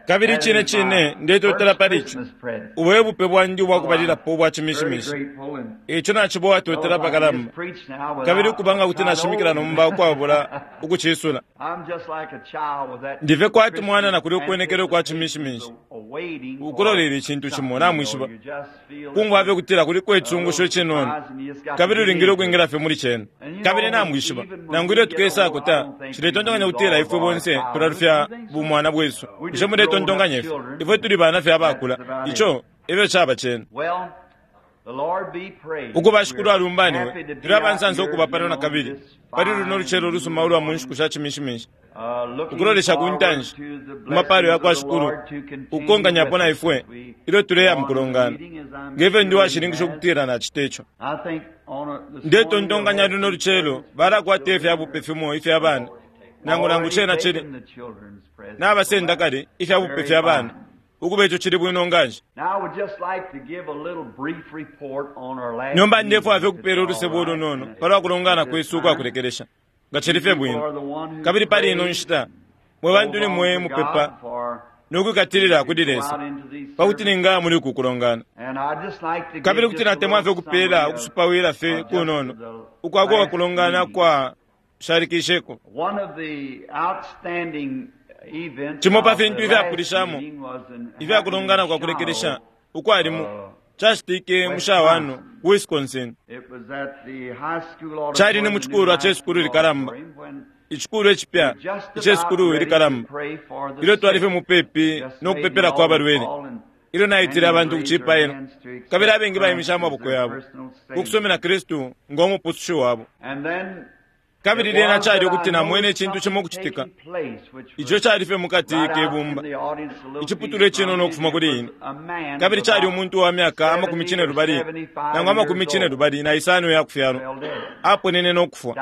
Kabili cine cine ndetotela pali ico. Ubu e bupe bwandi ubwa kubalilapo ubwa Chimishimishi. Ico naciba uwatotela apakalamba. Kabili ukuba nga kuti nashimikila nomba ukwabula ukucisula. Ndife kwati mwana na kuli ukwenekela ukwa Chimishimishi. Ukulolela icintu cimo, namwishiba. Kumfwa fye ukutila kuliko icungusho icinono, kabili ulingile ukwingila fye muli cena. Kabili namwishiba, nangu ilyo tukesako ta, nshiletontonkanya ukutila ifwe bonse tulalufya bumwana bwesu. Bushe muletontonkanya ifyo? Ifwe tuli bana fye abakula. Ico efyo caba cena. Ukuba Shikulu alumbaniwe, tuli abansansa ukuba pano na kabili pali luno lucelo ulusuma ulwa mu nshiku sha Ciminshiminshi, ukulolesha ku ntanshi ku mapalo ya kwa Shikulu ukukonkanyapo na ifwe ilyo tuleya mu kulongana, nge fyo ndi uwashininkisha ukutila nacita ico. Ndetontonkanya luno lucelo balakwata ifya bupe fimo ifya bana, nangu nangu cena cili nabasenda kale ifya bupe fya bana. Ukuba ico cili bwino nganshi. Nomba ndefwaya fye ukupela ulusebo ulunono palwa kulongana kwesu ukwa kulekelesha, nga cili fye bwino. Kabili pali ino nshita, mwe bantu ni mwe mupepa no kwikatilila kuli Lesa, pa kuti ningaya muli uku kulongana. Kabili kuti natemwa fye ukupela ukusupawila fye kunono ukwa kwa kulongana kwa shalikisheko. Cimo pa fintu ifyapulishamo ifya kulongana kwa kulekelesha ukwali mu cacitike mu Shawano, Wisconsin. Cali ni mu cikulwa ce sukulu likalamba, icikulwa icipya ice sukulu likalamba, ilyo twali fye mupepi no kupepelako abalwele, ilyo naitile abantu ku cipailo, kabili abengi baimishe amaboko yabo ku kusumina Kristu ngo Mupusushi wabo. Kabili lyena cali ukuti namwene icintu cimo ukucitika, ico cali fye mukati ke bumba, iciputulwa icinono ukufuma kuli ine. Kabili cali umuntu wa myaka amakumi cinelubali nangu amakumi cinelubali na isano iya kufyalwa, aponene no kufwa,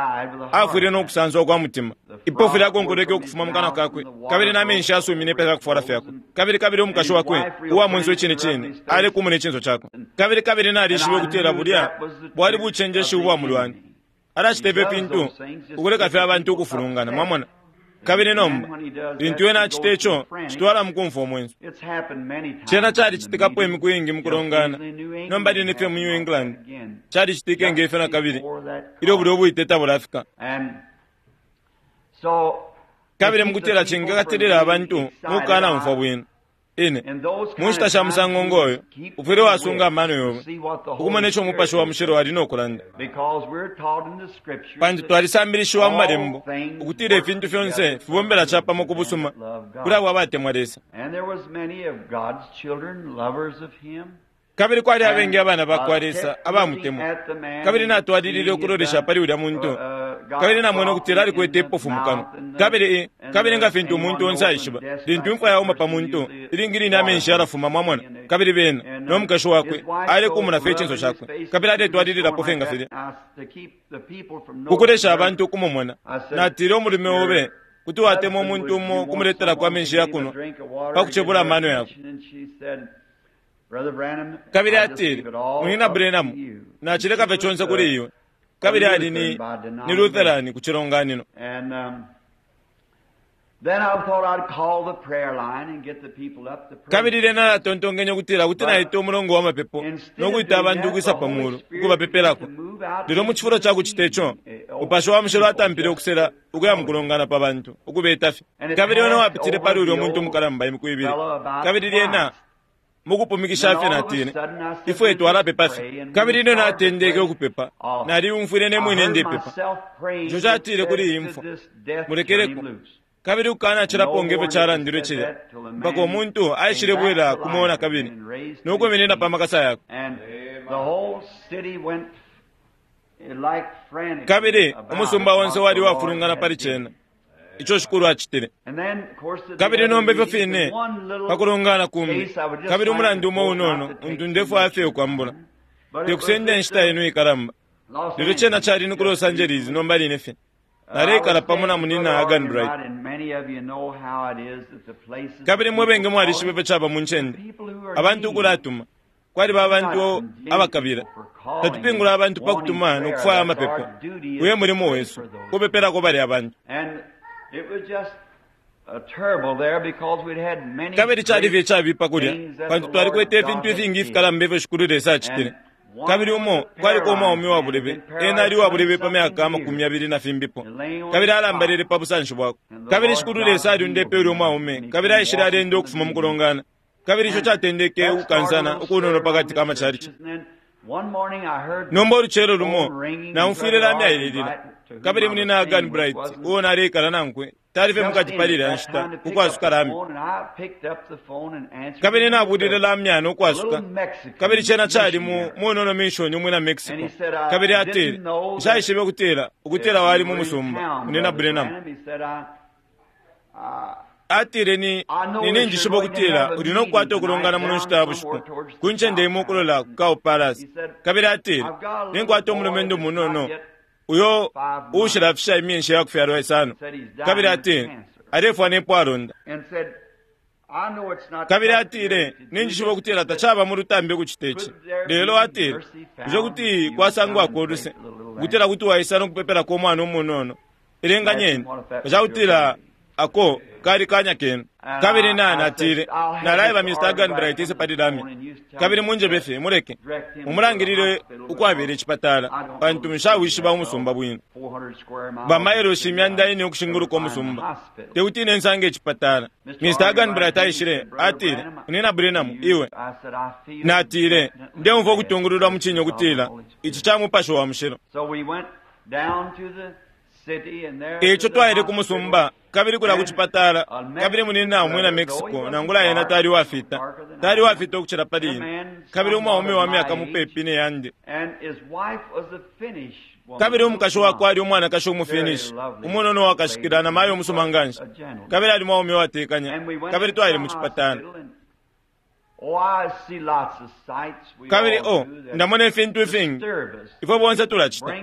afwile no kusanswa kwa mutima. Ipofu lyakonkolweke ukufuma mu kanwa kakwe, kabili na menshi asumine pa fyakufwala fyakwe. Kabili kabili umukashi wakwe, uwa mwenso icine cine, alekumuna icinso cakwe. Kabili kabili nalishibe ukutila bulya bwali bucenjeshi ubwa mulwani. Alacita ifyo fintu ukuleka fye abantu ukufulungana, mwamona. Kabili nomba, lintu ena acita ico, citwala mukumfwa umwenso. Cena calicitikapo imiku iingi mukulongana. Nomba line fye mu New England, calicitike nge fyo nakabili, ilyo bulya ubwite tabulafika. Kabili mukutila cingakatilila abantu mukukanaumfwa bwino. Ine, mu nshita sha musango ngoyo, ufwile wasunga amano yobe, ukumona ico Umupashi wa Mushilo ali no kulanda. Pantu twalisambilishiwa mu Malembo ukutila ifintu fyonse fibombela capamo ku busuma kuli abo abatemwa Lesa. Kabili kwali abengi abana ba kwa Lesa abamutemwa. Kabili natwalilile ukulolesha pali ulya muntu, kabili namwene ukutila alikwete ipofu mu kanwa. Kabili, kabili nga fintu umuntu onse aishiba, lintu imfwa yauma pa muntu, ilingi line amenshi yalafuma, mwamona. Kabili bena, no mukashi wakwe, alekumuna fye icinso cakwe, kabili aletwalililapo fye nga filya. Kukulesha abantu ukumumona, natile umulume obe kuti watemwa umuntu umo ukumuletelako amenshi ya kunwa pa kucebula amano yakwe. Kabili atile, Munyina Branham, nacileka fye conse kuli iwe. Kabili ali ni, ni Lutheran ku cilonganino. Kabili lyena natontonkenye ukutila kuti naita umulongo wa mapepo no kwita abantu ukwisa pa mulu ukubapepelako. Lelo mu cifulo ca kucita ico, Mupashi wa Mushilo atampile ukusela ukuya mu kulongana pa bantu, ukubeta fye. Kabili wene wapitile pali ulya muntu mukalamba imiku ibili. Kabili lyena mukupumikisha fye natile, Ifwe twalapepa fye. Kabili ilyo natendeke ukupepa, naliyumfwile ne mwine ndepepa. Ico catile kuli iyi mfwa, Mulekeleko. Kabili ukukanacilapo nge fyo calandilwe cilya, mpaka umuntu aishilebwela ku mweo na kabili, no kwiminina pa makasa yakwe. Kabili umusumba onse wali uwafulungana pali cena. Ico Shikulu acitile. Kabili nomba ifyo fine pa kulongana kumbi, kabili umulandu umo unono untu ndefwaya fye ukwambula, te kusenda inshita yenu ikalamba, lelo cena cali ni ku Los Angeles nomba line fye. Naleikala pamo na Munyina Arganbright. Kabili mwe bengi mwalishiba ifyo caba mu ncende, abantu ukulatuma. Kwaliba abantu abakabila. Tatupingula abantu pa kutuma no kufwaya amapepo. Uyo e mulimo wesu, kupepelako balya bantu. Kabili cali fye icabipa kulya, pantu twalikwete ifintu ifingi ifikalamba ifyo Shikulu Lesa acitile. Kabili umo kwaliko umwaume wa bulebe, ena ali uwa bulebe pa myaka 20 na fimbipo, kabili alambalele pa busanshi bwakwe. Kabili Shikulu Lesa aliundepe ulya umwaume, kabili aishile alenda ukufuma mu kulongana. Kabili ico catendeke ukukansana ukunono pakati ka macalici. Nomba ulucelo lumo naumfwile lamya ililila, kabili munina Agan Bright uo naleikala nankwe tali fye mukati pali ilya nshita ukwasuka lamya. Kabili nabulile lamya no kwasuka, kabili cena cali mu munono mission umwina Mexico. Kabili atile, nshaishibe ukutila ukutila wali mu musumba munina Branham. Atile, ni ninjishiba ukutila uli no kukwata ukulongana muno nshita ya bushiku ku ncende imo ukulola ku Cow Palace. Kabili atile, ninkwata umulumendo munono uyo uushilafisha imyeshi ya kufyalwa isano. Kabili atile, alefwa nepo alonda. Kabili atile, ninjishiba ukutila tacaba mu lutambi ukucita ici, lelo atile, bushe kuti kwasangwako uluse ukutila kuti waisa no kupepelako umwana umunono? Elenganyeni nga ako kali kanya kenu. Kabili natile, nalaeba Mr. Agan Bright ise pali lamya, kabili munjebe fye muleke mumulangilile ukwabela icipatala, pantu nshawishiba umusumba bwino. Bamailoshi 400 ukushinguluka umusumba, tekuti ine nsange icipatala. Mr. Agan Bright aishile, atile, Nina Branham, iwe. Natile, ndeumfwa ukutungululwa mu cinyo kutila ici ca Mupashi wa Mushilo. Eico twaile ku musumba, kabili kulya ku cipatala, kabili munina umwina Mexico, nangula ena tali uwafita, tali uwafita ukucila pali ine, kabili umwaume wa myaka mupepi ne yandi. Kabili umukashi wakwe ali umwanakashi umuFinish, umunono wakashikila na mayo umusuma nganshi, kabili ali mwaume uwatekanya, kabili twaile mu cipatala. Kabili ndamona ifintu ifingi ifwe bonse tulacita,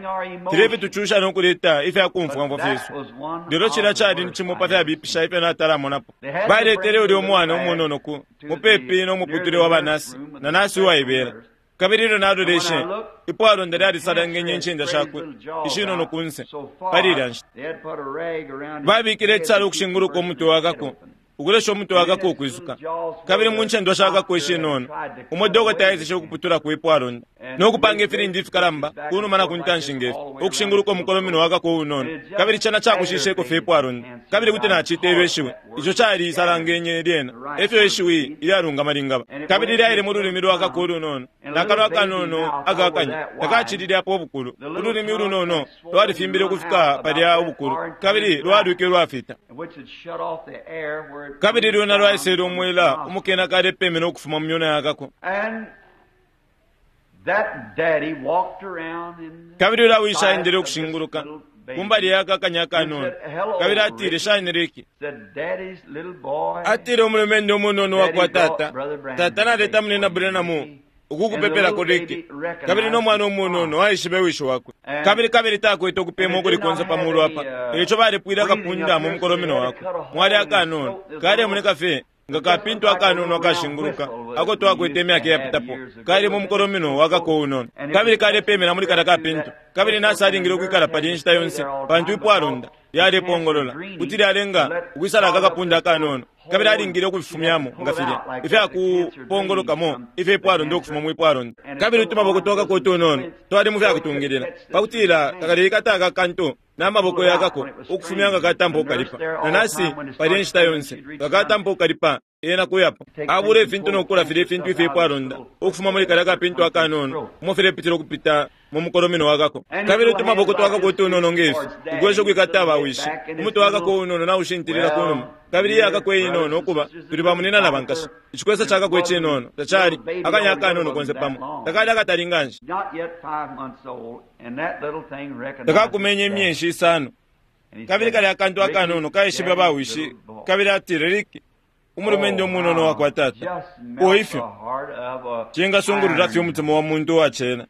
filya ifitucusha no kuleta ifya kumfwamfwa fyesu, lelo cilya cali ni cimo pa fyabipisha ifyo natalamonapo. Baletele ulya umwana umunono ku mupepi no muputule wa banasi na nasi uwaibela. Kabili ilyo naloleshe, ipwalonda lyalisalangenye incinda shakwe ishinono kunse pali ilya nshita. Babikile icisalo ukushinguluka umutwe wakako, ukulesha umutwe wakako ukwisuka. Kabili mu ncendwa shakako ishinono, umo dokota aeseshe ukuputula ipwalonda no kupanga ifilindi ifikalamba kunuma na kuntanshi ngefi, ukushinguluka umukolomino wakako unono. Kabili cena cakushisheko fye ipwalonda, kabili kuti nacita ilyo ishiwi ico cali isalangenye lyena, efyo ishiwi ilyalungama lingaba. Kabili lyaile mu lulimi lwakako ulunono, nakanwa akanono akakanya takacilile apo ubukulu. Ululimi ulunono lwalifimbile ukufika palya ubukulu, kabili lwalwike lwafita. Kabili lwena lwaisele umwela umukena kalepemena ukufuma mu myona yakako. Kabili ulya wishi aendele ukushinguluka kumbali yakakanya akanono, kabili atile, shani Ricky? Atile, umulumendo umunono wakwa tata, tata naleta munina Branham ukukupepelako Ricky. Kabili no mwana umunono aishibe wishi wakwe, kabili kabili takwete ukupema ukuli konse pa mulu apa, eico balepwile akapunda mu mukolomino wakwe. Mwali akanono kalemoneka fye nga kapintu akanono akashinguluka ako twakwete imyaka iyapitapo, kali mu mukolomino wakako unono, kabili kalepemela muli kalya kapintu. Kabili nasi alingile ukwikala palya inshita yonse, pantu ipwalonda lyalepongolola kuti lyalenga ukwisala akakapunda akanono, kabili alingile ukufifumyamo nga filya ifyakupongolokamo ifyo ipwalonda ukufuma mu ipwalonda. Kabili utumaboko twakako utunono twali mu fyakutungilila pakutila kakaleikata aka kantu n'amaboko yakako ukufumya nga katampa ukukalipa. Na nasi palya inshita yonse nga katampa ukukalipa, ena kuyapo abula ifintu nokukula filya ifintu ifyo ipwalonda ukufuma muli kalya kapintu akanono umo filepitila ukupita mu mukolomino wakako. Kabili utumaboko twakako utunono ngefi ukwesha ukwikata abawishi, umutwe wakako unono naushintilila kunuma, kabili iyakako inono ukuba tuli bamunina na bankashi. Icikwesa cakako icinono tacali akanya akanono konse pamo, takali akatali nganshi, takakumenye imyeshi isano. Kabili kalya akantu akanono kaishibe bawishi, kabili atile, Ricky, umulumendo umunono wakwa tata, uo ifyo cingasungulula fye umutima wa muntu uwacena.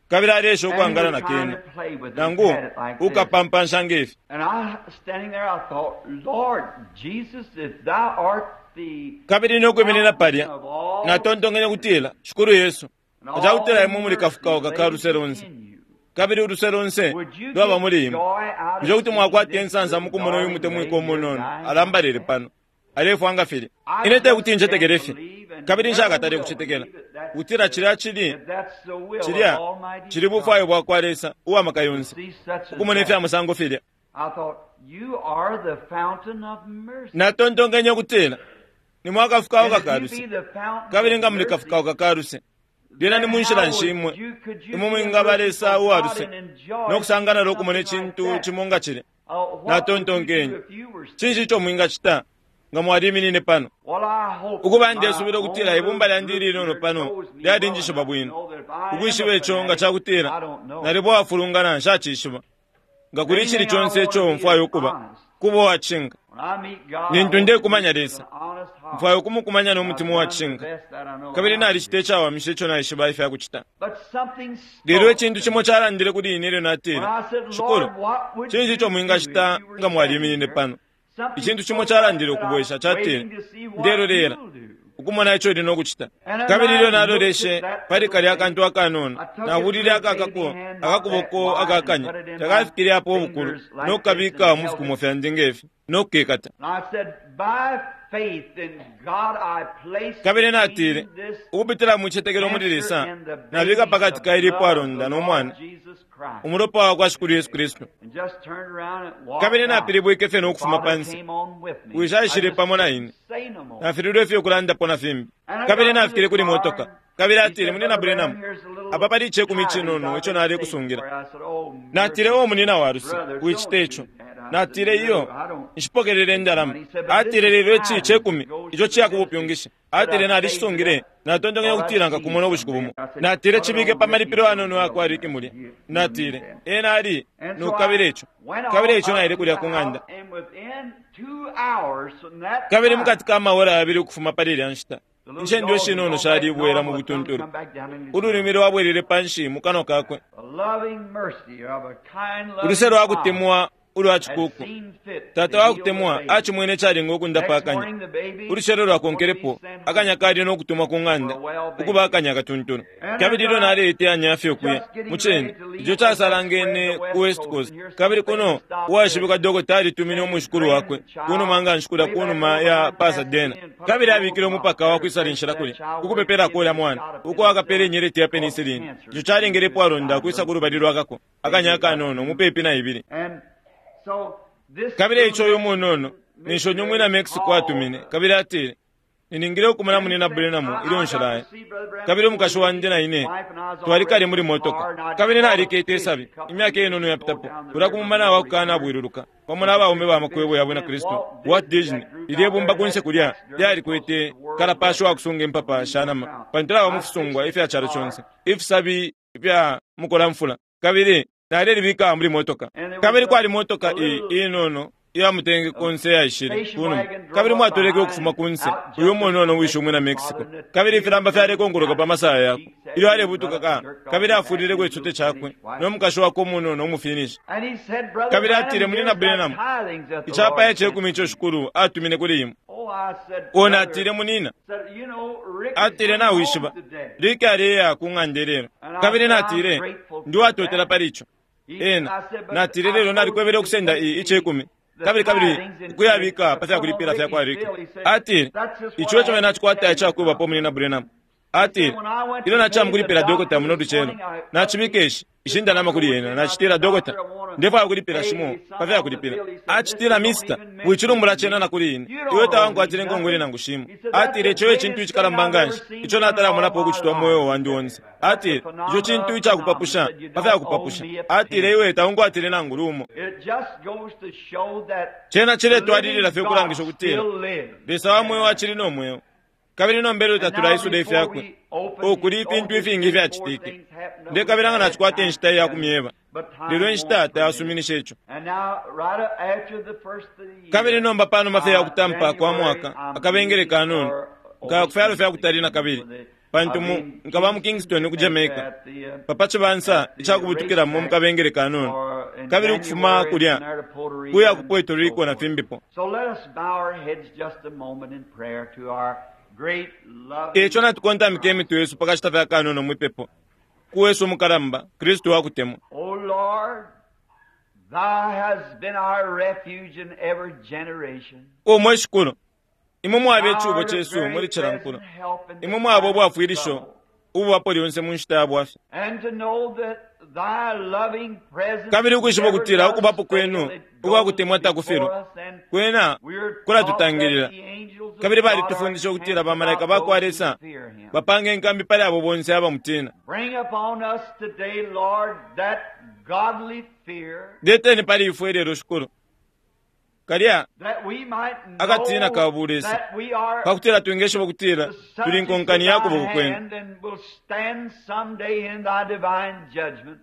Kabili alesha ukwangala na kena, nangu ukapampansha ngefi. Kabili nokwiminina palya, natontonkenye kutila, Shikulu Yesu, acakutila imwe muli kafukauka ka luse lonse. Kabili uluse lonse lwaba muli imwe. Bushe kuti mwakwata insansa mukumona uyu mutemwiko umunono alambalele pano, alefwa nga filya? Ine tekuti ncetekele fye, kabili nshakatale kucetekela ukutila cilya cili, cilya cili bufwayo bwakwa Lesa uwa maka yonse, ukumona ifya musango filya. Natontonkenye ukutila ni mwakafukauka ka luse, kabili nga muli kafukauka ka luse, lyena ni munshila nshi imwe imwe mwingaba Lesa uwa luse no kusangana no kumona icintu cimo nga cilya? Natontonkenye, cinshi ico mwingacita nga mwaliminine pano? Ukuba, ndesubila ukutila ibumba lyandi ilinono pano lyalinjishiba bwino, ukwishiba ico nga cakutila nalibo wafulungana, nshacishiba. Nga kuli icili conse ico mfwaya ukuba, kuba uwacishinka. Lintu ndekumanya Lesa, mfwaya ukumukumanya no mutima uwacishinka, kabili nalicita icawamisha ico naishiba ifya kucita. Lelo icintu cimo calandile kuli ine ilyo natile, Shikulu, cinshi ico mwingacita nga mwaliminine pano? Icintu cimo calandile ukubwesha, catile, Ndelolela ukumona ico uli nokucita. Kabili ilyo naloleshe pali kalya akantu akanono, nabulile akakako akakuboko akakanya, takafikile apo ubukulu, no kukabika mu fikumo fyandi ngefi, no kukekata. Kabili natile, ukupitila mu cicetekelo muli Lesa, nabika pakati ka ili ipwalonda no mwana, umulopa wa kwa Shikulu Yesu Kristu. Kabili napilibwike fye no kufuma pansi. Wishi aishile pamo na ine. Nafililwe fye ukulandapo na fimbi. Kabili nafikile kuli motoka. Kabili atile, Munina Branham, apa pali icekumi icinono ico nalekusungila. Natile, O munina wa luse, wicita ico. Natile, Iyo, nshipokelele indalama. Atile, Lelo ici cekumi ico ciya kubupyungishi. Atile, Nalishisungile, natontonkanya ukutila nkakumona ubushiku bumo. Natile, Cibike pa malipilo yanono yakwa Ricky mulya. Natile, Ena ali nokukabila ico. Kabili eico naile kulya ku ng'anda. Kabili mukati ka maora yabili ukufuma pali ilya nshita, incende ishinono shalibwela mu butuntulu. Ululimi lwabwelele panshi mu kanwa kakwe. Uluse lwa kutemwa ulwa cikuku. Tata wa kutemwa acimwene calinga ukundapa akanya. Ulucelo lwakonkelepo, akanya kali no kutumwa ku ng'anda, ukuba akanya akatuntulu. Kabili ilyo naleiteyanya fye ukuya, mucine, ico casalangene ku West Coast. Kabili kuno, uwaishibikwa dokota alitumine umwishikulu wakwe kunuma nga nshi kulya kunuma ya Pasadena. Kabili abikile umupaka wa kwisala inshila kulya, ku kupepelako ulya mwana, uko akapele inyeleti ya penicillin. Ico calengele ipwalonda ukwisa ku lubali lwakako, akanya akanono, mupepi na ibili. Kabili eico uyu munono ninshi umwina Mexico atumine, kabili atile, Niningile ukumona Munina Branham ilyo nshilaya. Kabili umukashi wandi na ine twalikale muli motoka, kabili nalikete isabi imyaka inono yapitapo kulya ku mumana wa kukanabwiluluka pamo na baume ba makwebo ya bwina Kristu. Walt Disney, lilye bumba kunse kulya lyalikwete kalapashi wa kusunga impapa sha nama, pantu laba mu fisungwa ifya calo conse, ifisabi ifya mukolamfula. Kabili nalelibika muli motoka. Kabili kwali motoka i, inono iya mutenge konse yaishile kunuma, kabili mwatoleke ukufuma kunse uyu munono wishi umwina Mexico, kabili ifilamba fyalekonkoloka pa masaya yakwe ilyo alebutuka ka, kabili afulileko icute cakwe no mukashi wakwe umunono umufinishi. Kabili atile, Munina Branham, icapaya cekumi ico Shikulu atumine kuli imwe. O, natile, munina. Atile, Nawishiba, Ricky aleya ku ng'anda ilelo. Kabili natile, Ndi uwatotela pali ico. Ena, natile, lelo nalikwebele ukusenda i, icekumi, kabili, kabili ukuyabika pa fyakulipila fyakwa Ricky. Atile, Ico eco nacikwata icakwebapo, Munina Branham. Atile, Ilyo naciya mukulipila dokota muno lucelo, nacibika ishi, ishi ndalama kuli ena. Nacitila, Dokota, ndefwaya ukulipila shimo pa fyakulipila. Acitila, Mister, wicilumbula cena na kuli ine. Iwe tawankwatile inkongole nangu shimo. Atile, Ico e cintu icikalamba nganshi ico natalamonapo ukucitwa mu mweo wandi onse. Atile, Ico cintu icakupapusha pa fyakupapusha. Atile, Iwe taunkwatile nangu lumo. Cena ciletwalilila fye ukulangisha ukutila Lesa wa mweo acili no mweo. Kabili nomba ilyo tatulaisula ifyakwe, oh, kuli ifintu ifingi ifyacitike. Ndekabila nga nacikwata inshita iya kumyeba, lelo inshita tayasuminisha ico. Kabili nomba panuma fye ya kutampa kwa mwaka, akabengele kanono, nkaya ku fyalo fya kutali na kabili, pantu mu, nkaba mu Kingston ku Jamaica, pa, pa cibansa ica kubutukilamo mu kabengele kanono, kabili ukufuma kulya kuya ku Puerto Rico na fimbipo. Eico natukontamike imitwe yesu pa kashita fye akanono mwi pepo. ku wesu umukalamba, Kristu wakutemwa. O Lord, Thou hast been our refuge in every generation. O mwe Shikulu, imwe mwaba Thou icubo art a cesu very muli cila nkulo. present help in the Imwe mwaba time of ubwafwilisho trouble. ububapo lyonse mu nshita ya bwafya. And to know that thy loving presence Kabili ukwishiba never ukutila does ukubapo fail, kwenu it ukwa goes kutemwa before takufilwa. us, and Kwena we're taught that kulatutangilila. the angels of Kabili God are balitufundisha ukutila encamped bamalaika about ba kwa those who Lesa fear him. bapanga inkambi pali abo bonse abamutina. Bring upon us today, Lord, that godly fear Leteni pali ifwe lelo Shikulu. Kalya that we might akatina know ka bulesa that we are pakutila twingeshiba ukutila the tuli subjects of nkonkani ya thy kuboko kwenu. hand and will stand someday in thy divine judgment.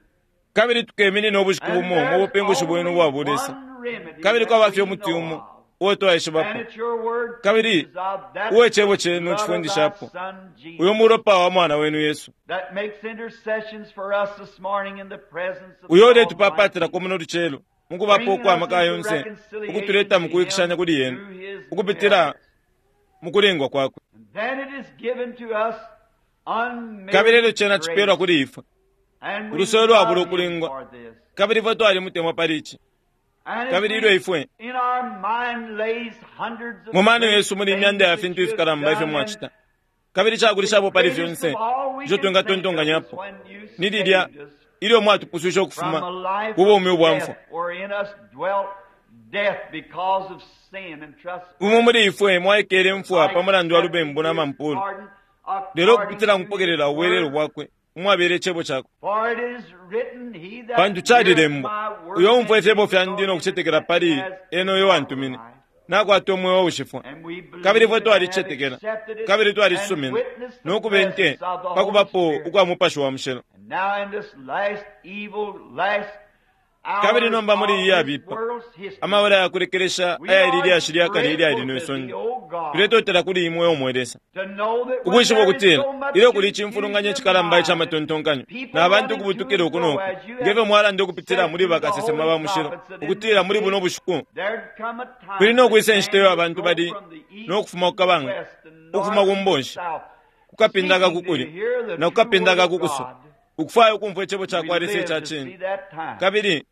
Kabili tukeminina ubushiku And bumo mu there's bupingushi bwenu only ubwa bulesa. one remedy Kabili that kwaba fye we umuti know umo of. uo And twaishibapo. it's your word Kabili teaches of that uo icebo cenu blood of thy cifundishapo. Son, Jesus, Uyo mulopa wa mwana wenu Yesu. that makes intercessions for us this morning in the presence of Uyo the uletupapatilako Almighty, muno lucelo mukubapo bringing ukwa us maka into yonse reconciliation ukutuleta to mu kuwikishanya him kuli yenu through his ukupitila merits. mu kulingwa kwakwe. And then it is given to us Kabili elyo unmerited cena grace, cipelwa kuli ifwe and we ulusolo lwabula love him ukulingwa. for this. Kabili ifwe twalimutemwa pali ici. And as Kabili we ilyo ifwe in our mind lays hundreds of mu mano great yesu muli imyanda ya things that fintu you have ifikalamba ifyo done, and mwacita. Kabili cakulishapo the pali greatest fyonse of all we ico can think of is twingatontonkanyapo when you ni lilya saved us ilyo mwatupuswishe from ukufuma a life ku bumi of ubwa death, mfwa. wherein us dwelt death because of sin and Umo trespass. muli ifwe mwaikele mfwa Like pa mulandu wa accepted lubembu na his mampulu. pardon Lelo according ukupitila to his mukupokelela ubwelelo word. bwakwe umwabele icebo cakwe. For it is written, he that Pantu heareth calilembwa, my word uyo umfwa and ifyebo believes fyandi on no him kucetekela that pali has ena uyo eternal wantumine, life. nakwata umweo ushifwa. And we Kabili believe ifwe and have twalicetekela, accepted it kabili and twalisumina, witnessed the no kube nte presence of the pa Holy kubapo Spirit. ukwa Mupashi wa Mushilo. And now in this last evil, last Kabili hours nomba muli of iyi this yabipa, world's history, amabala ya kulekelesha we ayali are lyashi lya kale ilyali grateful no to thee, isonde, O God, tuletotela kuli imwe omwe Lesa. to know that when Ukwishiba there is ukutila so much ilyo kuli confusion icimfulunganya of icikalamba ica mind and matontonkanyo people na bantu running to ukubutukila and uku fro noku, as you ngefyo have mwalanda ukupitila said muli through the bakasesema holy ba mushilo, prophets that in ukutila this muli buno day bushiku there'd come a time kuli no that kwisa inshita man iyo would abantu go bali from the no east kufuma to ku the kabanga, west, the ukufuma north ku to the mbonshi, south, ku kapinda seeking to kakukuli hear the na ku true kapinda word of kakukuso, God. ukufwaya ukumfwa icebo ca We kwa Lesa live ica to see cine. that time. Kabili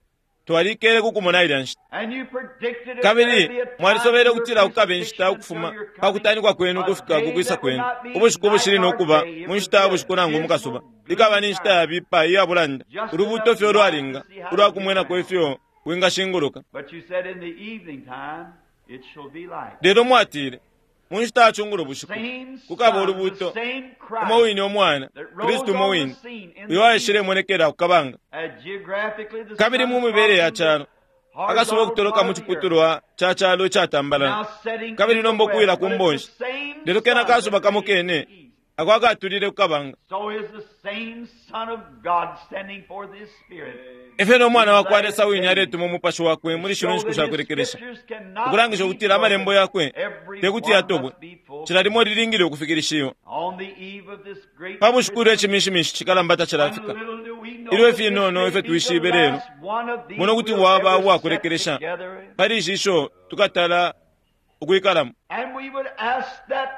twalikele kukumona ilya nshita. And you predicted that there'd Kabili be a time mwalisobele in your ukutila kukaba inshita crucifixion ukufuma until your pa coming, kutanikwa kwenu a ukufika ku day kwisa that would kwenu. not be Ubushiku night bushili no nor kuba day. It mu would nshita be ya a bushiku nangu mu kasuba. dismal, Likaba gloomy ni nshita time, yabipa iya bulanda, just ulubuuto enough fye light to ulwalinga see how ulwa to get kumwenako round. ifyo wingashinguluka. But you said in the evening time it shall be light. Lelo mwatile, mu nshita ya cungulo The bushiku same kukaba Son, the ulubuuto, same umo Christ wine umwana, that Kristu rose umo on the wine, scene in uyo the east, aishilemonekela ku kabanga. as geographically the Kabili mu sun mibele ya from the calo, akasuba horizontal ukutoloka part mu of the earth, ciputulwa ca calo icatambalala, now setting kabili in the nomba ukuwila west, ku but it's the mbonshi. same Lelo kena sun kasuba that kamo raised kene the east. ako akatulile ku kabanga. So is the same Son of God sending forth His Spirit Efyo no mwana these wa kwa last Lesa wine days aletuma umupashi wakwe to muli shino show nshiku that sha His kulekelesha, scriptures cannot ukulangisha be ukutila amalembo broken. yakwe Every te kuti one yatobwe, must be cila limo fulfilled. lilingile ukufikilishiwa. On the eve of this great Pa bushiku ilyo Christmas, icimishimishi cikalamba when tacilafika, little do we know ilyo that this ifinono may ifyo be the twishibe lelo, last one of these muno kuti we'll waba ever uwa set kulekelesha together. pali ishi isho tukatala ukwikalamo. And we would ask that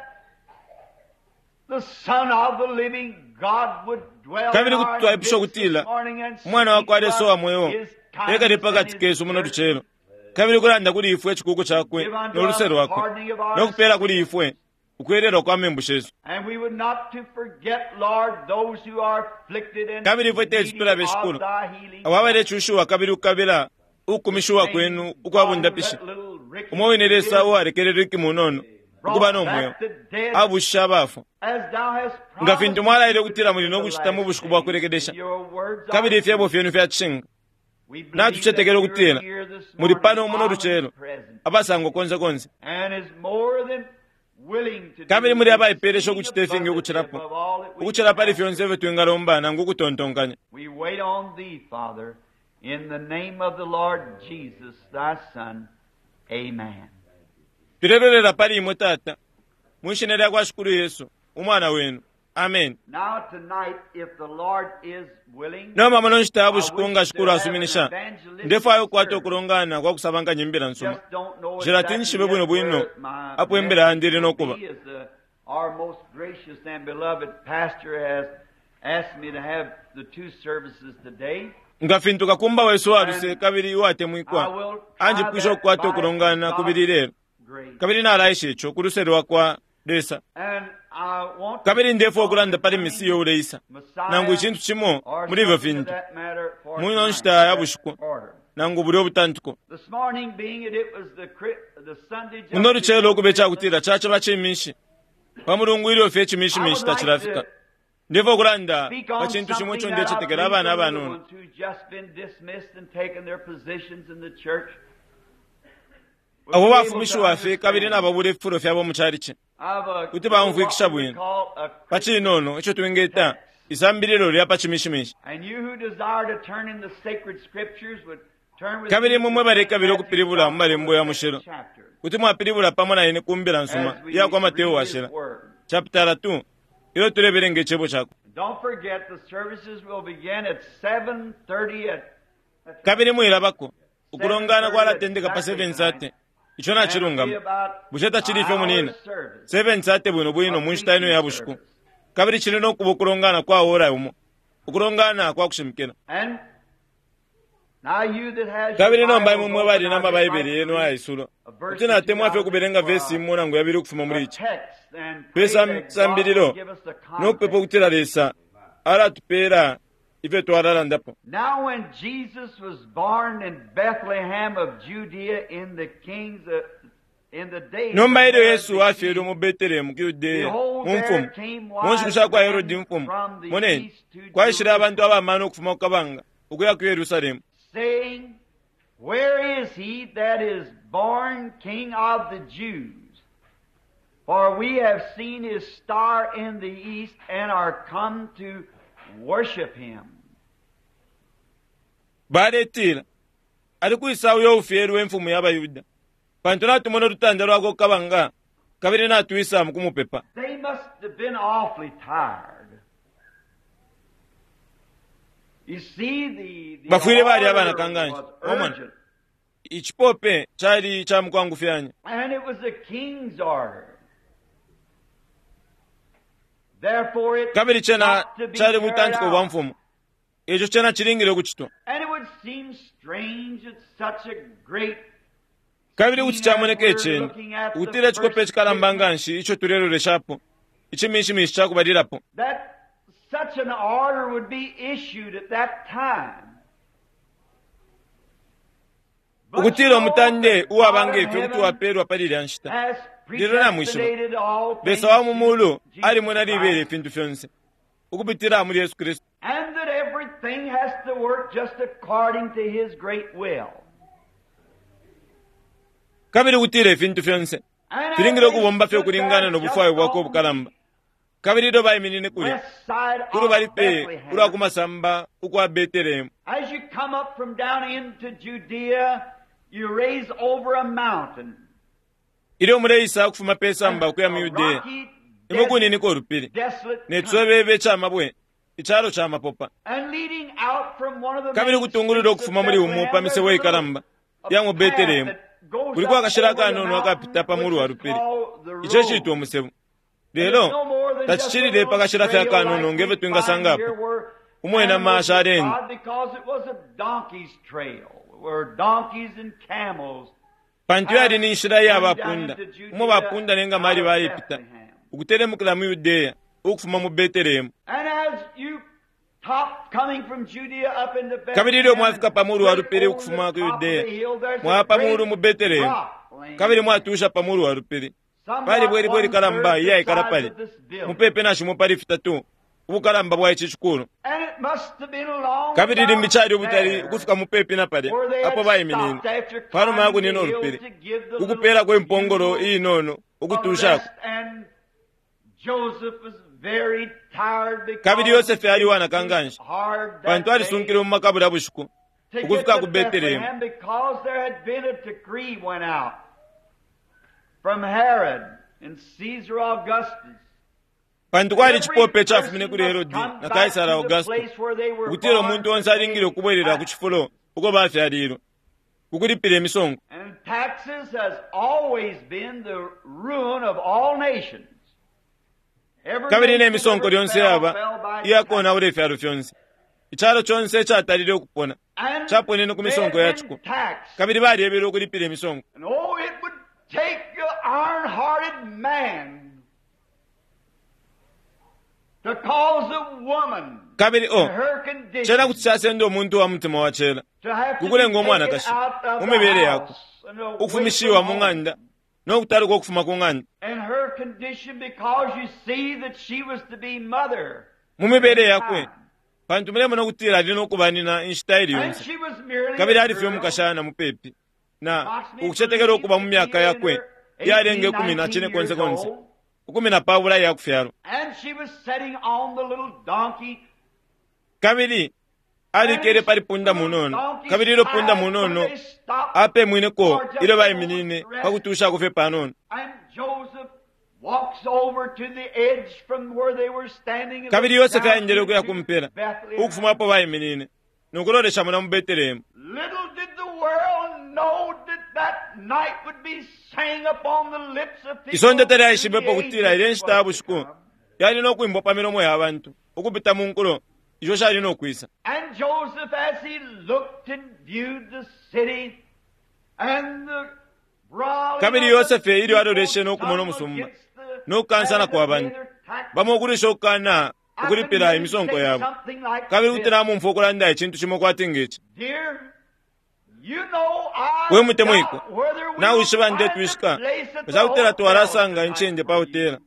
the Son of the living God would dwell in Kabili kuti our twaipusha midst this ukutila morning and umwana wa speak kwa to Lesa us wa mweo His ekale kindness and pakati His kesu muno mercy. lucelo, kabili kulanda kuli ifwe icikuuku cakwe Give unto no luse us lwakwe, pardoning of our no kupeela kuli sins. ifwe ukwelelwa kwa membu shesu. And we would not to forget, Lord, those who are afflicted and Kabili ifwe teti needy tulabe of Shikulu, thy healing abo touch. abalecushiwa kabili ukukabila The ukukumishiwa same kwenu ukwa God who bundapishi. let little Ricky Umo wine Lesa live uwalekelele Ricky munono ukuba brought no mweo, back the dead abushisha abafwa. as thou hast Nga fintu promised mwalaile you would ukutila do muli in no the kucita mu last bushiku bwa days, and kulekelesha, your words are kabili ifyebo true. fyenu fya cishinka. We believe that Natucetekela you're ukutila here this muli morning, pano muno lucelo, omnipresent, abasangwa konse konse, and is more than willing to kabili do muli abaipeelesha exceeding ukucita ifingi abundantly ukucilapo, above all that we ukucila can pali ask. fyonse ifyo twingalomba nangu ukutontonkanya. We wait on thee, Father, in the name of the Lord Jesus, thy Son. Amen. Tulelolela pali imwe Tata, mwi shina lya kwa Shikulu Yesu, umwana wenu. Amen. Now tonight, if the Lord is willing, Nomba muno nshita ya I bushiku wish nga to Shikulu have an asuminisha, evangelistic ndefwaya ukukwata service. ukulongana kwa kusabankanya imbila nsuma. Just don't know Nshilati exactly nshibe yet bwino bwino where my apo imbila message yandi ili will no kuba. be, as our most gracious and beloved pastor has asked me to have the two services today. Nga fintu kakumba wesu waluse kabili I uwatemwikwa will try anjipwisha that ukukwata by ukulongana kubili God's lelo, grace. kabili nalaisha ico ku luse lwa kwa Lesa. And I want to Kabili speak ndefwa on ukulanda pali concerning Mesiya uleisa, Messiah nangu icintu cimo or muli ifyo something to fintu, that matter for muno tonight, nshita ya that bushiku, order. nangu bulya ubutantuko. This morning being it, it was the Sunday just Muno lucelo before ukube Christmas, cakutila caciba cimishi, pa mulungu ilyo fye I would icimishimishi like tacilafika. to Ndefwa ukulanda speak pa on cintu cimo something ico that I ndecetekela believe abana the little abanono. ones who've just been dismissed and taken their positions in the church will Abo be able to bafumishiwa fye kabili understand. nababula ififulo fyabo mu calici, I've a kuti little baumfwikisha what we bwino. call a Pa cinono ico twingeta text. isambililo lya pa cimishimishi. And you who desire to turn in the sacred scriptures would turn with Kabili me imwe to mwe St. balekabila Matthew's ukupilibula mu Gospel, malembo the ya second mushilo, chapter, kuti mwapilibula pamo na ine ku mbila nsuma as we iya kwa Mateo read his washila, word. chapitala 2, ilyo tulebelenga icebo cakwe. Don't forget the services will begin at 7:30 at that's right, Kabili mwilabako, ukulongana 7:30 kwalatendeka pa exactly 7 tonight, sate, ico and it'll be nacilungama. about Bushe an tacili ifyo munina? hour's service, 7 sate bwino bwino a mu nshita ino preaching ya bushiku. service. Kabili cili no kuba ukulongana kwa ora umo, ukulongana kwa kushimikila. And now you that has your Kabili nomba imwe Bibles mwe open, bali I'd na just like mabaibele to yenu read ayaisulo, a verse kuti or two natemwa out fye of it ukubelenga for vesi imo nangu yabili ukufuma a muli ici. text and Pe pray that God will sambililo give us the no kupepa context. ukutila Lesa alatupeela ifyo twalalandapo. Now when Jesus was born in Bethlehem of Judea in the kings of, in the days of Nomba ilyo Herod Yesu the afyelwe king, mu Betelehemu ku Yudeya behold, mu there mfumu, came mu nshiku wise sha kwa Herodi men imfumu, from the moneni, east to kwaishile abantu Jerusalem, abamano ukufuma ku kabanga ukuya ku Yerusalemu. saying, Where is he that is born King of the Jews? For we have seen his star in the east and are come to worship him. Baletila, ali kwisa uyo ufyelwe imfumu ya Bayuda, pantu natumona ulutanda lwakwe ku kabanga, kabili natwisa mu kumupepa. They must have been awfully tired. You see, the Bafwile bali abana order kanganshi. was Mwamona, urgent, icipope cali ca mukwangufyanya. and it was the king's order. Therefore, it Kabili cena got to be cali carried butantiko bwa out. mfumu. Ico cena cilingile ukucitwa. And it would seem strange that such a great Kabili kuti scene as camoneka we're iceni, looking at the ukutila icikope first icikalamba Christmas, nga nshi ico tuleloleshapo, icimishimishi ca kubalilapo. that such an order would be issued at that time. But you Ukutila know umutande that uwaba God nge of ifyo kuti heaven wapeelwa pali ilya nshita. has Lelo namwishiba, predestinated all Lesa things wa mu to mulu Jesus alimwena libela Christ, ifintu fyonse, ukupitila muli Yesu Kristu. and that everything has to work just according to His great will. Kabili ukutila ifintu fyonse And as filingile they ukubomba fye stood ukulingana there no just bufwayo bwakwe on ubukalamba. the Kabili ilyo baiminine kulya, west side of kulubali pe ulwa Bethlehem, kumasamba ukwa Betelehemu. as you come up from down into Judea, you raise over a mountain, Ilyo muleisa ukufuma pe samba and ukuya mu a Yudeya, rocky imwe desert, kuniniko ulupili, desolate ne country. cwebebe ca mabwe, icalo ca mapopa. And leading out from one of the Kabili main ukutungulula streets of ukufuma muli umu pa Bethlehem, there's misebo a little ikalamba a ya mu path Betelehemu, that goes kuliko up akashila over the akanono akapita mountain, pa which mulu wa is lupili, called the ico iciitwa road. umusebo. And it's Lelo no more than just a tacicilile pa little kashila fye trail akanono like nge fyo we find twingasangapo, here where umwena animals amasha would aleenda. trod because it was a donkey's trail where donkeys and camels Pantu yali passed ni nshila iya going down bapunda, into umo Judea bapunda ne ngamali out of balepita, Bethlehem. ukutelemukila mu Yudeya ukufuma mu Betelehemu. And as you top coming from Judea up into Kabili ilyo Bethlehem mwafika and pa mulu wa right lupili over the ukufuma ku top of the Yudeya, hill, there's a mwaya pa mulu great mu Betelehemu, rock laying kabili there, mwatusha pa mulu wa lupili. Pali somewhat bwelibwe one likalamba third the iyaikala size pali, of this building. mupepi na shimo pali fitatu, ubukalamba bwa ici cikulu. And it must have been along Kabili limbi about cali ubutali there ukufika mupepi na palya where they apo had baiminine, stopped after panuma ya climbing the kunina hill ulupili, to give the little kukupeelako impongolo mule iinono a ukutushako. rest. And Joseph was very tired Kabili because Yosefe he ali pushed wanakanganshi, hard pantu that day alisunkile mu makabula bushiku to get ukufika to ku Betelehemu. Bethlehem because there had been a decree went out from Herod and Caesar Augustus Pantu that kwali every icipope icafumine person kuli must Herodi come na back Kaisara to the Augusto, place where they were ukutila born umuntu to onse alingile pay ukubwelela ku taxes. cifulo uko bafyalilwe, kukulipila imisongo. And taxes has always been the ruin of all nations. Kabili ne misonko lyonse yaba iyakonaula ifyalo fyonse. Icalo conse icatalile ukupona caponene ku misonko ya ciko, kabili balyebelwe ukulipila imisonko. And oh, it would take an iron-hearted man to cause a woman Kabili in o her condition cena kuti casenda umuntu wa mutima wa cela to have to be kukulenga taken umwanakashi out of mu the mibele yakwe house and away ukufumishiwa from mu home. ng'anda no kutaluka ukufuma ku ng'anda And her condition, because you see that she was to be mother. mu mibele yakwe, pantu mulemona ukutila ali no kubanina inshita ili And yonse, she was merely kabili a ali fye girl. umukashana mupepi na ukucetekela ukuba mu myaka yakwe iyalenga ikumi na cine konse konse 14 iya kufyalwa. And she was sitting on the little donkey. Kabili alikele pali punda munono, kabili ilyo punda munono apemwineko ilyo baiminine pa kutushako fye panono. And Joseph walks over to the edge from where they were standing and Kabili looks Yosefe down aendele ukuya into kumpela Bethlehem. ukufuma apo baiminine nokulolesha muna mu Betelehemu. Little did the world know that that night would be sang upon the lips of people. Isonde through the talyaishibepo kutila ile ages nshita ya was to bushiku come. yali no kwimbwa pa milomo ya bantu ukupita mu nkulo isho shali no kwisa. And Joseph, as he looked and viewed the city and the brawling Kabili of the Yosefe ilyo aloleshe no people, kumona some umusumba against the no kukansana kwa bantu, bamo ukulisha ukukana I ukulipila can imisonko say yabo, something like kabili kuti this. namumfwa ukulanda icintu cimo kwati ngeci. Dear, you know I We mutemwiko, doubt whether we nawishiba will find a ndetwishika place at the cakutila hotel twalasanga tonight incende pa for you. hotela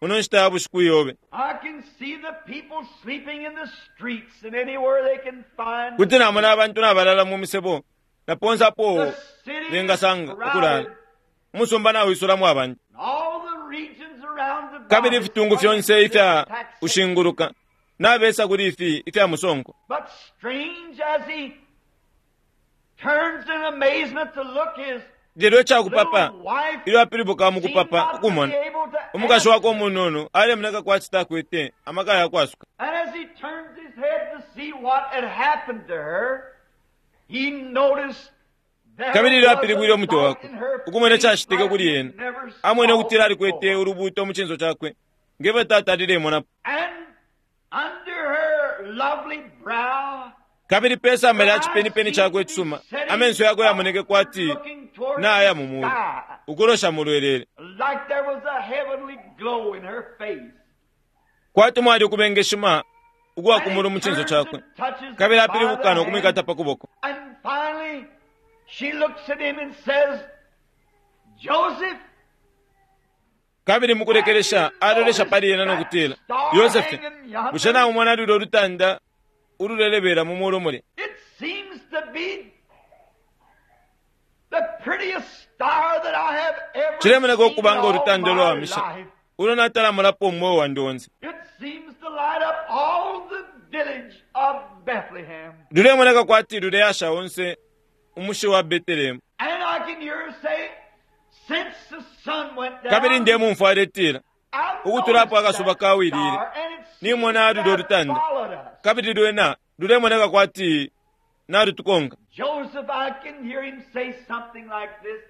muno nshita ya bushiku iyobe. I can see the people sleeping in the streets and anywhere they can find. Kuti namona abantu nabalala mu misebo na ponse apo The city is bengasanga ukulala. crowded. Umusumba nawisulamo abantu, And all the regions around about kabili is ifitungu fyonse under ifya this taxation. kushinguluka nabesa kuli ifi ifya musonko. But strange as he turns in amazement to look, his Lelo icakupapa little wife ilyo apilibuka mu seemed kupapa not to ukumona be able to umukashi answer. wakwe umunono alemoneka kwati takwete amaka yakwasuka. And as he turns his head to see what had happened to her, he noticed there Kabili ilyo was apilibwile a umutwe light wakwe in her ukumona face icacitike like kuli he ena, never amwene saw ukutila alikwete before. ulubuuto mu cinso cakwe ngefyo tata alilemonapo. And under her lovely brow, Kabili pe samba her lya eyes cipenipeni seemed cakwe to be icisuma setting amenso yakwe yamoneke upward, kwati looking toward naya the mu mulu sky, ukulosha mu lwelele, like there was a heavenly glow in her face. kwati mwali ukubengeshima ukwa And ku mulu he mu cinso turns cakwe. and touches her Kabili by the apilibuka no hand. kumwikata pa kuboko. And finally, she looks at him and says, Joseph, Kabili have mukulekelesha you alolesha noticed pali ena no that kutila, star Yosefe, hanging bushe yonder? naumona lulyo lutanda ululelebela mu mulu mulya? It seems to be the prettiest star that I have ever Cilemoneka seen in ukuba nga all ulutanda my ulwawamisha life. ulo natalamulapo umweo wandi onse. It seems to light up all the village of Bethlehem. Lulemoneka kwati luleyasha onse umushi wa Betelehemu. And I can hear her say, since the sun went Kabili down, ndemumfwa aletila I've ukutula apo noticed akasuba that kawilile, star, and it seems nimona to lulyo have lutanda, followed us. kabili lwena lulemoneka kwati nalutukonka. Joseph, I can hear him say something like this.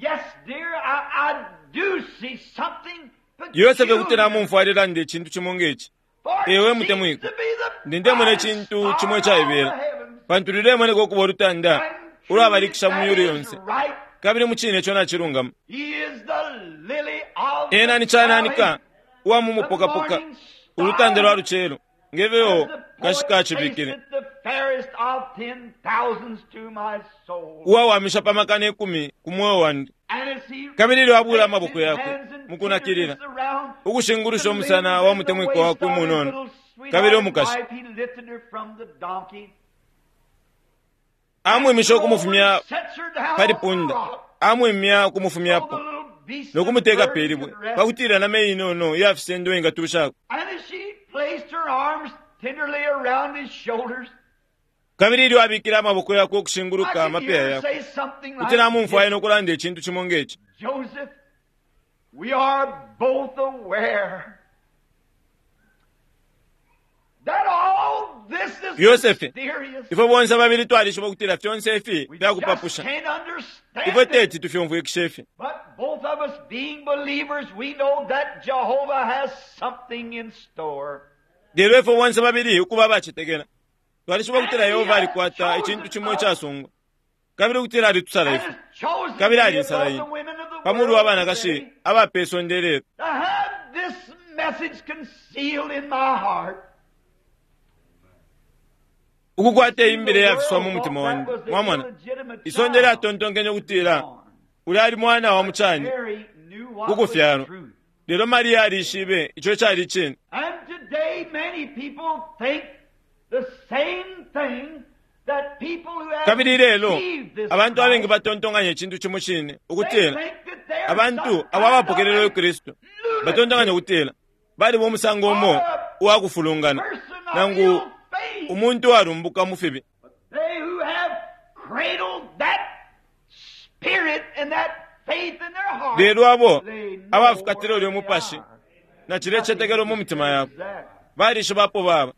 Yes, dear, I do see something Yosefe kuti peculiar. namumfwa alelanda icintu cimo ngeci. For it Ewe seems mutemwiko, to be the ndi ndemona brightest icintu star cimo in all the icaibela, heavens. pantu lulemoneka ukuba ulutanda And truly, ulwabalikisha mu that myulu is yonse, right. kabili mu cine ico nacilungama. He is the lily of Ena the ni cananika valley, uwa mu the mupokapoka, morning ulutanda lwa star, lucelo, as ngefyo the poet kashika acibikile, tasted the fairest of 10,000s to my soul. uwawamisha pa makana ikumi ku mweo wandi. And as he Kabili ilyo abula takes amaboko his yakwe hands in mu kunakilila, tenderness around ukushingulusha the umusana limbs wa and the mutemwiko waist wakwe of his umunono, little kabili sweetheart umukashi wife, he lifted her from the donkey and amwimisha goes and ukumufumya sets her down pali on the punda, rock amwimya so the ukumufumyapo little beasts no and kumuteka birds pe libwe, could rest. pakutila na meyi inono iyafisendo ingatushako. And as she placed her arms tenderly around his shoulders, Kabili ilyo abikile amaboko yakwe I ukushinguluka can amapeya hear her yakwe, say something kuti like namumfwa this, ena ukulanda icintu cimo ngeci. Joseph, we are both aware that all this is Yosefe, mysterious. ifwe bonse babili twalishiba ukutila fyonse ifi We just fyakupapusha, can't ifwe understand it. teti tufyumfwikishe ifi. But both of us being believers, we know that Jehovah has something in store. Lelo ifwe bonse babili ukuba abacetekela, twalishiba ukutila Yehova alikwata icintu cimo icasungwa, kabili ukutila alitusala And ifwe, has chosen kabili me alinsala above ine the women of the pa mulu wa world banakashi today aba pe sonde lelo, to have this message concealed in my heart. ukukwata iyi mbila The iyafiswa world mu mutima thought wandi. that was the Mwamona, illegitimate isonde child lyatontonkenye ukutila born. uli ali mwana wa mucani, Mary knew what was kukufyalwa. truth. Lelo Mariya alishibe ico cali icine. And today many people think the same thing that people who have Kabili lelo received this abantu abengi Christ, batontonkanya icintu cimo cine they ukutila think that they're abantu some abo abapokelela kind of Kristu batontonkanya ukutila baliba umusango umo uwa kufulungana person of nangu ill faith. umuntu uwalumbuka mu fibi. They who have cradled that spirit and that faith in their heart, Lelo abo they know abafukatila where ulyo they mupashi are. na cilya cicetekelo mu mitima yabo Is that balishiba apo baba,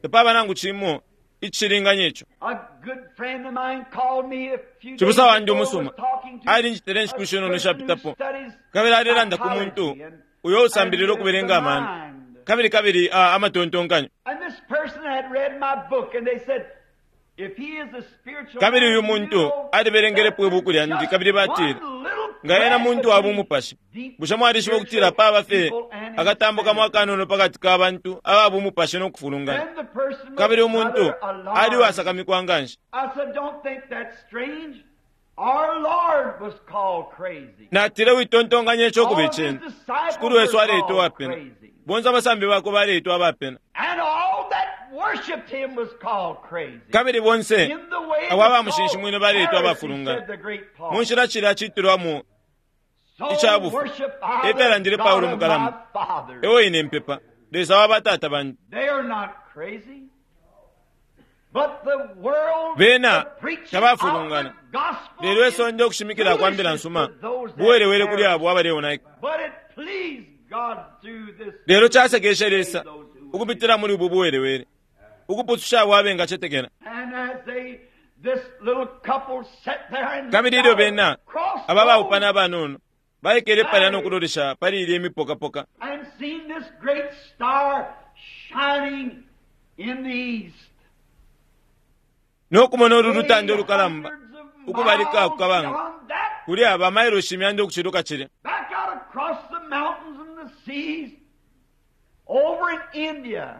tapaba nangu cimo icilinganya ico. A good friend of mine called me a few days Cibusa wandi ago, umusuma was talking to alinjitile inshiku a shinono person who shapitapo, studies kabili alelanda ku muntu psychology and- uyo usambilila and ukubelenga the amano mind. kabili kabili amatontonkanyo. And this person had read my book and they said, if he is a spiritual Kabili man, uyu you muntu know alibelengelepo that ibuku lyandi just kabili batile, one little nga ena crack muntu wa between bumupashi, deep bushe mwalishiba ukutila spiritual paba fye people and akatambo kamo insanity. akanono pakati ka bantu aba bumupashi no kufulungana. And the person was Kabili umuntu rather alarmed. ali uwasakamikwa nganshi. I said, don't think that's strange. Our Lord was called crazy. Natile witontonkanya ico kuba All his iceni. disciples Shikulu wesu were aleitwa called uwapena, crazy. bonse abasambi bakwe baleitwa abapena, And all that worshipped him was called crazy. kabili bonse In the way abo it was abamushinshimwine called baleitwa heresy, abafulungana. said the great Paul. Mu nshila cilya ciitilwamo So ica bufi. worship I E fyalandile the Paulo God of my mukalamba. fathers. Ewo ine mpepa Lesa wa batata bandi. They are not crazy. But the world, Bena the preaching of tabafulungana. the gospel Lelo is isonde ukushimikila kwa mbila foolishness nsuma to those that buwelewele kuli perish. abo abaleonaika. But it pleased God through this Lelo casekeshe Lesa those who would ukupitila muli ubu buwelewele ukupususha abo abengacetekela. And as they, this little couple sat there and Kabili looked ilyo out bena across aba baupana those abanono baikele palya no kulolesha pali ilya imipokapoka and seen this great star shining in the east. no kumona ulu lutanda ulukalamba Hundreds of ukubalika miles kukabanga beyond that, kuli aba mailoshi imyanda ukuciluka cilya back out across the mountains and the seas, over in India,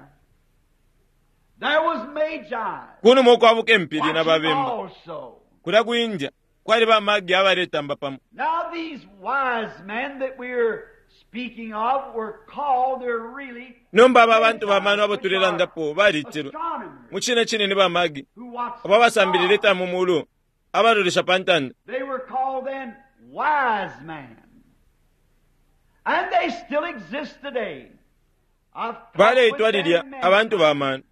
there was Magi kunuma ukwabuka empili na watching babemba also. kulya ku India kwali bamagi abaletamba pamo. Now these wise men that we're speaking of were called, they're really Nomba aba bantu bamano abo tulelandapo balitilwe astronomers mu cine cine ni bamagi who watch abo abasambilila the stars. ifya mu mulu abalolesha pa ntanda. They were called then wise men. And they still exist today. I've talked Baleitwa with lilya them many abantu bamano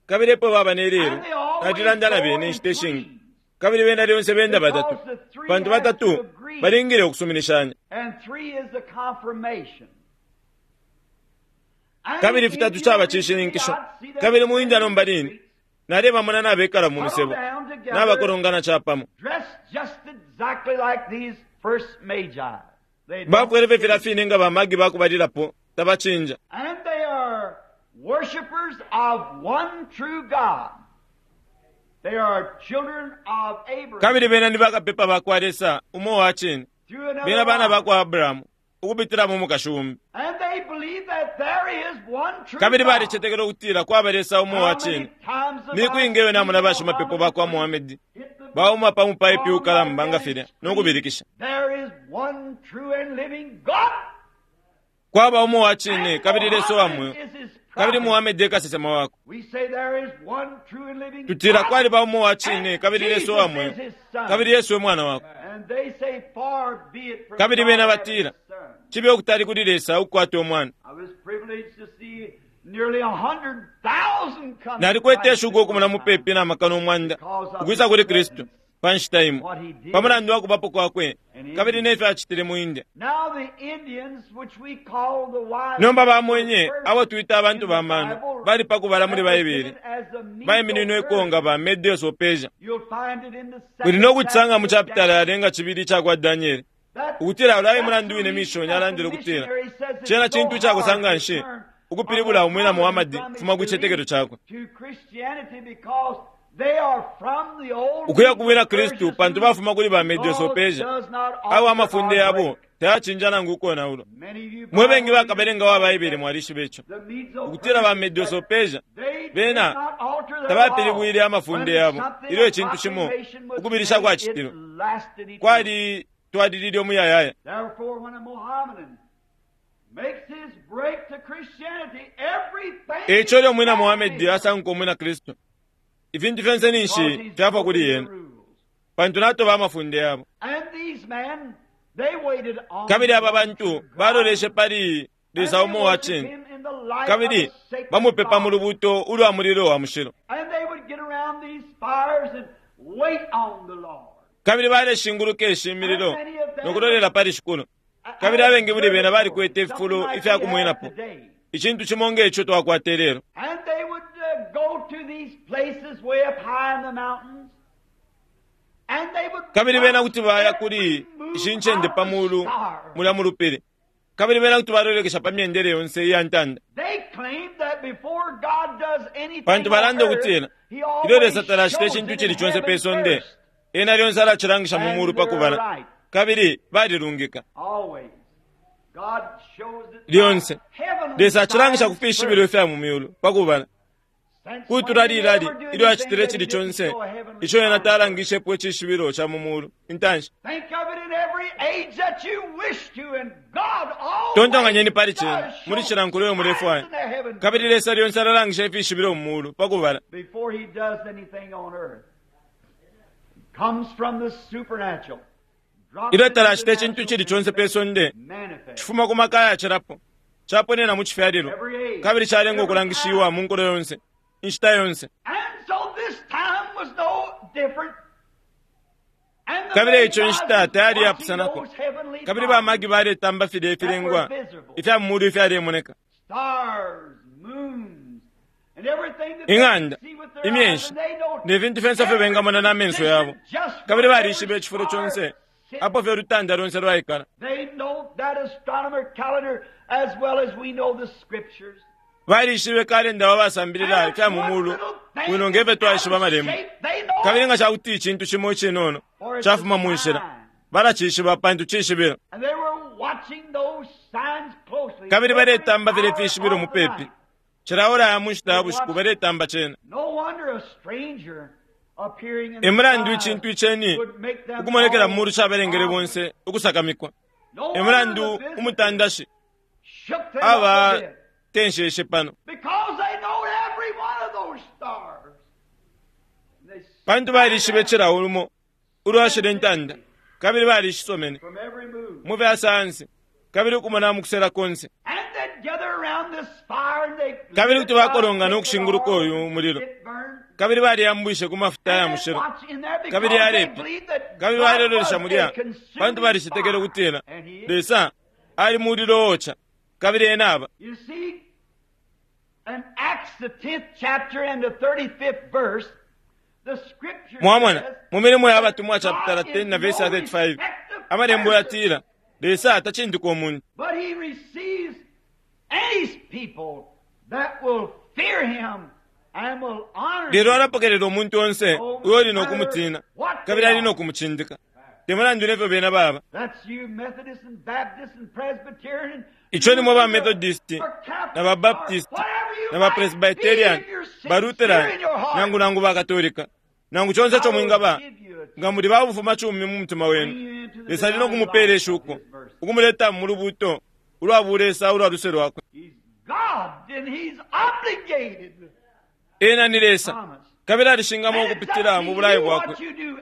kabili epo baba ne lelo And they always natulanda na go bene in inshita ishingi threes. kabili bena lyonse benda batatu Because the three pantu has batatu to agree. balingile ukusuminishanya. And three is the confirmation. And Kabili in fitatu India, caba cishininkisho. I'd see them Kabili mu India nomba in the line streets, nalebamona nabekala mu misebo huddled down together, nabakolongana capamo dressed just exactly like these first magi. They don't bafwele fye filya change. fine nga bamagi bakubalilapo tabacinja. And they are worshipers of one true God. They are children of Abraham. Kabili bena ni bakapepa bakwa Lesa umo wa cine, through another bena bana line. bakwa Abrahamu ukupitila mu mukashi umbi. And they believe that there is one true Kabili God. balicetekela ukutila kwaba Lesa umo How wa many cine. times have Miku I ingi namona seen bashimapepo bakwa Muhammad Muhamedi hit the bauma pa mupaipi wrong ukalamba nga like filya that no kubilikisha. There is one true and living God. Kwaba umo wa cine And kabili Lesa wa Muhammad mweo is his kabili prophet. Muhamedi e kasesema wakwe. We say there is one true and living Tutila God. kwaliba umo wa cine And kabili Lesa wa mweo Jesus is his son. kabili Yesu e mwana wakwe. And they say, far be it from Kabili God bena having batila a son. chibe ukutali kuli Lesa ukukwata umwana. I was privileged to see nearly 100,000 come to Nalikwete Christ ishuko at ukumona one mupepi time. na makana umwanda Because of ukwisa his kuli Kristu presence. pa nshita imo What he did pa mulandu wa kubapo kwakwe in kabili India. ne fyo acitile mu India. Now the Indians, which we call the wise Nomba men, were bamwenye first abo twita abantu in the bamano Bible bali pa kubala muli Baibele represented as the baimininweko nga Medo-Persians. ba Medes o Persia. You'll find it in the Muli second no kucisanga mu chapter of chapitala Daniel. yalenga cibili ica kwa Daniele. Ukutila ulya e mulandu wine mishoni alandile ukutila cena cintu icakosa nganshi ukupilibula umwina Muhamadi kufuma ku citetekelo cakwe ukuya ku bwina Kristu, pantu bafuma kuli ba Medo-Persia, abo amafunde yabo tayacinja nangu ukonaulwa. Mwe bengi bakabelenga wa Baibele mwalishiba ico, ukutila ba Medo-Persia bena tabapilibwile amafunde yabo ilyo icintu cimo ukubilisha kwacitilwe kwali twalilile umuyayaya. Eico ilyo umwina Muhamedi asanguka umwina Kristu, ifintu fyonse ninshi fyafwa kuli yena, pantu natoba amafunde yabo. Kabili aba bantu baloleshe pali Lesa umo wa cine, kabili bamupepa mu lubuuto ulwa mulilo wa mushilo. Kabili baleshinguluka ishi mililo no kulolela pali Shikulu. Kabili abengi muli bena balikwete ififulo ifya kumwenapo, icintu cimo nge ico twakwata ilelo. Kabili bena kuti baya kuli ishi ncende pa mulu mulya mu lupili, kabili bena kuti balolekesha pa myendele yonse iya ntanda, pantu balanda ukutila ilyo Lesa talacita icintu icili conse pe sonde, ena lyonse alacilangisha mu mulu pa kubala. Kabili balilungika lyonse. Lesa acilangisha ku fishibilo ifya mu myulu pa kubala. Kutula lilali ilyo acitile icili conse ico ena talangishepo icishibilo ca mu mulu intanshi. Tontonkanyeni pali cena muli cila nkulo iyo mulefwaya, kabili Lesa lyonse alalangisha ifishibilo mu mulu pa kubala. Ilyo talacita icintu icili conse pe sonde, cifuma ku maka ayacilapo, caponena mu cifyalilwa, kabili calenga ukulangishiwa mu nkulo yonse, inshita yonse. Kabili eico inshita tayali iyapusanako, kabili ba Magi baletamba filya ifilengwa ifya mu mulu ifyalemoneka. Ing'anda, imyeshi, ne fintu fyonse ifyo bengamona na menso yabo, kabili balishiba icifulo conse apo fye ulutanda lonse lwaikala. Balishibe kalenda wa basambilila ifya mu mulu bwino nge fyo twaishiba amalembo. Kabili nga ca kuti icintu cimo icinono cafuma mu nshila, balacishiba pantu cishibilo. Kabili baletamba filya ifishibilo mupepi. Cila ora ya mu nshita ya bushiku baletamba cena. E mulandu icintu iceni ukumonekela mu mulu cabalengele bonse ukusakamikwa. E mulandu umutandashi aba tensheshe pano, pantu balishibe cila ulumo ulwashile intanda, kabili balishisomene mu fya sayansi, kabili ukumona mu kusela konse. Kabili kuti bakolongana ukushinguluka uyu mulilo, kabili baliyambwishe ku mafuta ya mushilo, kabili yalepya, kabili balelolesha mulya, pantu balicetekele ukutila Lesa ali mulilo oca, kabili ena aba. Mwamona, mu Milimo ya Batumwa chapitala 10 na verse 35, amalembo yatila Lesa tacindika umuntu, lelo alapokelela umuntu onse uyo uli no kumutina kabili ali no kumucindika, te mulandu nefyo bena baba. Ico ni mwe ba Methodist na ba Baptist na ba Presbyterian, ba Lutheran, nangu nangu ba Katolika, nangu conse ico mwingaba, nga muli ba bufumacumi mu mutima wenu, Lesa ali no kumupela ishuko ukumuleta mu lubuuto ulwa bulesa ulwa luse lwakwe. Ena ni Lesa, kabili alishingamo ukupitila mu bulayo bwakwe.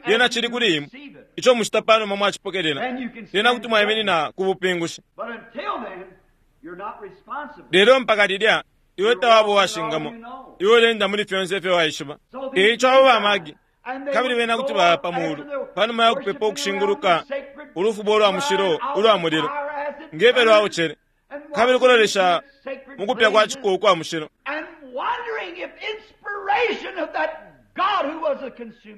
Lyena cili kuli imwe ico mucita panuma mwacipokelela, lyena kuti mwaiminina ku bupingushi. Lelo mpaka lilya iwe tawaba uwashingamo, iwe ulenda muli fyonse ifyo waishiba. Eico abo ba Magi, kabili bena kuti baya pa mulu panuma ya kupepa ukushinguluka ulufubo ulwa mushilo ulwa mulilo nge fyo lwaocele, kabili kulolesha mu kupya kwa ciko ukwa mushilo,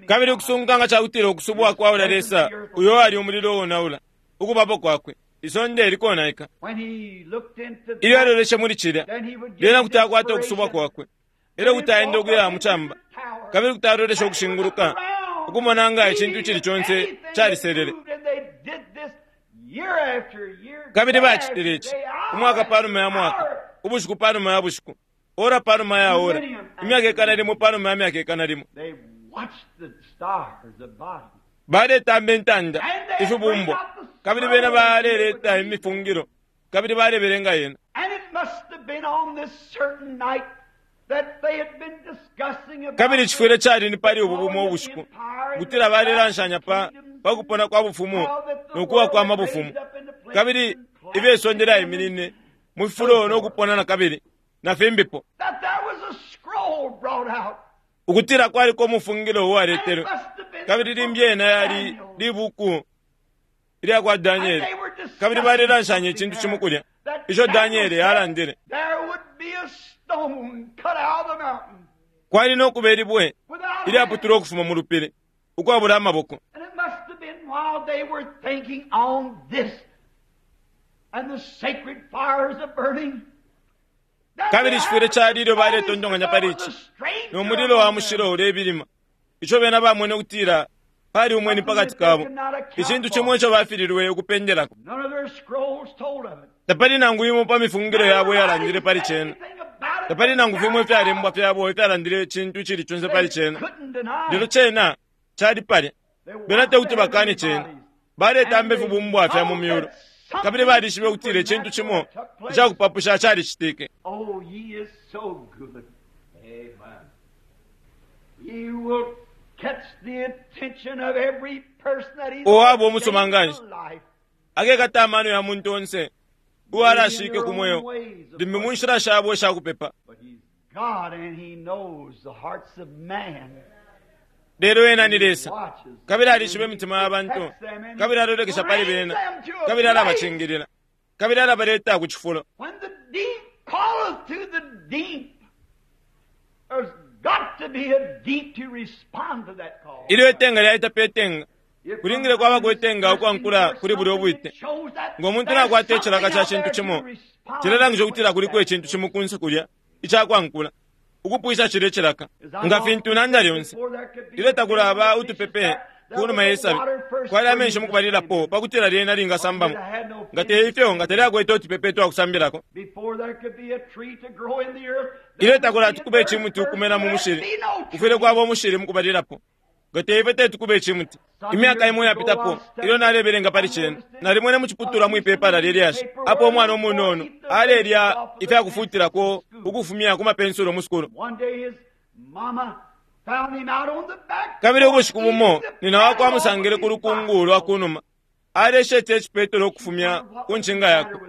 kabili ukusunguka nga cakutila ukusubwa kwa ulya Lesa uyo ali umulilo uonaula. Ukubapo kwakwe, isonde likonaika. Ilyo aloleshe muli cilya, lyena kuti akwata ukusubwa kwakwe. Elyo kuti aenda ukuya mucamba, kabili kuti alolesha ukushinguluka, ukumona nga icintu icili conse caliselele. Kabili bacitile ici, umwaka panuma ya mwaka, ubushiku panuma ya bushiku, ora panuma ya ora, imyaka ikana limo panuma ya myaka ikana limo. Baletamba intanda, ifibumbwa, kabili bena baleleta imifungilo, kabili balebelenga yena. Kabili cifwile cali ni pali ubu bumo ubushiku kutila balelanshanya pa kupona kwa bufumu no kuwa kwa mabufumu, kabili ifyo isonde lyaiminine mu fifulo no kupona na kabili na fimbipo, ukutila kwaliko umufungilo uwaletelwe. Kabili limbi yena yali libuku ilya kwa Danieli, kabili balelanshanya icintu cimo kulya ico Danieli alandile. Kwali no kuba ilibwe ilyaputulwa ukufuma mu lupili ukwabula amaboko. Kabili cifwile cali ilyo baletontonkanya pali ici, no mulilo wa mushilo ulebilima, ico bena bamwene ukutila pali umweni pakati kabo, icintu cimo ico bafililwe ukupendelako. Tapali nangu imo pa mifungilo yabo iyalandile pali cena. Tapali nangu fimo ifyalembwa fyabo ifyalandile icintu icili conse pali cena. Lelo cena cali palya. Bena tekuti bakane cena. Baletamba ifibumbwa fya mu myulu, kabili balishibe ukutila icintu cimo icakupapusha calicitike. Uwaba umusuma nganshi akekata amano ya muntu onse uwalashike ku mweo, limbi mu nshila shabo ishakupepa. Lelo ena ni Lesa, kabili alishiba imitima ya bantu, kabili alolekesha pali bena, kabili alabacingilila, kabili alabaleta ku cifulo. Ilyo itenga lyaita pe tenga, kulingile kwabako itenga ukwankula kuli bulya ubwite. Ngo muntu nakwata icilaka ca cintu cimo, cilelangisha ukutila kuliko icintu cimo kunse kulya icakwankula ukupwisha cilya icilaka. Nga fintu nanda lyonse ilyo takulaba utupepe kunuma ye sabi, kwali amenshi mukubalilapo pakutila lyena lingasambamo. Nga te ifyo, nga talyakwete utupepe twakusambilako. Ilyo takulati kube icimuti ukumena mu mushili, kufwile kwaba umushili mukubalilapo. Nga te ifyo tetukube icimuti. Imyaka imo yapitapo, ilyo nalebelenga pali cena, nalimwene muciputulwa mwipepala lelyashi apo umwana umunono alelya ifyakufutilako ukufumya ku mapensulo mu sukulu. Kabili ubushiku bumo nina wakwe amusangile ku lukungu lwa kunuma, alesheta icipetolo ukufumya ku ncinga yakwe.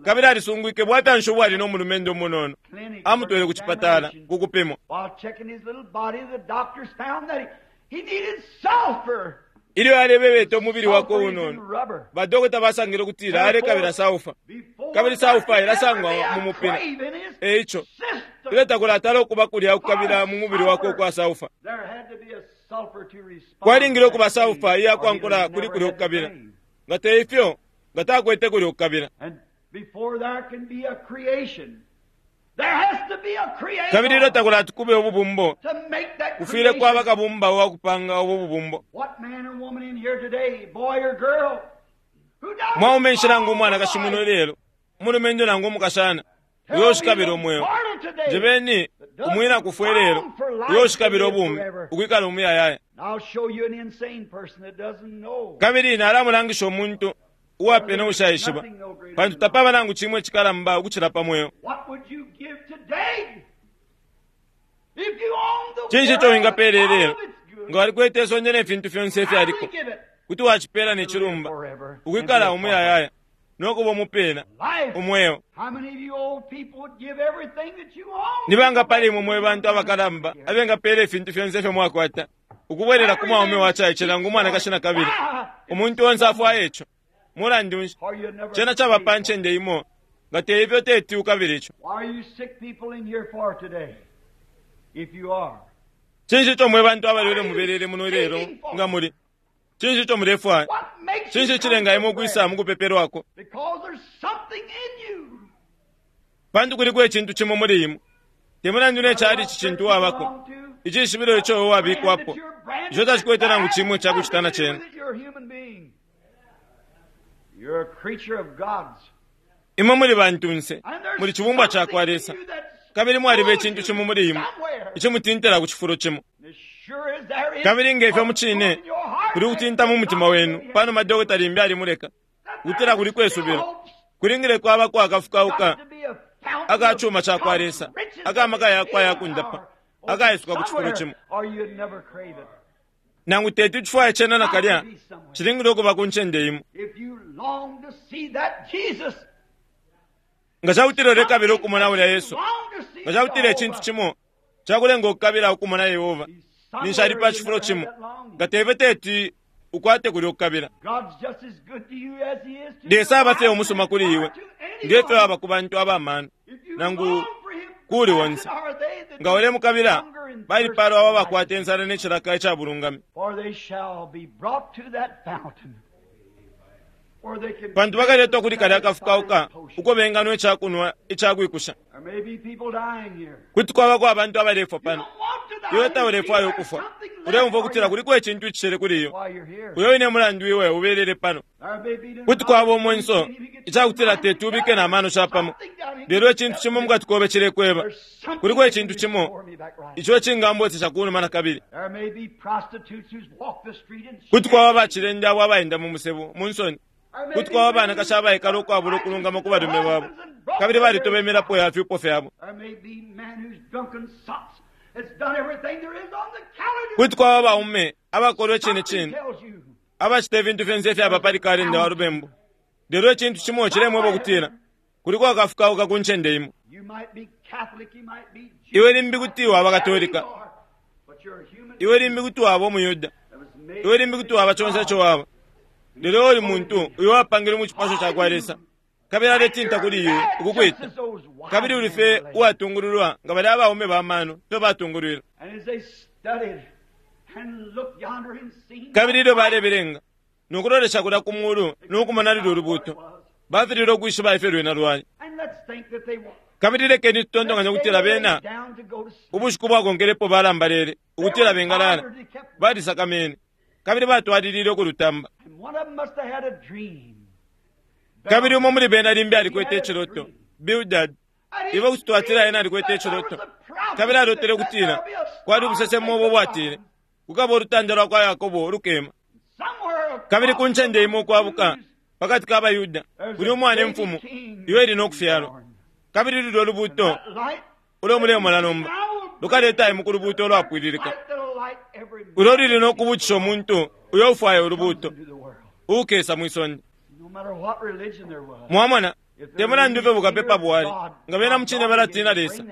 Kabili alisungwike bwafya nshi ubwali no mulumendo umunono. Amutwele ku cipatala ku kupimwa. Ilyo alebebeta umubili wakwe unono, badokota basangile ukutila alekabila saufa, kabili saufa ilasangwa mu mupila. Eico ilyo takulatala ukuba kulya ukukabila mu mubili wakwe ukwa saufa, kwalingile ukuba saufa iyakwankula kuli kulya ukukabila. Nga te ifyo, nga takwete kulya ukukabila. Kabili ilyo takulati kube ububumbo, kufwile kwaba kabumba uwakupanga ubu bubumbo. Mwaume nshi nangu umwanakashi muno lelo, umulumendo nangu umukashana, uyo ushikabila umweo, njebeni umwina kufwe lelo, uyo ushikabila ubumi, ukwikala umuyayaya. Kabili nalamulangisha umuntu uwapena ushaishiba, pantu tapaba nangu cimwe cikalamba ukucila pa mweo. Cinshi ico wingapela ilelo nga walikwete isonde ne fintu fyonse ifyaliko? Kuti wacipela ne cilumba ukwikala umuyayaya no kuba umupena umweo. Ni banga pali imwe mwe bantu abakalamba abengapela ifintu fyonse ifyo mwakwata ukubwelela ku mwaume wacaice nangu umwanakashi na kabili? Umuntu onse afwaya ico. Mulandu nshi cena caba pa ncende imo, nga te ifyo teti ukabila ico. Cinshi ico mwe bantu abalwele mubelele muno lelo nga muli? Cinshi ico mulefwaya? What makes you Cinshi come cilenga to imwe prayer? ukwisa mukupepelwako? Because there's something in you. Pantu kuliko icintu cimo muli imwe. Te mulandu ne cali ci cintu wabako. Icishibilo ico iwe wabikwapo. Ico tacikwete nangu cimwe cakucita na cena. You're a creature of God's. Imwe muli bantunse, And there's muli cibumbwa ca kwa something in Lesa. you that's Kabili mwaliba pulls icintu you cimo muli imwe, somewhere. icimutintila ku cifulo cimo. As sure as there is Kabili nge ifyo a mu cine, pull in your heart kuli kutinta mu mutima wenu, panuma dokota limbi alimuleka. that Kutila there kuli is kwesubilo. still hopes. Kulingile kwaba kwakafukauka Got to be a fountain aka of cuma ca kwa God's Lesa, riches aka maka yakwe and ayakundapa, power. akaisuka ku cifulo Somewhere, cimo. or you'd never crave it. Nangu teti icifwaya cena nakalya, Got to be somewhere. cilingile ukuba ku ncende imo. If you long to see that Jesus, Nga cakutila ulekabila ukumona ulya Yesu, long to see nga cakutila icintu Jehovah, cimo cakulenga ukukabila ukumona Yehova, he's ninshi ali somewhere pa you cifulo never had cimo. that longing. Nga teve teti ukwate kulya ukukabila. God's just as good to you as he is to Lesa your aba fye wife umusuma kuli or iwe, to nge fyo anyone. aba ku bantu abamano. If you Nangu long for him, kuli blessed onse. are they that Nga ulemukabila, hunger and thirst balipalwa abo for abakwata insala ne cilaka ica bulungami. For they shall be brought to that fountain. Where they can Pantu bakaletwa kuli kalya kafukauka uko benganwa icakunwa icakwikusha. There may be people dying here. Kuti kwabako abantu abalefwa You pano. don't want to die. Iwe You taulefwaya feel ukufwa. there's something left Uleumva for ukutila you kuliko icintu icishele kuli iyo. while you're here. Uyo wine mulandu iwe ubelele pano. There may be Kuti kwaba umwenso icakutila teti ubike na mano capamo. Lelo icintu cimo mukati kobe cilekweba. There's something Kuliko icintu that cimo can me back right. ico cingambotesha kunuma na kabili. There may be prostitutes who's walked the street and Kuti kwaba bacilende abo abaenda mu musebo mu nsoni. There may Kuti be kwaba women abanakashi abaikala ukwabula ukulungama ku balume babo. husbands and broken Kabili balitoba imilapo ya fyupo fyabo. There may be men who's drunken sops that's done everything there is on the calendar. Kuti kwaba abaume abakolwa icine Something cine tells you abacita ifintu fyonse ifyaba pali kalenda wa lubembu. Lelo icintu cimo cilemweba ukutila kuliko akafukauka ku ncende imo. you might be Catholic, you might be Jew, Iwe limbi kuti waba Katolika, whatever you are, but you're a human iwe limbi kuti waba Umuyuda, that was made iwe limbi kuti waba conse ico waba. Lelo uli muntu uyo wapangilwe mu cipasho ca kwa Lesa, kabili aletinta kuli iwe ukukwita. Just as those wise Kabili uli men fye were led. uwatungululwa nga balya abaume bamano fyo batungulwila. And as they studied and looked yonder and seen Kabili ilyo balebelenga, nokulolesha kulya ku mulu nokumona lulya ulubuto, bafililwe ukwishiba ifyo lwena lwali. And let's think that they Kabili lekeni tutontonkanye ukutila bena down to go to sleep. ubushiku bwakonkelepo balambalele ukutila bengalala balisakamene kabili batwalilile ukulutamba. And one of them must have had a dream. Kabili umo muli bena limbi alikwete iciloto, Bildad, And he iwe kuti twatila ena alikwete dreamed that iciloto. there was a prophet Kabili alotele that said ukutila there will be a kwali ubusesemo ubo bwatile kukaba ulutanda lwa kwa Yakobo ulukema. Somewhere Kabili ku across ncende imo ukwabuka the pakati ka Bayuda Jews, kuli umwana there's a imfumu baby king iwe ili nokufyalwa. born. Kabili lulyo lubuto That light ulo mulemona nomba lukaleta imwe ku lubuto ulwapwililika. light that'll light every Ulo luli nokubutisha umuntu uyo ufwaya ulubuto into the world. ukesa mwisonde. No matter what religion there was. Mwamona te mulandu fye bukapepa bwali nga bena mucine balatina Lesa.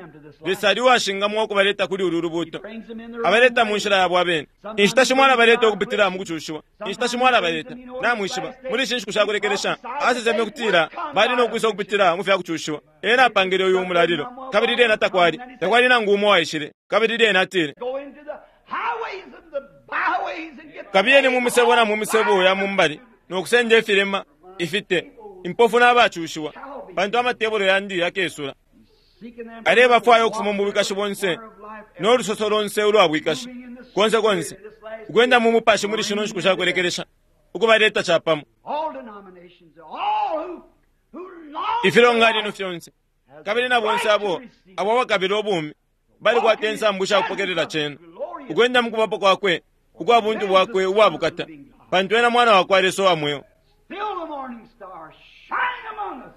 Lesa ali uwashingamwa ukubaleta kuli ulu lubuto. Brings them in their Abaleta own mu way. nshila yabo abene. Inshita shimo alabaleta ukupitila mu kucushiwa. Inshita shimo alabaleta. Namwishiba, muli ishi nshiku shakulekelesha, aseseme ukutila bali nokwisa ukupitila mu fya kucushiwa. Ena apangile uyu umulalilo. Kabili lyena takwali. Takwali nangu umo waishile. Kabili lyena atile, Go into the highways and the byways and get the kabiyeni mu misebo na mu misebo ya mu mbali nokusenda ifilema ifite impofu n'abacushiwa pantu amatebolo yandi yakesula seeking them alebafwaya ukufuma mu bwikashi bonse n'olusoso lonse ulwa bwikashi konse konse ukwenda mu mupashi muli shino nshiku shakulekelesha ukubaleta capamo all denominations, all who, who long ifilonganino fyonse kabili na bonse abo abo abakabila ubumi balikwata insambu shakupokelela cena ukwenda mu kubapo kwakwe ukwa buntu bwakwe ubwa bukata pantu ena mwana wakwa Lesa uwa mweo Still the morning star shining among us.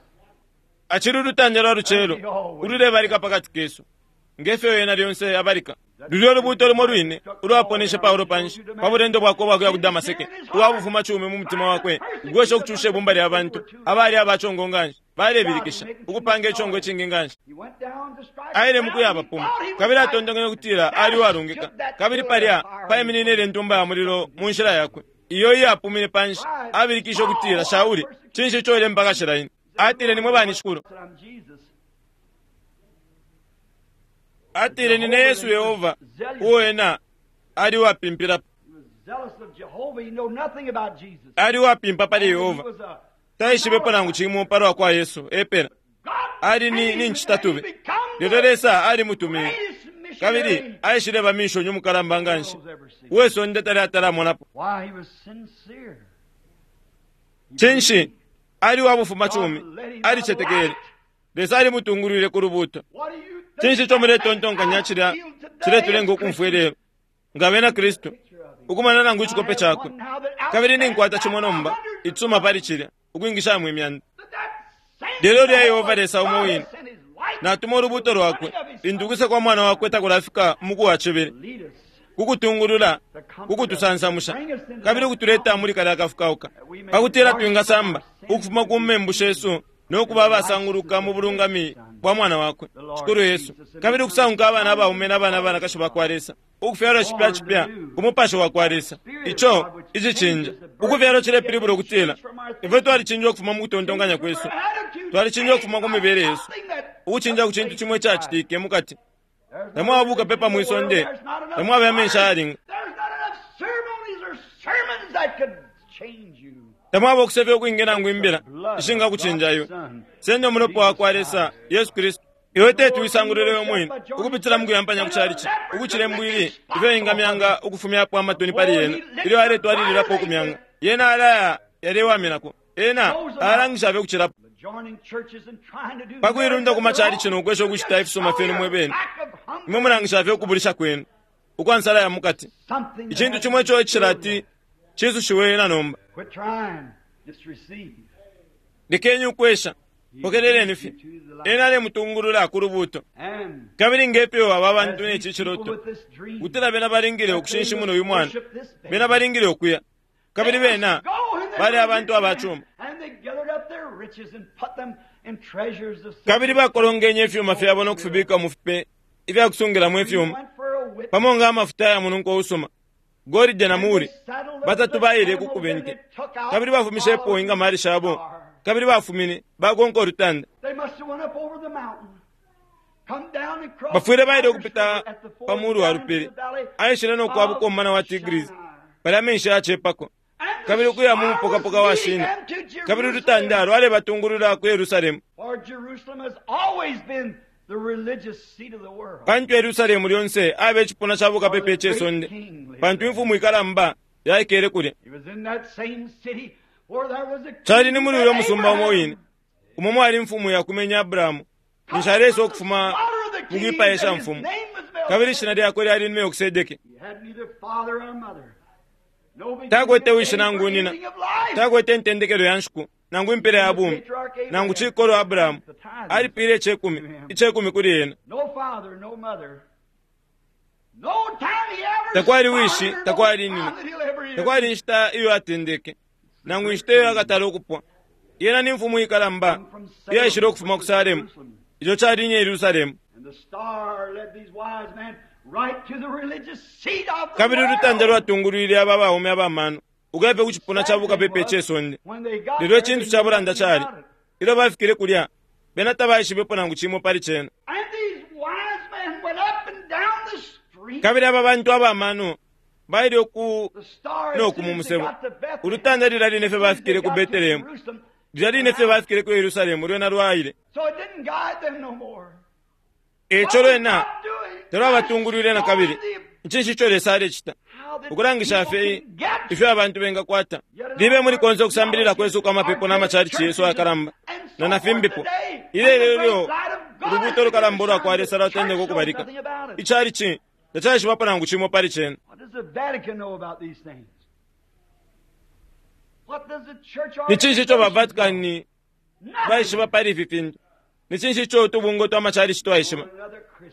acili ulutanda lwa lucelo ululebalika pakati kesu ngefyo yena lyonse abalika lulyo olubuuto lumo lwine ulwaponeshe Paulo panshi pa bulendo bwakwe ubwakuya ku Damaseke uwabufuma cumi mu mutima wakwe ugwesha ukucusha ibumba lya bantu abali abachongo nganshi balebilikisha ukupanga ichongo ichingi nganshi He went down to strike aile down. mukuya He abapuma thought he was kabili right. atontonkanya ukutila ali uwalungika kabili palya paiminine ile ntumba ya mulilo mu nshila yakwe iyo iyapumine panshi abilikishe ukutila Shauli cinshi ico ile mpaka shila ine atile nimwe bani shikulu Said, I'm Jesus. atile nine Yesu Yehova uo ena ali uwapimpilapo He was Ali uwapimpa pali Yehova, taishibepo nangu cimo palwa kwa Yesu epela. Ali ni ncitatubi, lelo Lesa alimutumine kabili aishileba mishoni umukalamba nganshi uwe sonde tali atalamonapo. Cinshi? Ali wa bufumacumi, alicetekele Lesa alimutungulwile ku lubuuto. Cinshi ico muletontonkanya cilya ciletulenga ukumfwa ilelo nga bena Kristu, ukumona nangu icikope cakwe? Kabili ninkwata cimo nomba icisuma pali cilya, ukwingishamo imyanda. Lelo lya Yehova Lesa umo wine natuma ulubuuto lwakwe lintu ukwisa kwa mwana wakwe takulafika umuku wa cibili, kukutungulula, kukutusansamusha, kabili ukutuleta muli kalya kafukauka, pakutila twingasamba ukufuma ku membu shesu no kuba abasanguluka mu bulungami bwa mwana wakwe Shikulu Yesu, kabili ukusanguka abana abaume na bana abanakashi ba kwa Lesa, ukufyalwa cipya cipya ku mupashi wa kwa Lesa. Ico icicinja ukufyalwa cilepilibula ukutila ifwe twalicinjwa ukufuma mu kutontonkanya kwesu, twalicinjwa ukufuma ku mibele yesu, ukucinja ku cintu cimo icacitike mukati. Tamwaba bukapepa mwi sonde, tamwaba amenshi ayalinga, tamwaba ukusefya ukwingi nangu imbila ishingakucinja iwe. Senda umulopa wa kwa Lesa Yesu Kristu. Iwe teti uisangulule we mwine ukupitila mukuyampanya ku chalichi, ukucila imbwili ifyo ingamyanga ukufumyapo amatoni pali yena ilyo aletwalililapo ukumyanga. Yena alaya yalewaminako, ena alangisha fye ukucilapo. Pakuilunda ku machalichi nokwesha ukucita ifisuma fyenu mwe bene, imwe mulangisha fye ukubulisha kwenu ukwa nsala ya mukati. Icintu cimo ico icilati cisushiwe na nomba. Lekeni ukwesha, pokeleleni fye. Ena alemutungulula ku lubuuto. Kabili ngefyo aba bantu ne ci ciloto, kutila bena balingile ukushinshimuna uyu mwana, bena balingile ukuya, kabili bena bali abantu abacuma. Kabili bakolongenye ifyuma fyabo no kufibika mu fipe ifya kusungilamo ifyuma, pamo nga amafuta ya mununko usuma, golide na muri. Batatu baile ku kubente, kabili bafumishepo ingamali shabo, kabili bafumine bakonka ulutanda. Bafwile baile ukupita pa mulu wa lupili, aishile no kwabuka umumana wa Tigris, palya amenshi yacepako, kabili ukuya mu mupokapoka wa Shina, kabili ulutanda lwalebatungulula ku Yerusalemu. Pantu Yerusalemu lyonse abe icipuna ca bukapepa ice sonde, pantu imfumu ikalamba yaikele kulya. Cali ni muli uyo musumba umo wine umo mwali imfumu yakumenye Abrahamu, ninshi aleisa ukufuma mu kwipaya ishamfumu, kabili ishina lyakwe lyali ni Melkisedeke. Takwete wishi nangu nina, takwete intendekelo ya nshiku nangu impela ya bumi, nangu cikolo Abrahamu alipile icekumi kuli ena. Takwali wishi, takwali nina, takwali inshita iyo atendeke, nangu inshita iyo akatala ukupwa. Yena ni mfumu ikalamba iyaishile ukufuma ku Salemu, ico cali ni Yerusalemu. Kabili ulutanda lwatungulwile aba baume abamano ukuya fye ku cipuna ca bukapepa ice sonde. Lelo icintu ca bulanda cali, ilyo bafikile kulya, bena tabaishibepo nangu cimo pali cena. Kabili aba bantu abamano baile uku no ku mu musebo. Ulutanda lilya line fye bafikile ku Betelehemu, lilya line fye bafikile ku Yerusalemu, lwena lwaile. Eco lwena talwabatungulwile na kabili. Ncinshi ico Lesa alecita? Ukulangisha fye ifyo abantu bengakwata. Libe muli konse ukusambilila kwesu kwa mapepo na machalichi yesu ayakalamba na nafimbipo. Ilelo ilyo ulubuuto lukalamba ulwa kwa Lesa lwatendeka ukubalika, ichalichi tacaishibapo nangu cimo pali cena. Ni cinshi ico ba Vatican baishiba pali ifi fintu? Ni cinshi ico utubungwe twa machalichi twaishiba?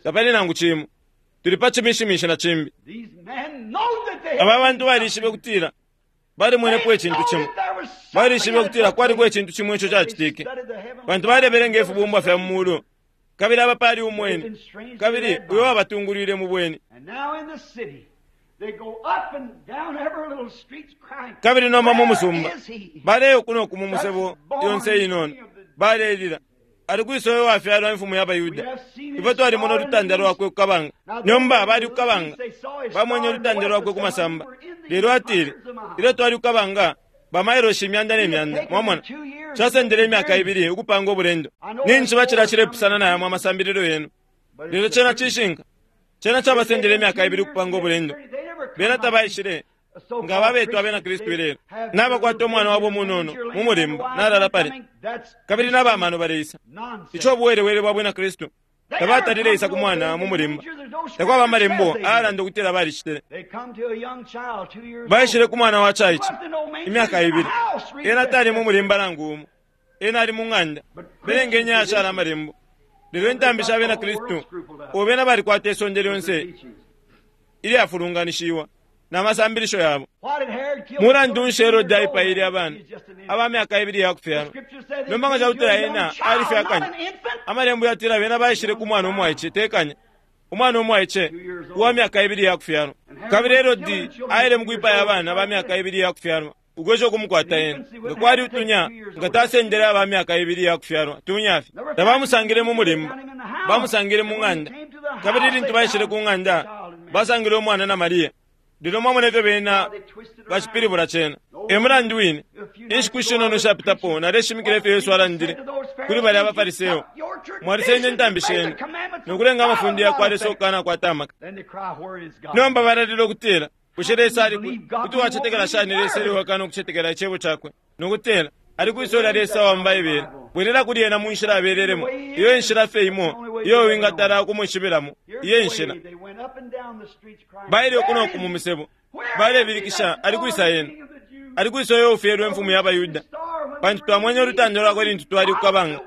Tapali nangu cimo. Tuli pa cimishimishi na cimbi. Aba bantu balishibe kutila balimwenepo icintu cimo, balishibe kutila kwaliko icintu cimo ico cacitike, pantu balebelenga ifibumbwa fya mu mulu, kabili aba pali umweni, kabili uyo wabatungulwile mu bweni. Kabili nomba mu musumba baleya uku no ku mu musebo yonse inono, balelila, ali kwisa uyo wafyalwa imfumu ya baYuda? Ifwe twalimona ulutanda lwakwe ku kabanga. Nomba bali ku kabanga, bamwenye ulutanda lwakwe ku masamba. Lelo atile, ilyo twali kukabanga, bamailoshi imyanda ne myanda, mwamona, casendele imyaka ibili ukupanga ubulendo. Ninshi bacila cilepusana na yamo amasambililo yenu. Lelo cena cishinka. Cena cabasendele imyaka ibili ukupanga ubulendo. Bena tabaishile nga babetwa abena Kristu ilelo. Nabakwata umwana wabo munono mu mulimba nalala pali. Kabili n'abamano baleisa. Ico buwelewele bwa bwina Kristu. Tabatalile isa ku mwana mu mulimba. Takwaba amalembo ayalanda ukutila balicitile. Baishile ku mwana wa caice imyaka ibili. Ena tali mu mulimba nangu umo. Ena ali mu ng'anda. Belengeni ayashala amalembo. Lelo intambi sha bena Kristu, ubo bena balikwata isonde lyonse ilyafulunganishiwa na masambilisho yabo. Mulandu nshi Herode aipaile abana aba myaka ibili ya kufyalwa? Nomba nga cakutila ena alifye akanya. Amalembo yatila bena baishile ku mwana umwaice tekanya. Umwana umwaice uwa myaka ibili ya kufyalwa. Kabili Herode aile mu kwipaya abana ba myaka ibili ya kufyalwa ukwesha ukumukwata ena. Nga kwali utunya, nga tasendele aba myaka ibili ya kufyalwa, tunya fye. Tabamusangile mu mulimba, bamusangile mu ng'anda. Kabili lintu baishile ku ng'anda, basangile umwana na Mariya. Lelo mwamona ifyo bena bacipilibula cena. E mulandu wine, inshiku ishinono ishapitapo naleshimikila ifyo Yesu alandile kuli balya abaFariseyo. Mwalisenda intambi shenu nokulenga amafunde ya kwa Lesa ukukanakwata amaka. Nomba balalila ukutila, bushe Lesa ali kwi? Kuti wacetekela shani Lesa ilyo wakana ukucetekela icebo cakwe? Nokutila, ali kwisola Lesa wa mu Baibele. Bwelela kuli ena mu nshila abelelemo. Iyo enshila fye imo iyo wingatala ukumwishibilamo. Iyo enshila. Baile uku no ku mu misebo. Balebilikisha, ali kwisa ena? Ali kwisa uyo ufyelwe imfumu ya baYuda? Pantu twamwenye ulutanda lwakwe lintu twali kukabanga,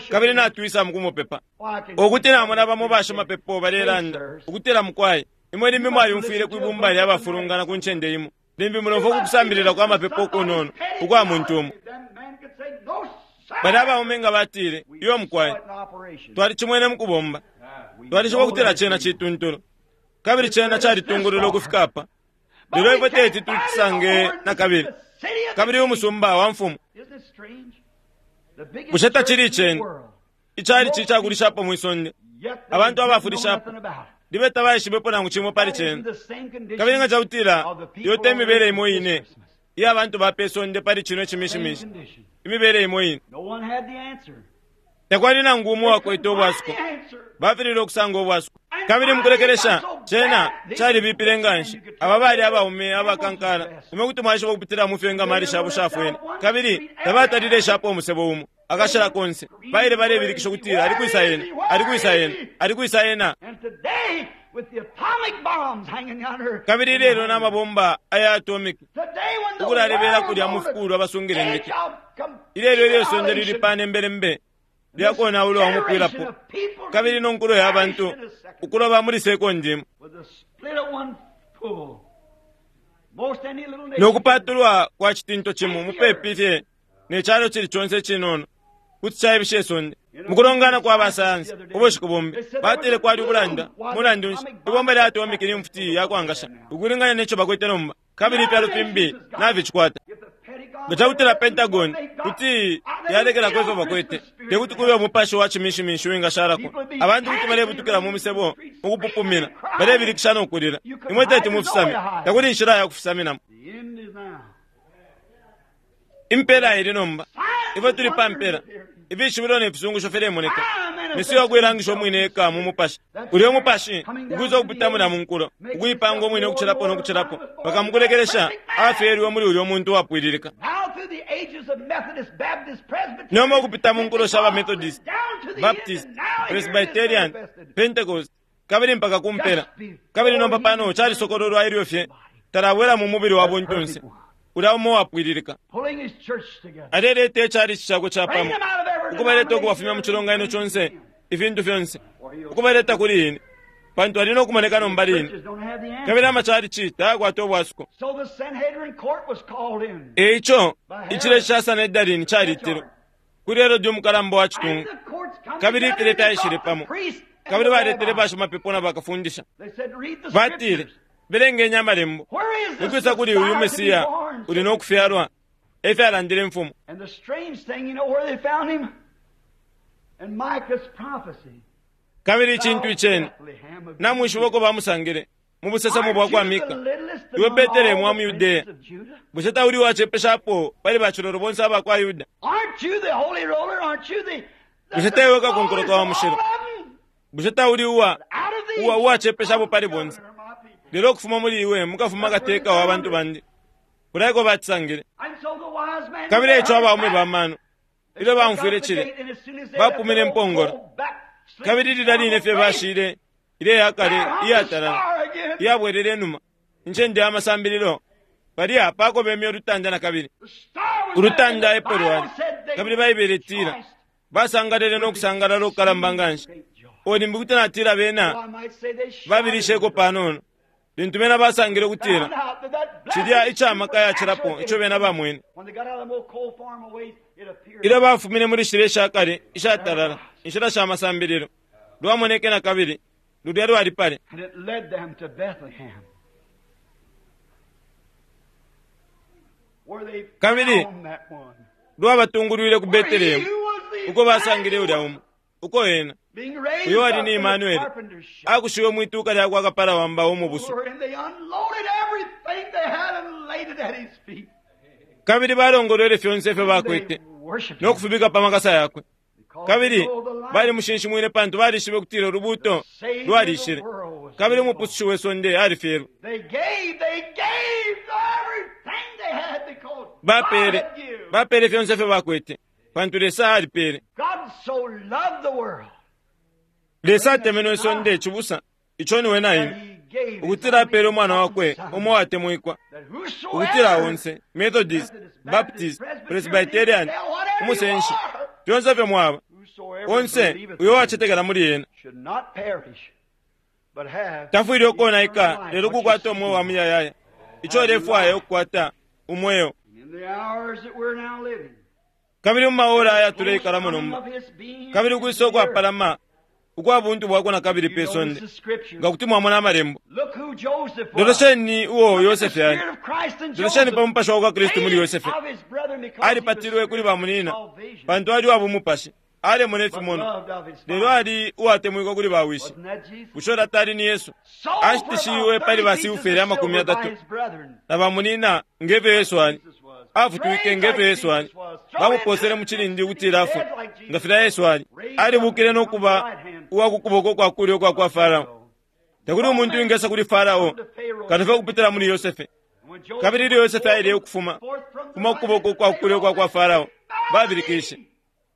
kabili natwisa mu kumupepa. Ukuti namona bamo bashimapepo balelanda, ukutila mukwai, imwe limbi mwalyumfwile kwi bumba lya bafulungana ku ncende imo. Limbi mulomfwa ku kusambilila kwa mapepo ukunono ukwa muntu umo. Balya abaume nga batile, Iyo mukwai, twalicimwene mu kubomba. Twalishiba ukutila cena cituntulu. Kabili cena calitungulula ukufika apa. Lelo ifwe teti tucisange nakabili. Kabili umusumba wa mfumu. Bushe tacili iceni? Icalici icakulishapo mwi sonde. Abantu abafulishapo. Libe tabaishibepo nangu cimo pali cena. Kabili nga cakutila iyo te mibele imo ine iya bantu ba pe sonde pali cino icimishimishi. Imibele imo ine. Takwali nangu umo uwakwete ubwasuko. Bafililwe ukusanga ubwasuko. Kabili mukulekelesha, cena calibipile nganshi. Aba bali abaume abakankala. Imwe kuti mwaishiba ukupitila mu fyo ingamali shabo shafwene. Kabili tabatalile ishapo umusebo umo. Akashila konse. Baile balebilikisha ukutila, ali kwisa ena, ali kwisa ena, ali kwisa ena. Kabili ilelo na mabomba aya atomic ukulalebela kulya mu fikulwa basungile indeke. Ilelo ilyo isonde lili pane mbelembe lyakonaulwa umupwilapo. Kabili no nkulo ya bantu ukuloba muli sekondi imo. No kupatulwa kwa citinto cimo mupepi fye ne calo cili conse icinono kuti caibisha isonde. Mukulongana kwa basayansi ubushiku bumbi batile kwali ubulanda mulandu nshi ibomba lya atomic ni mfuti ya kwangasha ukulingana neco bakwete nomba, kabili ifyalo fimbi naficikwata. Nga cakutila Pentagon kuti yalekelako ifyo bakwete, tekuti kube umupashi wa cimishimishi uwingashalako. Abantu kuti balebutukila mu misebo mukupupumina, balebilikisha no kulila. Imwe teti mufisame, takuli inshila ya kufisaminamo. Impela ili nomba. Ifwe tuli pa mpela. Ifishibilo ne fisungusho filemoneka. Mesiya ukuilangisha umwine eka mu mupashi. Ulya umupashi ukwisa ukupita mulya mu nkulo, ukuipanga umwine ukucilapo no kucilapo, mpaka mukulekelesha afyelwe muli ulya umuntu uwapwililika. Nomba ukupita mu nkulo sha ba Methodist, Baptist, Presbyterian, Pentecost, kabili mpaka ku mpela. Kabili nomba pano calisokololwa ilyo fye talabwela mu mubili wa buntunse. Ulya umo uwapwililika. Aleleta icalici cakwe capamo, ukubaleta ukubafumya mu cilonganino conse, ifintu fyonse, ukubaleta kuli ine, pantu ali no kumoneka nomba line. Kabili amacalici tayakwata ubwasuko. E ico, icilye ca Sanhedrin calitilwe kuli Herode umukalamba wa citungu, kabili ifilye fyaishile pamo, kabili baletele bashimapepo na bakafundisha. Batile, belengeni amalembo, ukwisa kuli uyu Mesiya uli no kufyalwa, e fyalandile imfumu. Kabili icintu iceni, namwishiba uko bamusangile? mu busesemo Aren't bwa kwa you the Mika, littlest iwe among Betelehemu all wa mu the Yudeya, princes of Judah? bushe tauli uwacepeshapo pali bacilolo bonse aba kwa Yuda? Aren't you the holy roller? Aren't you the, the, Bushe the taiwe kakonkoloka wa smallest of mushilo? all of them? Bushe tauli uwa Out of these uwa uwacepeshapo pali comes bonse? the governor of my people. Lelo ukufuma muli iwe mukafuma kateka wa bantu bandi. Kulaiko bacisangile. And so the wise men Kabili they eco heard abaume that. ba mano They ilyo struck baumfwile out the cile gate, and as soon as they bapumine left the impongolo. old back-sleeping Kabili lilya line fye faith, bashile ile yakale there hung the iyatalala star again. iyabwelele inuma incende ya masambililo palya pakobemya ulutanda na kabili. The star was there, Ulutanda and epo the lwali Bible said they kabili Baibele itila rejoiced basangalele no kusangalala okukalamba nga nshi. great joy. Olimbi kuti natila bena Oh, I might say they shouted babilisheko panono lintu bena basangile Found ukutila out that that blessed cilya icamaka yacilapo supernatural ico bena bamwene. When they got out of them old coal farm ways, it appeared. Ilyo bafumine muli shilya ishakale ishatalala inshila sha masambililo lwamoneke na kabili lulya lwali pale. And it led them to Bethlehem. Where they Kabili, found that one. lwabatungulwile ku Where he Betelehemu who was the uko basangile ulya Emmanuel, umo uko ena being raised uyo ali up ni in the Emmanuel carpenter's shop. akushiwe mwituka lya kwa kapala wa mbao umubusu. And they unloaded everything they had and laid it at his feet. Kabili balongolwele fyonse ifyo They bakwete worshiped no him kufibika pa makasa yakwe. because Kabili they know the light balimushinshimwine pantu balishibe ukutila ulubuto the Savior of the lwalishile. world was Kabili being born. umupusushi we sonde alifyelwe. They gave, they gave everything they had because God Bapele had given. bapele fyonse ifyo bakwete pantu Lesa alipele. God so loved the world Lesa atemenwe isonde cibusa ico niwe na that ine he gave his ukutila only apele umwana wakwe begotten umo watemwikwa Son, that ukutila whosoever onse Methodist, Methodist, Baptist, Baptist, Presbyterian, Presbyterian, whatever you umusenshi are, fyonse ifyo mwaba whosoever onse believeth uyo in him wacetekela muli ena should not perish, but have tafwile ukonaika eternal life. lelo What you kukwata umweo wa see muyayaya ico ulefwaya ukukwata umweo. in the hours that we're now living, Kabili mu maora aya close tuleikalamo coming nomba of his being kabili into ukwisa the earth. ukwapalama ukwa buntu bwakwe na kabili You pe notice sonde the scripture. nga kuti mwamona amalembo. Look who Joseph was. Lolesheni uo Look at the Yosefe ali. spirit of Christ in Lolesheni pa Joseph. mupashi wa kwa Kristu muli Hated Yosefe. of his brethren because he was Alipatilwe kuli spiritual bamunina salvation, pantu ali wa bumupashi alemona but ifimono loved of his lelo father. ali uwatemwikwa kuli bawishi. Wasn't that Jesus? Bushe ulya tali ni Yesu Sold for ashitishiwe about pali 30 pieces basiufele of amakumi silver by yatatu his brethren. na bamunina ngefyo Yesu ali Jesus was. afutwike Trained ngefyo like Yesu ali Jesus was. Thrown into bamuposele the mu pit cilindi to be ukutila afwe dead like nga Jesus filya was. Yesu ali Raised up and alibukile no become the kuba right hand uwa ku kuboko kwa kulyo kwa kwa Farao. So, Takuli all umuntu men wingesa kuli Farao come to Pharaoh kano fye kupitila muli Yosefe. And when Joseph Kabili ilyo went Yosefe forth aile ukufuma forth from the kuma land kuboko of kwa kulyo Pharaoh, kwa kwa Farao bow the babilikishe knee.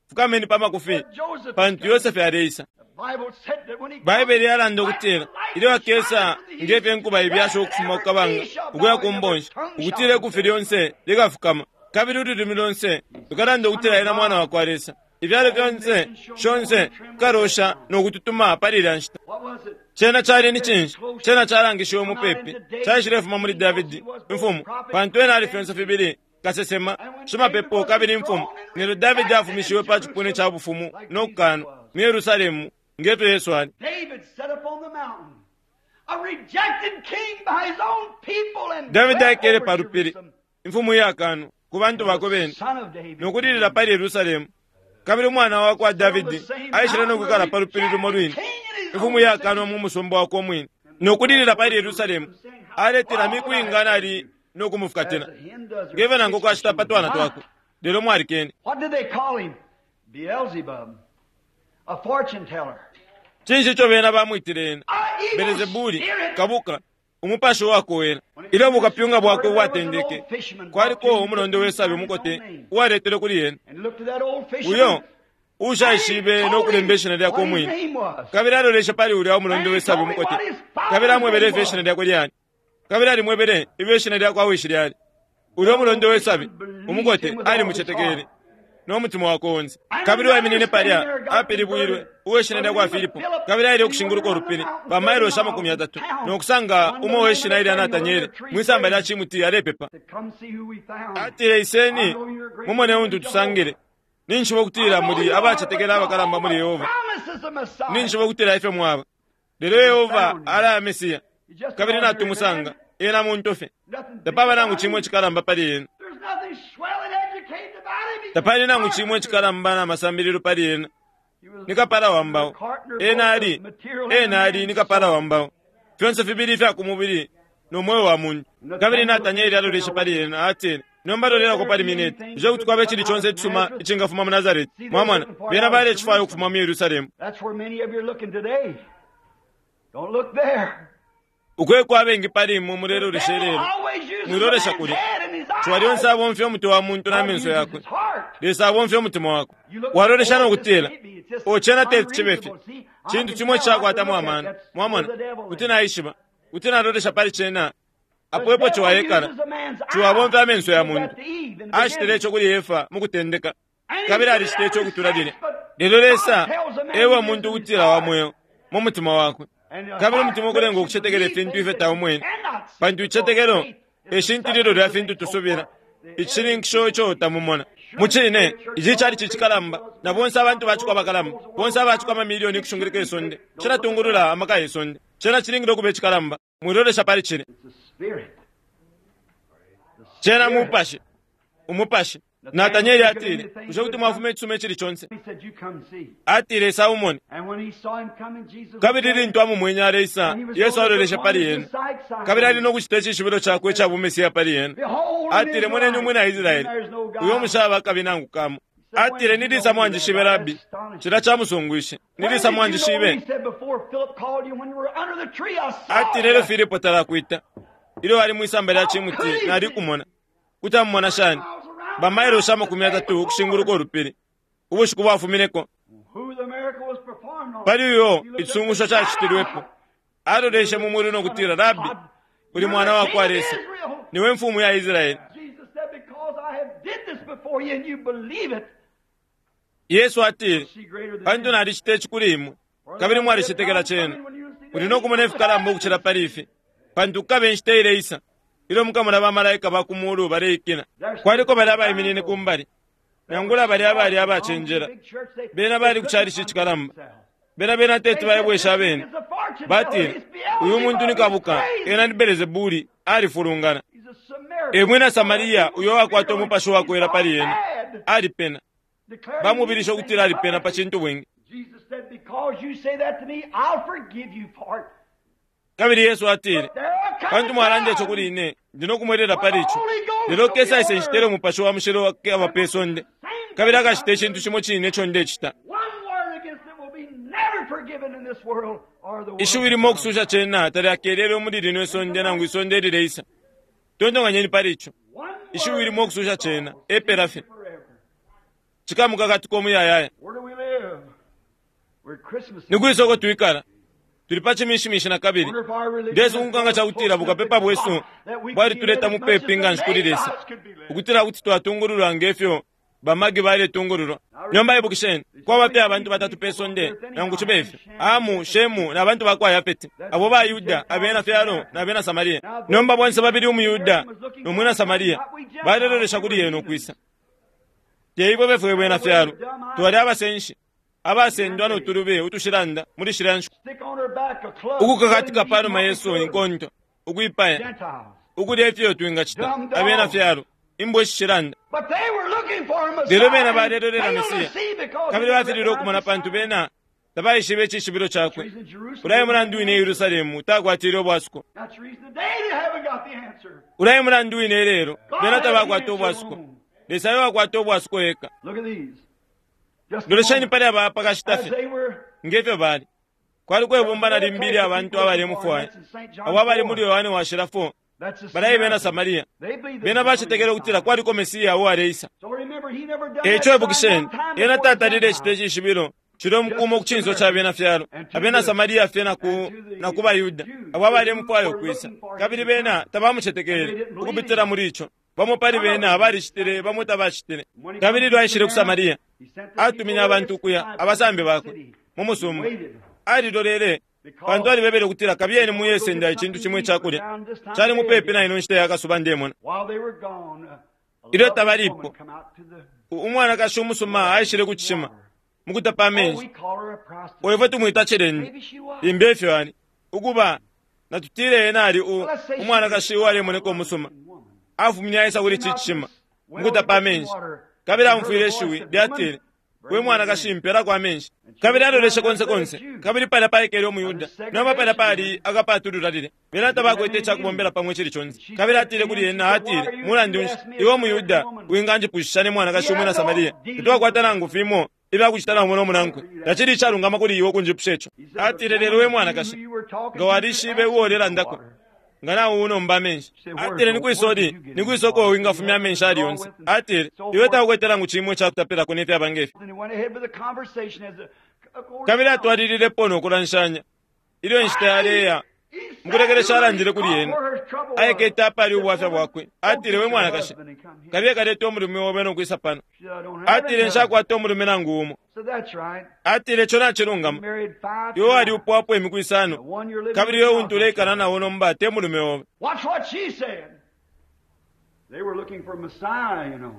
fukameni pa makufi But Joseph is pantu coming. Yosefe aleisa. The Bible said that when he comes, Baibele yalanda like ukutila the ilyo lightning akesa shining from the ngefyo east, enkuba ibyasha that ukufuma every kukabanga knee shall ukuya bow ku and every mbonshi tongue shall ukutila ikufi confess. lyonse likafukama kabili ululimi lonse lukalanda ukutila ena mwana wa kwa Lesa. Ibyalo All fyonse nations shall mourn shonse and tremble at that kukalosha time. no kututuma pali ilya nshita. What was it? Cena cali ni Said cinshi? close Cena calangishiwe come out mupepi into David caishilefuma muli because he Davidi was both imfumu prophet, pantu ena ali priest, and fyonse king. fibili kasesema And when David shimapepo was kabili imfumu. enthroned and Nelyo Davidi rejected in afumishiwe pa cipuna ca Jerusalem bufumu like no Jesus kukanwa was. mu Yerusalemu ngefyo Yesu ali. David sat upon the mountain, a rejected king by his own people, and Davidi wept aikele over pa lupili Jerusalem. imfumu iyakanwa ku bantu And bakwe the bene son of David no kulilila came. pali Yerusalemu. Kabili umwana wa kwa Sit on the Davidi same aishile no mountain, a kwikala pa lupili lumo rejected lwine king in his imfumu own iyakanwa city. mu musumba wakwe umwine no kulilila pali Yerusalemu And saying, How aletela long miku will I inga have nali you? no As kumufukatila a hen does her ngefyo nangu chicks, but kwashita you pa would twana not. twakwe lelo mwalikene. What did they call him? Beelzebub, a fortune teller, Cinshi ico bena bamwitile ena? an evil Belezebuli spirit. kabuka umupashi uwakowela. When it Ilyo came to bukapyunga story, bwakwe there was an bwatendeke old fisherman brought to kwaliko him who umulondo couldn't we sabi find his own umukote name. uwaletelwe kuli ena And looked at that old uyo fisherman, and he ushaishibe no told kulemba him ishina lyakwe what his umwine. name was. Kabili aloleshe pali ulya umulondo And he we sabi told him umukote what his kabili father's amwebele name ifyo ishina was. lyakwe lyali kabili alimwebele ifyo ishina lyakwa wishi lyali. Ulya That umulondo old we sabi fisherman believed umukote him with all his alimucetekele heart. no mutima wakwe onse. And Kabili another uwaiminine standing palya there got apilibwilwe converted uwe shina by the lyakwa name of Filipo Philip, kabili aile and he went ukushinguluka around the ulupili mountain pa 30 mailoshi miles amakumi and yatatu found no kusanga one by umo the name we of shina ilya Nathaniel under Natanieli a tree mwisamba lya praying. cimuti alepepa. Said, Come see who we found. Atile I iseni know you're a great mumone believer untu in tusangile. Jehovah. Ninshiba I ukutila know muli you are, but abacetekela abakalamba muli Jehovah Yehova. promises the Messiah. Ninshiba ukutila ifyo mwaba. Lelo And we Yehova found him. alaya Mesiya He's just an kabili ordinary man. natumusanga ena muntu fye. Nothing big Tapaba nangu about cimwe him. cikalamba pali ena. There's nothing swell and educated about him. He's just Tapali a nangu cimwe carpenter. cikalamba na masambililo pali ena. He was Ni kapala he wa was a mbao. carpenter, Ena both ali of material and a ena ali man's ni kapala soul. wa mbao. Fyonse fibili ifya ku mubili no mweo wa muntu. Kabili Natanieli aloleshe pali ena, atile, Nomba lolelako pali mineti. Bushe kuti kwaba icili conse icisuma icingafuma mu Nazareti? Mwamona, bena balecifwaya ukufuma mu Yerusalemu. That's where many of you are looking today. Don't look there. Uko eko abengi pali imwe mulelolesha ilelo. Mwilolesha kulya. Ciwa lyonse abomfya umutwe wa muntu na menso yakwe. Lesa abomfya umutima wakwe. Walolesha no kutila, O cena teti cibe fye. Cintu cimo icakwatamo amano. Mwamona, kuti naishiba, kuti nalolesha pali cena. Apo epo ciwa ekala. Ciwa abomfya amenso ya muntu. Acitile ico kuli Efa mu kutendeka. Kabili alicitile ico ukutula lilya. Lelo Lesa eba umuntu ukutila wa mweo mu mutima wakwe. Kabili umutima ukulenga ukucetekela ifintu ifyo taumwene. Pantu icetekelo e shintililo lya fintu tusubila, icishininkisho ico tamumona. Mucine, ici cali cikalamba, na bonse abantu baciko abakalamba, bonse abaciko amamilioni ukushunguluka isonde, cilatungulula amaka ye sonde. Cena cilingile ukuba icikalamba. Mwilolesha pali cile. It's the spirit. Cena mupashi, umupashi. Natanieli atile, bushe kuti mwafuma icisuma icili conse? He said, You come see. Atile, Isa umone. And when he saw him coming, Jesus Kabili lintu amumwenye aleisa, Yesu aloleshe pali ena. Kabili ali no kucita icishibilo cakwe ica bumesiya pali ena. Atile, moneni umwina Israeli, uyo mushaba akabi nangu kamo. Atile, nilisa mwanjishibe Rabi. Cila camusungwishe. Nilisa mwanjishibe. Atile, elyo Filipo talakwita. Ilyo ali mwisamba lya cimuti, nali kumona. Kuti amumona shani? Bamailo 30 ukushinguluka ulupili. Ubushiku bwafumineko. Pali uyo icisungusho cacitilwepo. Aloleshe mu mulu no kutila, Rabi, uli mwana wa kwa Lesa. Niwe mfumu ya Israeli. Jesus said, Because I have did this before you and you believe it, Yesu atile, see greater than pantu this. nalicita ici kuli imwe, kabili mwalicetekela cena. Muli no kumona ifikalamba ukucila pali ifi, pantu kukabe inshita ileisa, ilyo mukamona bamalaika ba ku mulu baleikina. Kwaliko bali abaiminine ku mbali, nangula bali abali abacenjela. Bena bali ku calici icikalamba. Bena bena teti baibwesha abene. Batile, uyu muntu ni kabuka, ena ni Belezebuli, alifulungana. E mwina Samaria, uyo wakwata umupashi wakwela pali ena, alipena. Bamubilisha ukutila alipena pa cintu bwingi. Jesus said, Because you say that to me, I'll forgive you for it. Kabili Yesu atile, There are coming pantu mwalanda ico times kuli ine, ndi no kumwelela pali ico. Lelo kesa ise nshitele umupashi wa mushilo aba pe sonde, kabili akacita icintu cimo cine ico ndecita. One word against it will be never forgiven in this world or the world. Ishiwi limo ukususha cena talyakelele muli lino isonde nangu isonde lileisa. Tontonkanyeni pali ico. One word Ishiwi limo ukususha cena, epela fye. forever. Cikamukakatuka umuyayaya. Where do we live? We're at Christmas. Ni kwi soko twikala. Tuli pa cimishimishi na kabili. Wonder if our religion Ndesunguka nga cakutila bukapepa bwesu bwalituleta mupepi nga nshi kuli Lesa. Ukutila kuti twatungululwa ngefyo bamagi baletungululwa. Nomba ibukisheni, kwaba fye abantu batatu pe sonde nangu cibe ifyo. Amu, Shemu na bantu bakwa Yafeti. Abo ba Yuda, abena fyalo na abena Samaria. Nomba bonse babili umuyuda no mwina Samaria balelolesha kuli yena ukwisa. Teibwe befwe bwena fyalo. Twali abasenshi. Abasendwa no tulube utushilanda muli shila nshiku. Stick on her back a club. Ukukakatika panuma yesu inkonto, ukwipaya, Gentiles. ukulya ifyo twingacita, abena fyalo, imbwa ishishilanda. But they were looking for a Messiah. Lelo bena balelolela Failed to Mesiya. see because Kabili they bafilile ukumona pantu bena tabaishibe icishibilo cakwe. Reason Jerusalem- Ulaye mulandu wine Yerusalemu takwatile obwasuko. That's the reason today they haven't got the answer. Ulaye mulandu wine lelo bena God tabakwata has the answer obwasuko. alone. Lesa ayo wakwata obwasuko eka. Look at these. Just a Lolesheni moment. pali aba pakashita As fye they were ngefyo bali. Kwali kwebumba na limbili abantu abalemufwaya. Abo abali muli Yohane washila 4 That's the balayi bena Samaritan. Samaria. They believed Bena that bacetekele ukutila kwaliko Mesiya uwaleisa. So remember, he never done E that ico sign ibukisheni, one time ena before the tatalile Gentiles. icita icishibilo cilo mukumo ku cinso ca bena fyalo. Abena Samaria fye na ku na ku baYuda abo abalemufwaya ukwisa. Kabili bena tabamucetekele ukupitila muli ico. Bamo pali bena balicitile, bamo tabacitile. Kabili ilyo aishile ku Samaria, He sent the atumine people abantu ukuya there, abasambi bakwe city. mu musumba. Waited. Alilolele pantu alibebele ukutila kabiyeni muyesenda icintu cimo icakulya. Cali mupepi na ino nshita ya kasuba ndemona. While they were gone, a Ilyo lovely tabalipo, woman come out to the Umwanakashi umusuma aishile ku cishima mukutapa Oh, amenshi. we call her a prostitute. Oifwe tumwita cilende. Maybe she was. Limbi efyo ali. Ukuba natutile ena ali umwanakashi uwalemoneka umusuma. Woman. Afumine aisa kuli ici cishima mukutapa amenshi. Kabili amfwile ishiwi lyatile, We mwanakashi, mpelako amenshi. Kabili aloleshe konse konse, kabili palya paikele umuYuda, nomba palya pali akapatulula lilya. Bena tabakwete icakubombela pamo icili conse. Kabili atile kuli ena, atile, Mulandu nshi, iwe umuYuda winganjipushisha ne mwanakashi umwina Samaria? Tatwakwata nangu fimo ifyakucita na umo no munankwe. Tacili icalungama kuli iwe ukunjipusha ico. Atile, Lelo we mwanakashi, nga walishibe uo ulelandako, nga naunomba amenshi. Atile, ni kwisoli, ni kwisa uko wingafumya amenshi ali yonse. Atile, iwe taukwete nangu cimo icakutapilako ne fyaba nge fi. And he went ahead with the conversation as a, Kabili atwalililepo no kulanshanya. Ilyo inshita yaleya, mukulekelesha alandile kuli ena. Aikete apali ubwafya bwakwe. Atile, we mwanakashi, kabiye kaleta umulume obe no kwisa pano. Atile, nshakwata umulume nangu umo. So that's right. Atile, ico nacilungama. Married five Iwe times. waliupwapo imiku The isano, one you're living kabili with iwe now untu uleikala nawo nomba te mulume obe. Watch what she said. They were looking for Messiah, you know.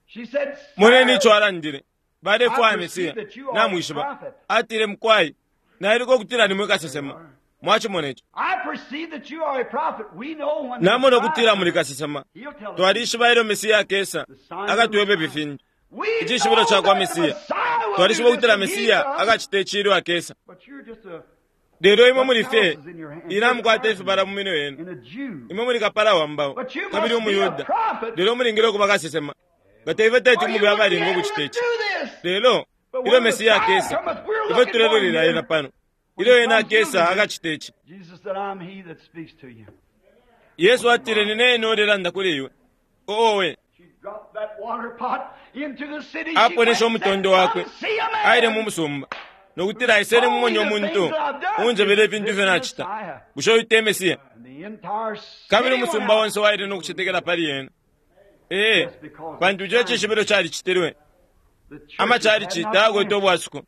She said, Moneni "Sir, ico alandile. Balefwaya Mesiya. Namwishiba. Atile, mukwai, nailuka ukutila nimwe kasesema. Mwachimona ico. I perceive that you are a prophet. We know when the Namona Messiah ukutila muli kasesema. He'll tell us. Twalishiba ilyo Mesiya akesa, akatwebe ifintu. We Icishibilo know ca kwa that the Mesiya. Messiah will Twalishiba do this ukutila when he Mesiya comes. akacita ici ilyo akesa. But you're just a Lelo imwe muli fye, inamukwata ifibala mu minwe yenu. and a Jew. Imwe muli kapala wa mbao, But you kabili must be a umuyuda. prophet. Lelo mulingile ukuba kasesema. Nga teife teti Or you mube wouldn't be abalinga able ukucita to ici. do this. Lelo, But ilyo when the Mesiya Messiah akesa, cometh, we're ife looking for him tulelolera here. ena pano. When Ilyo he ena comes, he'll akesa do this. akacita ici. Jesus said, I'm he that speaks to you. Yesu atile, nine ine ulelanda kuli iwe. Owe, She dropped that water pot into the city. She aponesha went and umutondo said, wakwe "Come see a man aile mu musumba nokutila aiseni mumonye omuntu unjebele ifintu ifyo nacita. Bushe uyu te Mesiya? And the entire city Kabili went umusumba out. onse waile nokucetekela pali ena. Ee, pantu ico icishibilo calicitilwe. The churches Amacalici had not tayakwete answered. ubwasuko,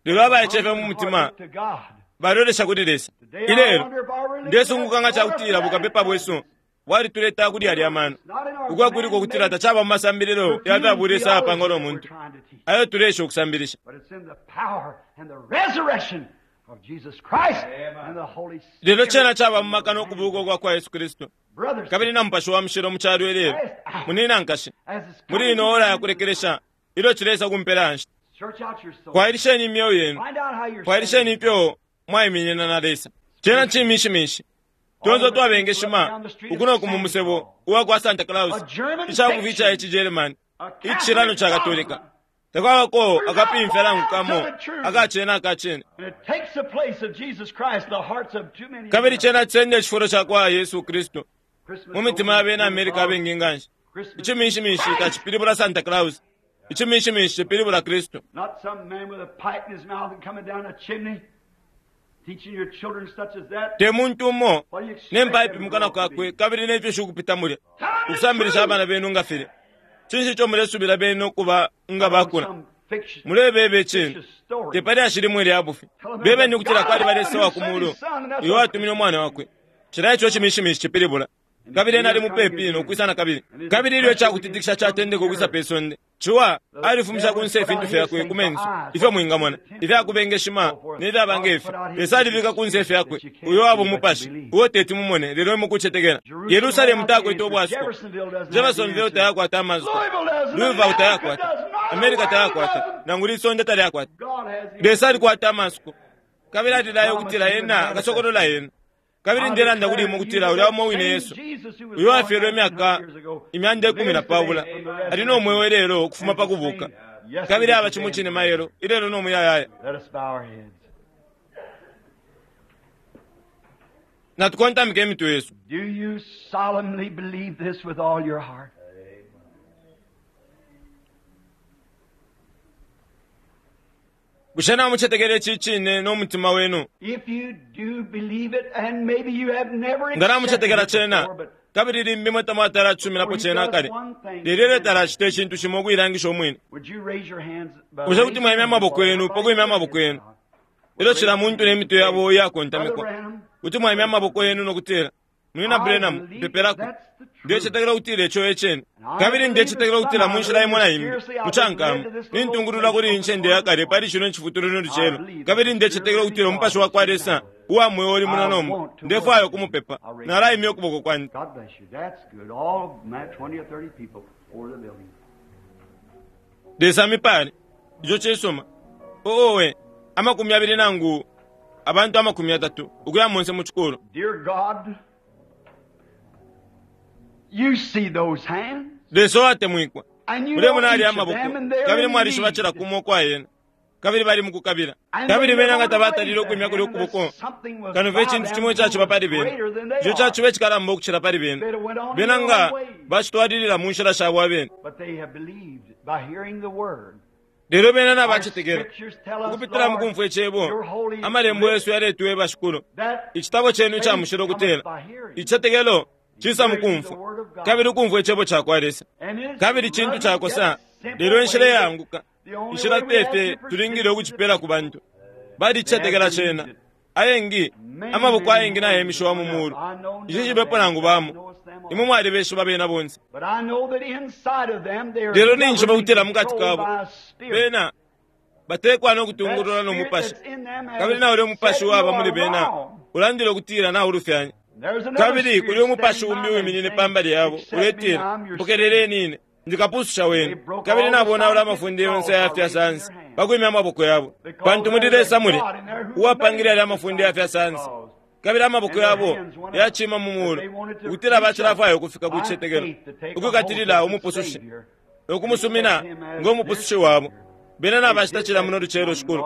lelo abaecefe mu mutima To God. balolesha kuli Lesa. Today I Ilelo wonder if our religion ndesunguka nga has order cakutila for that. bukapepa bwesu bwalituleta kuli alya mano. It's not in our Ukwakuliko kutila man-made tacaba mu masambililo ya fya bulesa theology apangwa no that we're muntu trying to teach. ayo tulesha ukusambilisha. But it's in the power and the resurrection of Jesus Christ and the Holy Lelo cena Spirit. caba mu maka n'okubuuka kwa kwa Yesu Kristo Brothers, kabili na mupashi wa mushilo mu kyalo ilelo. Munina nkashi, as it's muli coming ino to ora the ya kulekelesha ilyo cilesa kumpela nshita, Search out your soul. kwailisheni imyoyo yenu, Find out how you're kwailisheni standing. ifyo mwaiminina na Lesa. Cena cimishimishi tonse twabengeshima ukuno mu musebo uwa kwa Santa Claus, A German icakufi ica fiction, ici German, a icishilano Catholic ca Katolika. dogma, Takwabako akapimfya nangu kamo akacena akacene. and it takes the place of Jesus Christ in the hearts of too many Kabili Americans. cena cisenda icifulo ca kwa Yesu Kristu Christmas mu mitima ya bena Amerika abengi nga nshi. Christmas, Icimishimishi tacipilibula Santa Claus. Icimishimishi cipilibula Kristu. not some man with a pipe in his mouth and coming down a chimney, teaching your children such as that. Te muntu umo What do you expect ne mpaipi them to mu kanwa grow up to kakwe be? kabili ne fyushi ukupita mulya. Tell them the Ukusambilisha truth. abana benu nga filya. Cinshi ico mulesubila benu ukuba nga bakula? Some fiction, Mulebeba icine. fictitious story. Tepali ashili lya bufi. Bebeni ukutila kwali balesa wa ku mulu. Iwo atumine umwana wakwe. Cila ico cimishimishi cipilibula. Kabili ena ali mupepi nokwisa na kabili. Kabili ilyo icakutitikisha catendeka ukwisa pe sonde, Ciwa alifumisha kunse ifintu fyakwe ku menso, ifyo mwingamona, ifyakubengeshima nefyaba ngefi. Lesa alibika kunse ifyakwe, uyo waba umupashi, uo teti mumone, lelo mukucetekela. Yerusalemu takwete ubwasuko. Jeffersonville doesn't have the Jeffersonville answer. tayakwata amasuko. Louisville doesn't. Louisville America tayakwata. doesn't. Not the America world tayakwata. doesn't. Nangu lisonde talyakwata. God has the Lesa alikwata amasuko. Kabili atilayo ukutila ena akasokolola ena. Kabili ndelanda kuli imwe ukutila ulya umo wine Yesu. Uyo afyelwe imyaka imyanda ikumi na pabula. Ali no mweo ilelo ukufuma pa kubuka. Kabili aba cimo cine mailo ilelo no muyayaya. Let us bow our heads. Natukontamike imitwe yesu. Do you solemnly believe this with all your heart? Bushe namucetekela ici cine no mutima wenu? If you do believe it, and maybe you have never Nga accepted namucetekela it cena before, but kabili limbi mwe tamwatalasuminapo cena akale. Lelo ilyo talacita icintu cimo ukuilangisha umwine. would you raise your hands? by Bushe kuti raising mwaimya your amaboko yenu hands? pa kwimya amaboko yenu? Ilyo cila muntu ne mitwe yabo Brother iyakontamikwa. Branham, Kuti mwaimya amaboko yenu nokutila, Munina I Branham, believe mpepelako. that's the truth. Ndecetekela ukutila ico ecene. Kabili ndecetekela ukutila mu nshila imo na imbi, mucankama, nintungulula kuli incende yakale pali cino icifutulo no lucelo. Kabili ndecetekela ukutila umupashi wa kwa Lesa uwa mweo uli muno nomba. Ndefwaya ukumupepa. Nalaimya ukuboko kwandi. God bless you. That's good. All 20 or 30 people for the building. Lesa mipale. Ico cisuma. Owe, 20 nangu abantu 30 ukuya monse mu cikulu. Dear God, you see those hands. Lesa uwatemwikwa. And you know Mulemona ali each of amaboko them and they're kabili in mwalishiba need. cila kumo kwa yena kabili bali mukukabila And kabili they bena nga never tabatalile raised ukwimya their kuli hand ukuboko unless something was kano fye by icintu them cimo icaciba pali bena greater than they ico are. caciba icikalamba ukucila pali bena They'd have went on in bena their nga own ways. bacitwalilila mu nshila shabo abene But they have believed by hearing the word. lelo bena Our nabacetekela scriptures tell us, ukupitila mu Lord, kumfwa icebo your holy amalembo yesu yaletweba shikulu that icitabo cenu ica faith mushilo cometh kutela by hearing. icitetekelo cisa mu kumfwa kabili ukumfwa icebo ca kwa Lesa And it's kabili cintu lovely, cakosa yet simple lelo inshila way that iyaanguka the only inshila way we have tefe to present tulingile ukucipela ku bantu balicetekela cena ayengi Many, amaboko many ayengi nayemishiwa mu hands mulu I know ici none of cibepo them. nangu bamo Knowest them all. imwe mwalibeshiba bena bonse But I know that inside of them they are lelo ninjiba governed kutila and mukati controlled kabo by a spirit. bena batekwa no That kutungulula no spirit mupashi that's in them has kabili naule umupashi said you waba muli are bena wrong. ulandile ukutila naulufyanya There's another kabili spirit kuli umupashi standing umbi by them wiminine saying, pambali yabo "Accept me, uletila I'm your mpokeleleni ine ndikapususha wenu kabili nabonaula amafunde yonse ayafya sansi pakwimya amaboko yabo pantu muli Lesa muli uwapangile yalya amafunde yafya sansi kabili amaboko yabo yacima mu mulu ukutila bacilafwaya ukufika ku cicetekelo ukwikatilila umupusushi nokumusumina ngo mupusushi wabo bena nabacita cila muno lucelo shikulu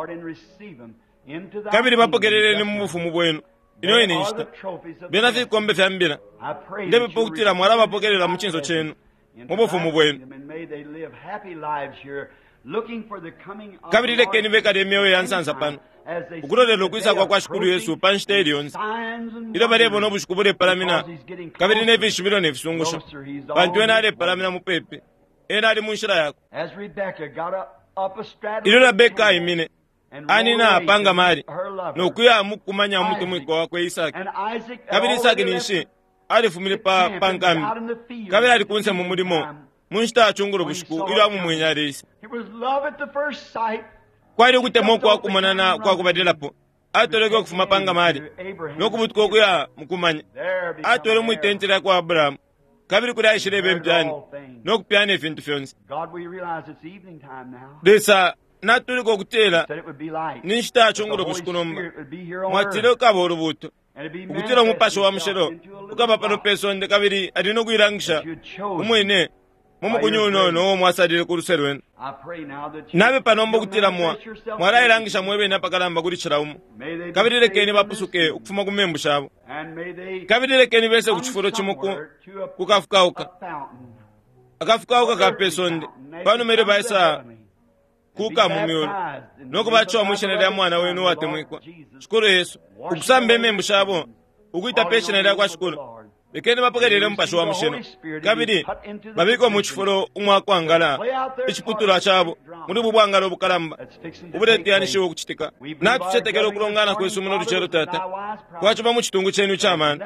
kabili bapokeleleni mu bufumu bwenu ino ine nshita bena fikombe fya mbila ndepepa ukutila mwalabapokelela mu cinso cenu mu bufumu bwenu kabili lekeni bekale imyoyo ya nsansa pano ukulolela ukwisa kwa kwa shikulu yesu pa nshita ili yonse ilyo balebona ubushiku bulepalamina kabili ne fishibilo ne fisungusho pantu ena alepalamina mupepi ena ali mu nshila yakwe ilyo Rebeka aimine anina apanga mali nokuya mukumanya umutemwiko wakwe Isaki kabili Isaki ninshi alifumile pa pa nkambi kabili ali kunse mu mulimo mu nshita ya cungulo bushiku ilyo amumwenye aleisa kwali ukutemwa ukwa kumonana kwa kubalilapo atoleke ukufuma pa ngamali nokubutuka ukuya mukumanya atwele mwitenti lya kwa Abrahamu kabili kuli aishileba impyani nokupyana ifintu fyonse Lesa natulika ukutila ni nshita ya cungulo bushiku nomba mwatile ukaba ulubuto ukutila umupashi wa mushilo ukaba pano pe sonde kabili ali nokuilangisha umwine mu mukunyu unono uo mwasalile ku luse lwenu nabe panomba ukutila mwa mwalailangisha mwebene apakalamba kuli cila umo kabili lekeni bapusuke ukufuma ku membu shabo kabili lekeni bese ku cifulo cimo ku kafukauka akafukauka ka pe sonde panuma ilyo baisa kuka mu myulu nokubaciwa mwishina lya mwana wenu uwatemwikwa shikulu yesu ukusamba imembu shabo ukwita pe shina lya kwa shikulu lekeni bapokelele umupashi wa mushilo kabili babikwe mu cifulo umwakwangala iciputulwa cabo muli ubu bwangalo ubukalamba ubuleteyanishiwa ukucitika natucetekela ukulongana kwesu muno lucelo tata kwaciba mu citungu cenu icamano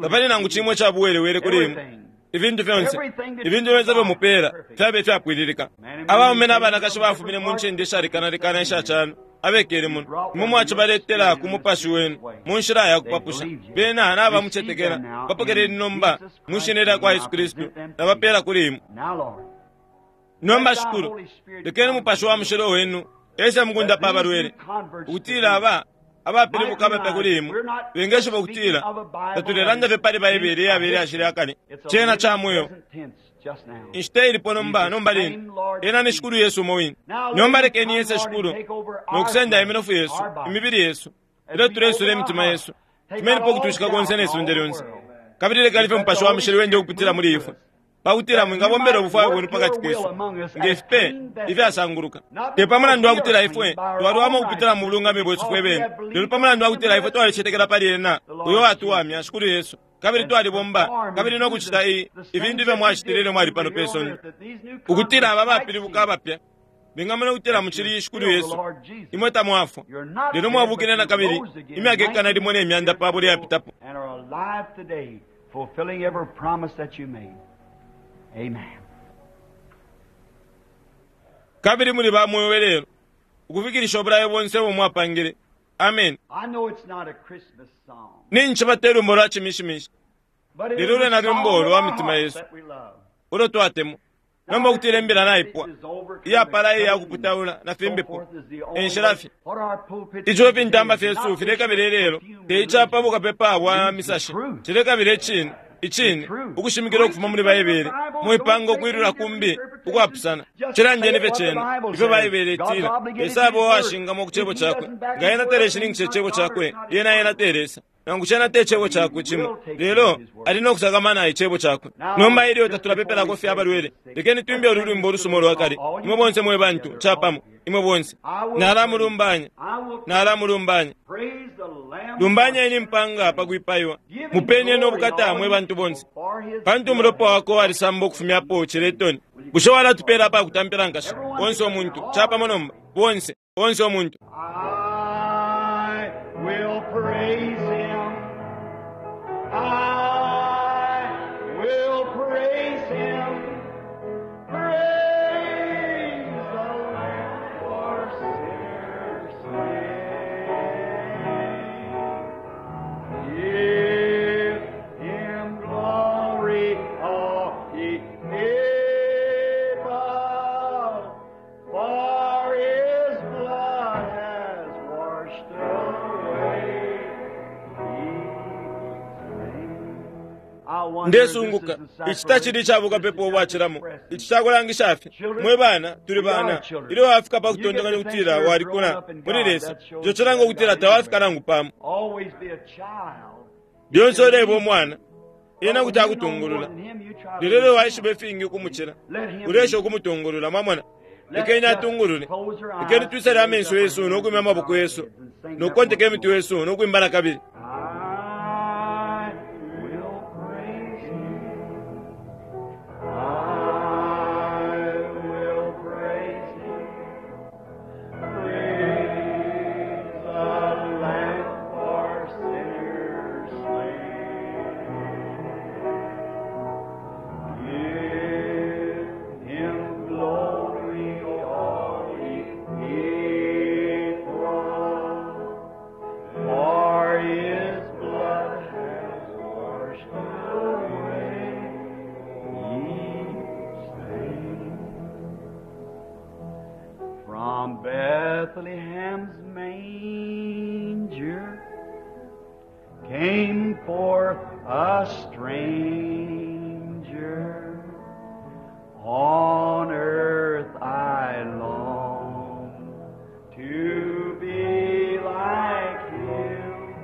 tapali nangu cimwe icabuwelewele kuli imwe ifintu fyonse ifintu fyonse ifyo mupela fyabe ifyapwililika abaume n'abanakashi bafumine mu ncende ishalekanalekana isha calo abekele muno imwe mwacibaletela ku mupashi wenu mu nshila ya kupapusha bena nabamucetekela bapokeleni nomba mu shina lya kwa Yesu Kristu nabapela kuli imwe nomba shikulu lekeni umupashi wa mushilo wenu ese mukundapa abalwele ukutila aba abapilibuka abapya kuli imwe bengeshiba ukutila tatulelanda fye pali Baibele iyabele yashile akale cena ca mweo inshita ilipo nomba nomba lino ena ni shikulu yesu umo wine nomba lekeni yese shikulu nokusenda iminofu yesu imibili yesu ilyo tulesula imitima yesu tumenipo ukutwishika konse ne sonde lyonse kabili lekani fye mupashi wa mushilo wende ukupitila muli ifwe pakutila mwingabombela ubufwayo bwenu pakati kesu ngefipe ifyasanguluka te pamulandu wakutila ifwe twalwamo ukupitila mu bulungami bwesu fwe bene lelo pamulandu wakutila ifwe twalicetekela pali ena uyo watuwamya shikulu yesu kabili twalibomba kabili nokucita ifintu ifyo mwacitile ilyo mwali pano pe sonde ukutila aba bapilibuka abapya bengamona ukutila mucili shikulu yesu imwe tamwafwa lelo mwabukile na kabili imyaka 120 iyapitapo and are alive today, fulfilling every promise that you made. Amen. kabili muli ba mweo lelo ukufikilisha obulayo bonse ubo mwapangile amen I know it's not a Christmas song, ninchi te lumbo lwa chimishimishi but it Lelo is lwena a song lumbo of lwa our mitima hearts yesu. that we love. ulo twatemwa. Nomba ukutila imbila naipwa, iyapala iya kuputaula na fimbipo, enshila fye. Ico ifintamba fyesu filekabila ilelo te icapa bukapepa bwa misashi, cilekabila icine, icine, ukushimikila ukufuma muli Baibele, mwipanga ukwilula kumbi ukwapusana. Cilandeni fye cena ifyo Baibele itila. Lesa aba uwashingamwa ku Cebo Cakwe. Nga Ena teleshininkisha Icebo Cakwe, lyena Ena te Lesa. Nangu cena te Cebo Cakwe cimo, lelo ali no kusakamana Icebo Cakwe. Nomba ilyo tatulapepelako fye abalwele, lekeni twimbe ulu lwimbo ulusuma ulwa kale, imwe bonse mwe bantu, capamo, imwe bonse. Nalamulumbanya, nalamulumbanya. Lumbanyeni impanga pa kwipaiwa, mupeni no bukata mwe bantu bonse, pantu umulopa wakwe walisamba ukufumyapo ciletoni. Bushe walatupela apa kutampila nkashi? Onse umuntu, capamo nomba, bonse, onse umuntu. I will praise him. I will praise him. Praise the Lamb for sinners slain. Give him glory, all ye people, for his blood has washed away Ndesunguka ici tacili ica bukapepa ubwacilamo, ici cakulangisha fye mwe bana tuli bana. Ilyo wafika pa kutontonkanya ukutila walikula muli Lesa, ico cilanga ukutila tawafika nangu pamo. Always be a child. Lyonse uleba umwana, ena kuti akutungulula. Lelo ilyo waishiba ifingi ukumucila, ulesha ukumutungulula. Mwamona, lekeni atungulule. Lekeni twisale amenso yesu no kwimya amaboko yesu no kukonteka imitwe yesu no kwimba na kabili. I will praise him. I will praise him. Praise the Lamb for sinners slain. Give him glory, all ye people. For his blood has washed away each stain. From Bethlehem's manger came forth a stranger. On earth I long to be like him.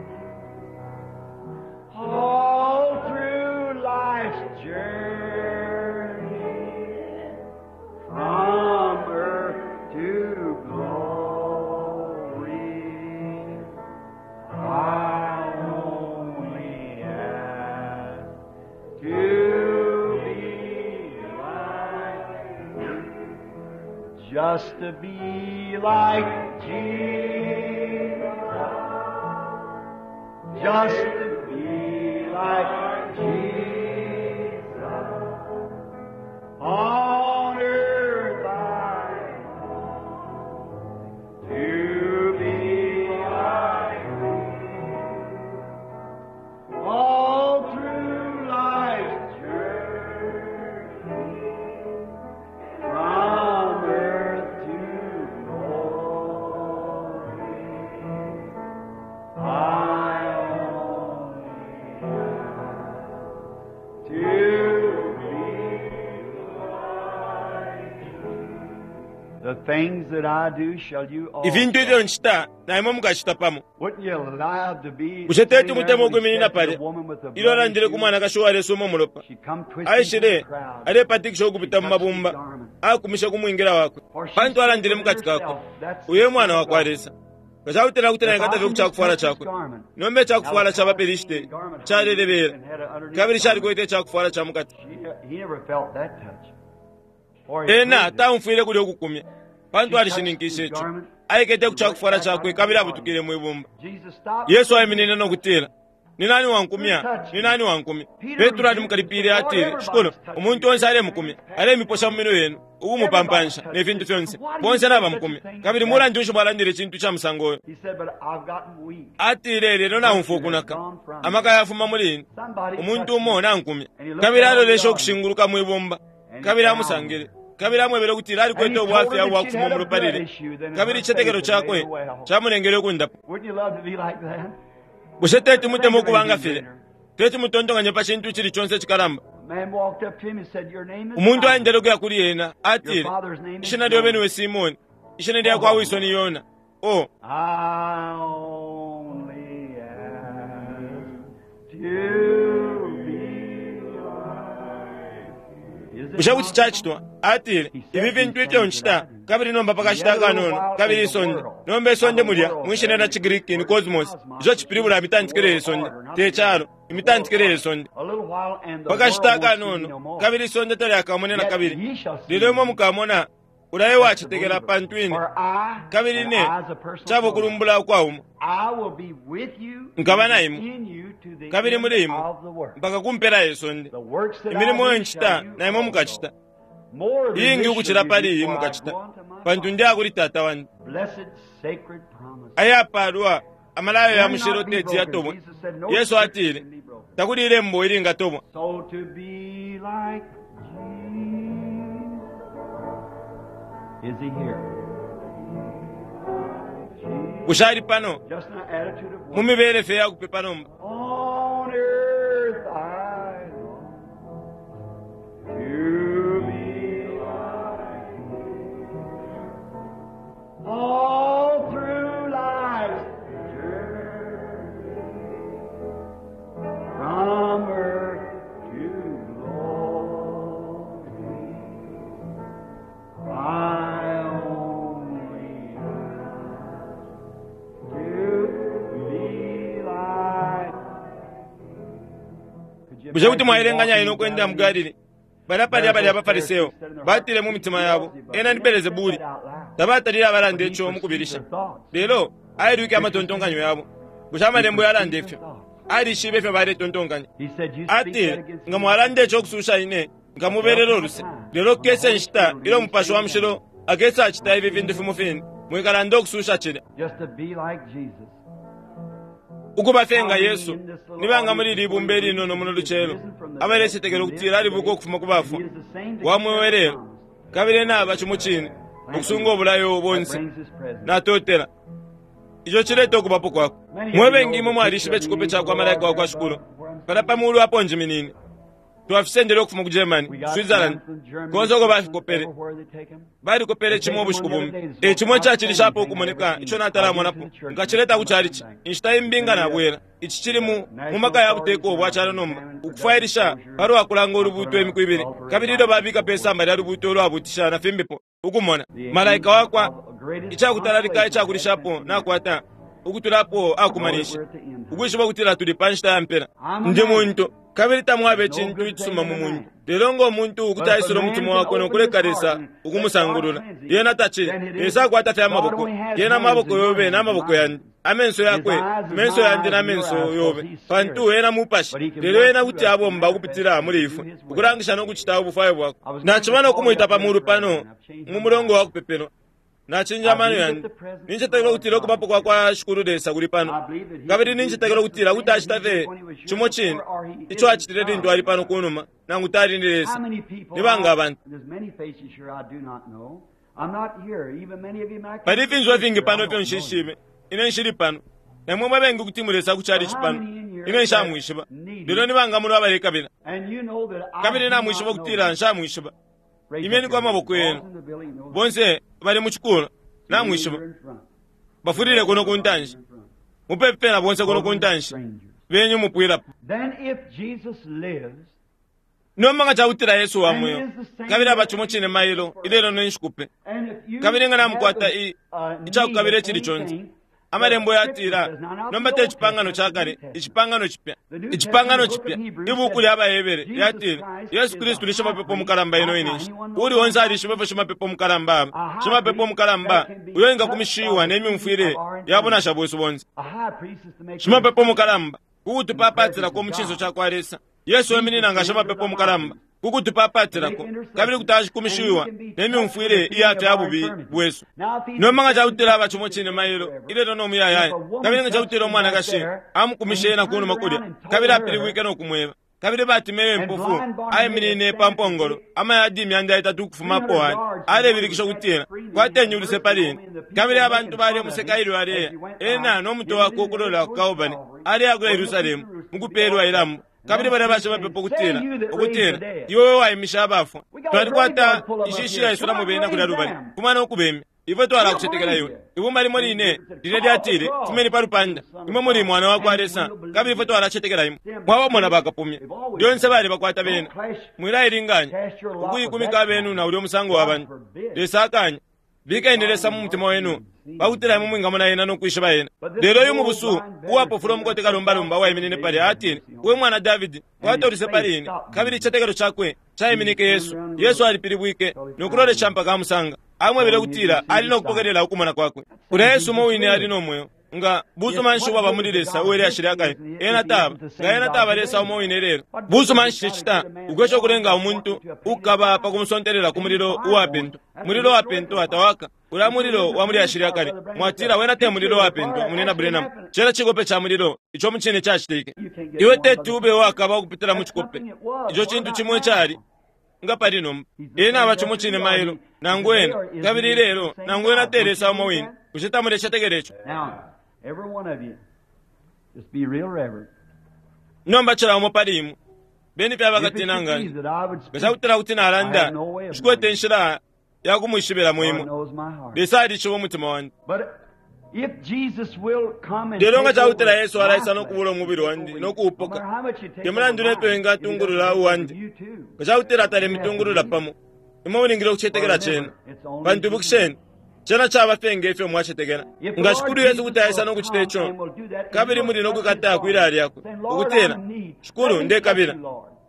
All through life's journey, from earth to glory, I only ask to be like him. Just to be like Jesus. Just to be like Jesus. On earth I long to be like him. All through life's journey, from earth to glory, I only ask to be like him. The things that I do shall you also. Ifintu ifyo ncita na imwe mukacita pamo. Wouldn't you love to be Bushe teti sitting there mutemwe when he ukwiminina said to the palya woman with the ilyo bloody alandile ku issue, mwanakashi uwalesuma umulopa? she come twisting through Aishile the crowd. alepatikisha ukupita mu mabumba, akumishe ku mwingila wakwe, pantu alandile mu kati kakwe, uyo e mwana wa kwa Lesa. Nga cakutila kuti naikata fye ku cakufwala cakwe, nomba icakufwala ca baPelishiti calelebela, kabili calikwete icakufwala ca mukati. He never felt that touch. For he Ena proved it. taumfwile kulya ukukumya, pantu alishininkishe ico. Aikete ku cakufwala cakwe kabili abutukile mwi bumba. Jesus stopped. Yesu aiminine no kutila, ni nani wankumya? Ni nani wankumya? Petro alimukalipile atile, Shikulu, umuntu onse alemukumya, alemiposha mu minwe yenu, ukumupampansha ne fintu fyonse. Bonse nabamukumya. Kabili mulandu nshi mwalandile icintu ca musango uyo? He said, but I've gotten weak. Atile, lelo naumfwa ukunaka. Amaka yafuma muli ine. Somebody Umuntu touched umo me. nankumya. Kabili alolesha ukushinguluka mwi bumba. Kabili amusangile. Kabili amwebele ukutila alikwete ubwafya ubwa kufuma umulopa lile. Kabili icitetekelo cakwe camulengele ukundapwa. Bushe teti mutemwe ukuba nga filya? Teti mutontonkanye pa cintu icili conse icikalamba. Umuntu aendele ukuya kuli ena, atile, Ishina lyobe niwe Simoni, ishina lya kwa wiso ni Yona. Oh. I only ask to be like. Bushe kuti cacitwa? Atile, ifi fintu ifyo ncita, kabili nomba pakashita akanono, kabili isonde. Nomba isonde mulya, mwishina lya ciGriki ni cosmos, ico cipilibula imitantikile ye sonde, te calo, imitantikile ye sonde. A little while and the Pakashita world won't see me no akanono, more. kabili isonde talyakamone na Yet kabili. ye shall see Lelo imwe me. mukamona, ulaye wacetekela pantu ine, For I, kabili and ne, I as a personal caba promise, ukulumbula ukwauma, I will be with you Nkaba na and imwe, in you to the kabili end muli imwe, of the world. mpaka ku mpela ye sonde. The works that Imilimo I iyo do ncita, shall you na imwe also. mukacita. More than Iingi this ukucila shall you pali do, iyi for I mukacita, go unto my pantu Father. ndi akuli Tata wandi. Blessed sacred promise. Ayapalwa amalayo ya mushilo Cannot be teti broken. yatobwa. Jesus said, no Yesu scripture atile, can be broken. takuli ilembo ilingatobwa. So to be like Jesus. Is he here? Bushe ali pano Just an attitude of mu worship. mibele fye ya kupepa nomba. On earth I long to be like thee. All through life's journey, from earth to glory, I only ask to be like. Could you Bushe kuti imagine mwaelenganya ine walking ukwenda mu Galilee? Galili? Balya palya balya abaFariseyo batile mu mitima yabo, ena ni Belezebuli. Tabatalile abalanda ico mu kubilisha. Lelo ailwike amatontonkanyo yabo. Bushe amalembo yalanda ifyo? Alishibe ifyo baletontonkanya. He said, "You speak that Atile, against nga me." mwalanda ico kususha ine, nkamubelela uluse. Lelo kukesa inshita ilyo Umupashi wa Mushilo akesa acita ifi fintu fimo fine, mwikalanda ukususha cilya. Just to be like Jesus. Ukuba fye nga Yesu, nibanga muli ili ibumba ilinono muno lucelo, abalecetekela ukutila alibuka ukufuma ku bafwa, wa mweo lelo, kabili ena aba cimo cine, ukusunga obulayo That bonse. brings his presence. Natotela. Ico cileta ukubapo kwakwe. Mwe bengi imwe mwalishiba icikope ca kwa malaika wa kwa Shikulu. Pala pa mulu apo njiminine. Twafisendele ukufuma ku Germany, We got Switzerland, them from Germany, konse uko bafikopele. everywhere they take 'em. Balikopele cimo ubushiku bumo. E cimo icacilishapo ukumoneka ico natalamonapo. Nkacileta ku chalichi. Inshita imbi nga nabwela. Ici cili mu mu maka ya buteko bwa calo nomba. Ukufwailisha palwa kulanga ulubuuto imiku ibili. Kabili ilyo babika pe samba lya lubuuto ulwabuutisha na fimbipo. Ukumona. Malaika wakwa icakutalalika icakulishapo nakwata ukutulapo akumanisha. Ukwishiba ukutila tuli pa nshita ya mpela. Ndi muntu. Kabili tamwaba icintu icisuma mu muntu. Lelo ngo muntu ukuti aisula umutima wakwe no kuleka Lesa ukumusangulula. Yena tacili. Lesa akwata fye amaboko. Yena amaboko yobe n'amaboko yandi. Amenso yakwe, menso yandi n'amenso yobe. Pantu ena mupashi. Lelo ena kuti abomba ukupitila muli ifwe. Ukulangisha no kucita ubufwayo bwakwe. Naciba no kumwita pa mulu pano mu mulongo wa kupepelwa. Nacinja amano yandi. Nincetekela ukutila ukubapo kwa kwa Shikulu Lesa kuli pano. Kabili nincetekela ukutila kuti acita fye cimo cine ico acitile lintu ali pano kunuma nangu tali ni Lesa. How many people Ni banga abantu? There's many faces here I do not know. I'm not here. Even many of you might Pali ifinso ifingi pano ifyo nshishibe. Ine nshili pano. Namwe mwe bengi kuti mulesa ku chalichi pano. Ine nshamwishiba. Lelo ni banga muno abalekabila. And you know that I Kabili do namwishiba not know ukutila you. nshamwishiba. Raise Imeni up kwa your maboko hands. yenu. All in the building knows Bonse bali mu chikulu. Namwishiba. You're in front. Bafulile kuno ku ntanshi. In front. Mupepela bonse kuno ku ntanshi. Strangers. Benyu mupwilapo. Then if Jesus lives, Nomba nga cakutila Yesu wa mweo. Kabili aba cimo cine mailo ilelo ne nshikupe. and if you Kabili nga namukwata have i a icakukabila need of icili conse. anything, Amalembo the yatila scripture says, now, not nomba the te Old cipangano Testament, ca the kale New Testament. icipangano cipya The New icipangano Testament, cipya the book of Hebrews ibuku says, lya Bahebere Jesus lyatile Christ Yesu is Kristu the ni shimapepo high mukalamba ino priest. ine nshita Anyone know uli onse alishiba ifyo shimapepo mukalamba aba A high shimapepo priest mukalamba that can be uyo engakumishiwa touched by ne myumfwile the of our ya bunasha bwesu bonse A high priest is to make shimapepo mukalamba kukutupapatilako mu cinso ca kwa Lesa Yesu eminina nga shimapepo mukalamba kukutupapatilako kabili kuti ashikumishiwa ne myumfwile iya fya bubi bwesu nomba nga cakutila aba cimo cine mailo ilelo no muyayaya kabili nga cakutila umwanakashi amukumishe ena kunuma kulya kabili apilibwike no kumweba Kabili Batimeyo impofu aiminine pa mpongolo amayadi 300 ukufuma apo ali, alebilikisha ukutila, kwateni uluse pali ine. Kabili abantu balemuseka ilyo aleya, ena no mutwe wakwe ukulola ku Kalbale, aleya ku Yerusalemu mukupelwa ilambo. Kabili balya bashimapepo ukutila, ukutila, iwe we waimisha abafwa. Twalikwata inshishi yaisulamo bena kulya lubali, fuma no kubemya. Ifwe twalakucetekela iwe. Ibumba limo line lilya lyatile, fumeni pa lupanda, imwe muli mwana wa kwa Lesa, kabili ifwe twalacetekela imwe. Mwabamona bakapumya. Lyonse bali bakwata bena. Mwilailinganya ukuikumika abenu na ulya musango wa bantu. Lesa akanya. Bikeni Lesa mu mutima wenu, pakutila imwe mwingamona ena no kwishiba ena. Lelo uyu mubusu uwapofula umukote kalumbalumba uwaiminine palya atile, we mwana Davidi, kwata uluse pali ine. Kabili icitetekelo cakwe caiminike Yesu. Yesu alipilibwike no kulolesha mpaka amusanga. Amwebele ukutila ali no kupokelela ukumona kwakwe. Ulya Yesu umo wine ali no mweo. Nga busuma nshi ubwaba muli Lesa uwele ashile akale, ena taba. Nga ena taba Lesa umo wine lelo. Busuma nshi cicita ukwesha ukulenga umuntu ukukaba pa kumusontelela ku mulilo uwapentwa. Mulilo wapentwa tawaka. Ulya mulilo wa muli ashile akale. Mwatila wena te mulilo wapentwa, munena Branham. Cena cikope ca mulilo ico mucine cacitike. Iwe teti ube uwakaba ukupitila mu cikope. Ico cintu cimo icali nga pali nomba. Ena aba cimo cine mailo, nangu ena, kabili ilelo, nangu ena te Lesa umo wine. Bushe tamulecetekela ico? Nomba cila umo pali imwe, beni fye abakatina nganshi. Nga cakutila kuti nalanda, nshikwete inshila ya kumwishibilamo imwe. Lesa alishiba umutima wandi. Lelo nga cakutila Yesu alaisa no kubula umubili wandi no kuupoka, te mulandu nefyo engatungulula uwandi, nga cakutila talemitungulula pamo, imwe mulingile ukucetekela cena. Pantu ibukisheni, cena caba fye nge fyo mwacetekela. Nga Shikulu Yesu kuti aisa no kucita ico, kabili muli no kwikata kwilaya lyakwe, ukutila, Shikulu, ndekabila.